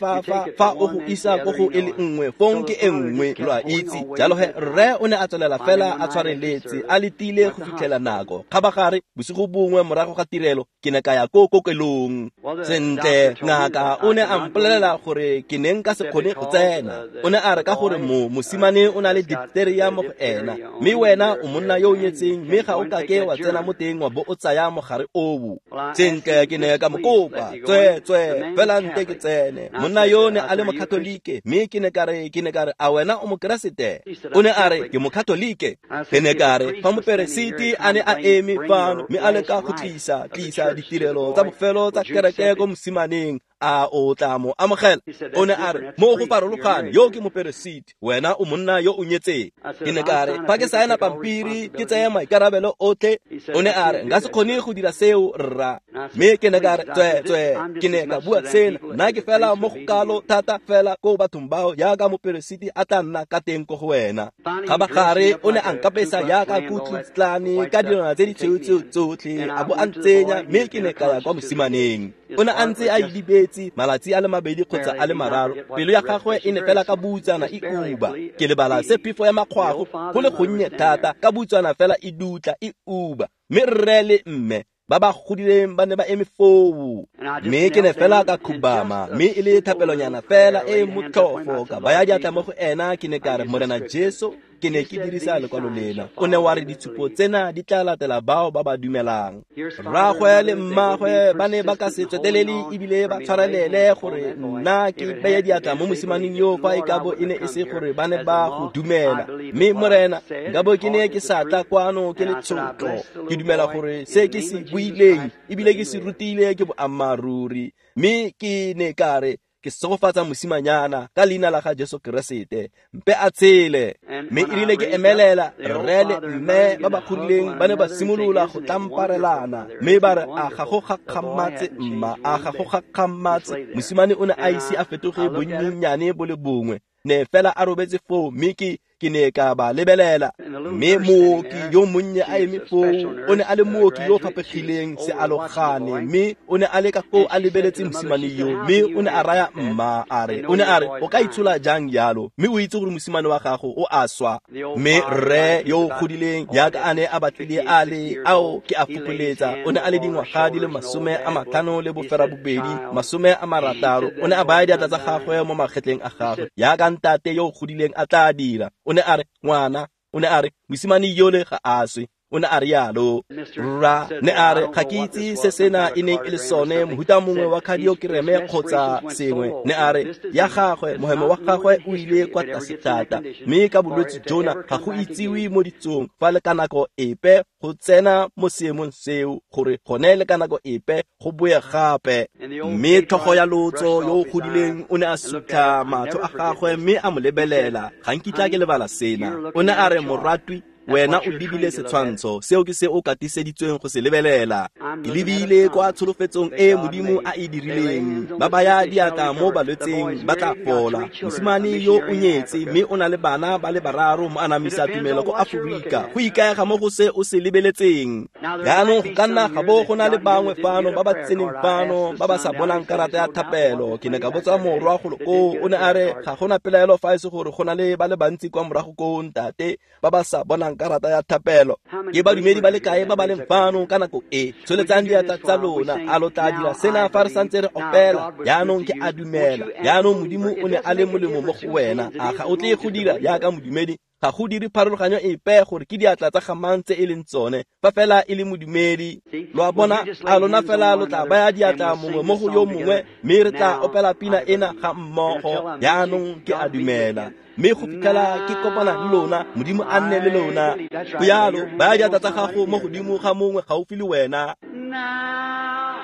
o go isa ko go e le nngwe, fong ke e nngwe, lo a itse. Jalo he rre o ne a tswelela fela a tshwareletse, a letile go fitlhela nako. Kgabagare bosigo bongwe morago ga tirelo, ke ne ka ya ko kokelong. Sentle, ngaka o ne a mpolelela gore ke ne nka se kgone go tsena. O ne a re ka gore mosimane o na le diphtheria mo go ena, mme wena o monna yo o nyetseng, mme ga o kake wa tsena mo teng wa bo o tsaya mogare oo. Sentle, ke ne ka mo kopa, tswe fela nte ke tsene. Monna yo ne a le mokatolike, mme ke ne ka re, a wena o mokeresete? O ne a re ke mokatolike. Ke ne ka re fa moperesiti a ne a eme fano mme a leka go tlisa ditirelo tsa bofelo tsa kereke ko mosimaneng, a o tla mo amogela? O ne a re mo go farologane, yo ke moperesiti, wena o monna yo o nyetseng. Ke ne ka re fa ke saena pampiri ke tseye maikarabelo otlhe. O ne a re nka se kgone go dira seo rra. Mme ke ne ka re tswe, ke ne ka bua sena, nna ke fela mo go kalo thata fela ko bathong bao jaaka moperesiti a tla nna ka teng ko go wena. Kgabagare o ne a nkapesa jaaka Ku Klux Klan ka dilwana tse di tshweu tsotlhe, a bo a ntsenya, mme ke ne ka ya kwa mosimaneng. O ne a ntse a idibetse malatsi a le 2 kgotsa a le 3, pelo ya gagwe e ne fela ka butsana e uba. Ke lebala se phefo ya makgwafo go le gonnye thata, ka butsana fela e dutla e uba. Mme rre le mme ba ba godileng ba ne ba eme foo. Mme ke ne fela ka khubama, mme e le thapelonyana fela e motlhofo, ka baya diatla mo go ena. Ke ne ka re, Morena Jesu, ke ne ke dirisa lekwalo lena. O ne wa re ditshupo tsena di tla latela bao ba ba dumelang. Rraagwe le mmagwe ba ne ba ka se tswetelele ebile ba tshwarelele gore nna ke beye diatla mo mosimaneng yo fa e ka bo e ne e se gore ba ne ba go dumela. Mme Morena, nka bo ke ne ke sa tla kwano ke le tshotlo. Ke dumela gore se ke se buileng ebile ke se rutile ke boammaaruri. Mme ke ne ka re ke segofatsa mosimanyana ka leina la ga Jesu Keresete, mpe a tshele. Mme e rile ke emelela, rre le mme ba ba godileng ba ne ba simolola go tlamparelana, mme ba re a ga go gakgamatse mma, a ga go gakgamatse. Mosimane o ne a ise a fetoge bonnyenyane bo le bongwe, ne fela a robetse foo. Mme ke Ke ne ka ba lebelela, mme mooki yo monnye a eme foo, o ne a le mooki yo o faphegileng sealogane, mme o ne a le ka foo a lebeletse mosimane yo, mme o ne a raya mma a re, o ne a re, o ka itshola jang jalo, mme o itse gore mosimane wa gago o a swa. Mme rre yo o godileng jaaka a ne a batlile a le ao ke a fokoletsa, o ne a le dingwaga di le 58, 60, o ne a baya diatla tsa gagwe mo magetleng a gagwe jaaka ntate yo o godileng a tla dira. O ne a re, ngwana, o ne a re, mosimane yole ga a swe. O ne a re yalo. Rra ne a re, ga ke itse se sena e neng e le sone, mohuta mongwe wa kardiokereme kgotsa sengwe. Ne a re, ya gagwe, mohemo wa gagwe o ile kwa tlase thata, mme ka bolwetse jona ga go itsiwe mo ditsong fa le ka nako epe go tsena mo seemong seo, gore gone le ka nako epe go boe gape. Mme tlhogo ya lotso yo o godileng o ne a sutlha matlho a gagwe mme a mo lebelela. Ga nkitla ke lebala sena. O ne a re, moratwi, wena o lebile setshwantsho seo ke se o katiseditsweng go se lebelela. Ke lebile kwa tsholofetsong e Modimo a e dirileng, ba baya diatla mo balwetseng ba tla fola. Mosimane yo o nyetse mme o na le bana ba le bararo, mo anamisa tumelo ko Aforika. Go ikaega mo go se o se lebeletseng. Jaanong go ka nna ga bo go na le bangwe fano ba ba tseneng fano ba ba sa bonang karata ya thapelo. Ke ne ka botsa morwa golo koo, o ne a re ga gona pelaelo fa e se gore go na le ba le bantsi kwa morago koo ntate ba ba sa bonang karata ya thapelo. Ke badumedi ba le kae ba ba leng fano ka nako e? Tsholetsang diatla tsa lona. A lo tla dira sena fa re santse re opela? Jaanong ke a dumela. Jaanong Modimo o ne a le molemo mo go wena. A ga o tle go dira jaaka modumedi? Ga go dire pharologanyo epe gore ke diatla tsa gamang tse e leng tsone, fa fela e le modumedi. Lo a bona, a lona fela lo tla baya diatla mongwe mo go yo mongwe, mme re tla opela pina ena ga mmogo. Jaanong ke a dumela. Mme go fitlhela ke kopana le lona, Modimo a nne le lona. Go yalo, baya diatla tsa gago mo godimo ga mongwe gaufi le wena.
Now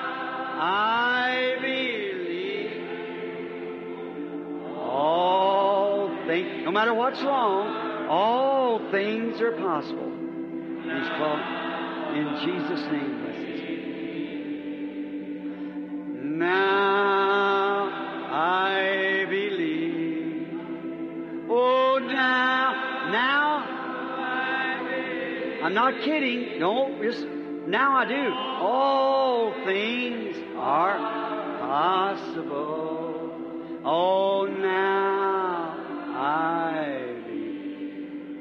I believe all things, no matter what's wrong, all things are possible. He's called in Jesus' name. Now I believe. Oh, now, I'm not kidding. No, just now I do. All things are possible. Oh, now I believe.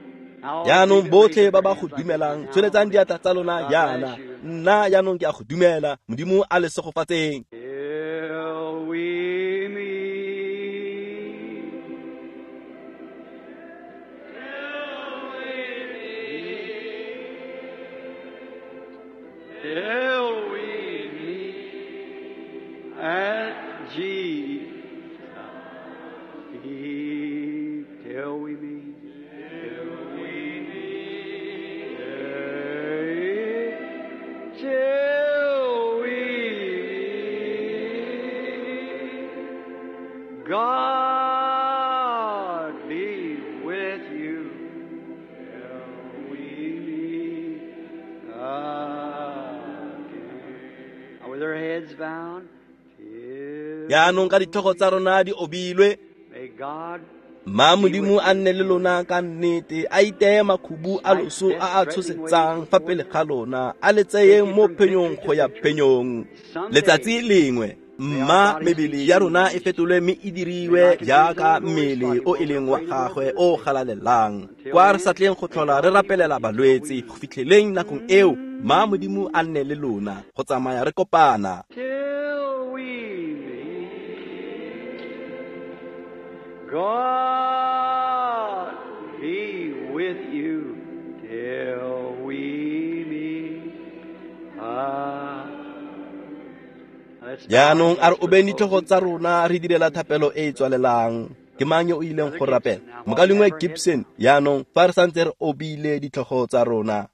Jaanong botlhe ba ba go dumelang, tsholetsang diatla tsa lona jaana. Nna jaanong ke a go dumela. Modimo a le segofatseng.
Till we meet. Till we meet at Jesus' feet. Till we meet. Till we meet. Till we meet. God be with you. Till we meet again. With our heads bowed, till
Jaanong ka ditlhogo tsa rona di obilwe,
may God
ma Modimo a nne le lona ka nnete, a iteye makhubu a loso a a tshosetsang fa pele ga lona, a le tseyeng mo phenyong go ya phenyong. Letsatsi lengwe, mma mebele ya rona e fetolwe mme e diriwe jaaka mmele o e leng wa gagwe o galalelang, kwa re sa tleng go tlhola re rapelela balwetse go fitlheleng nakong eo. Ma Modimo a nne le lona go tsamaya re kopana.
Till we meet. God be with you till we meet. Let's bow
Jaanong a re
our heads for
obeng ditlhogo
closing.
tsa rona re direla thapelo e e tswalelang. Ke mang yo o ileng go rapela? Mokaulengwe Gibson. Jaanong fa re santse re obile ditlhogo tsa rona.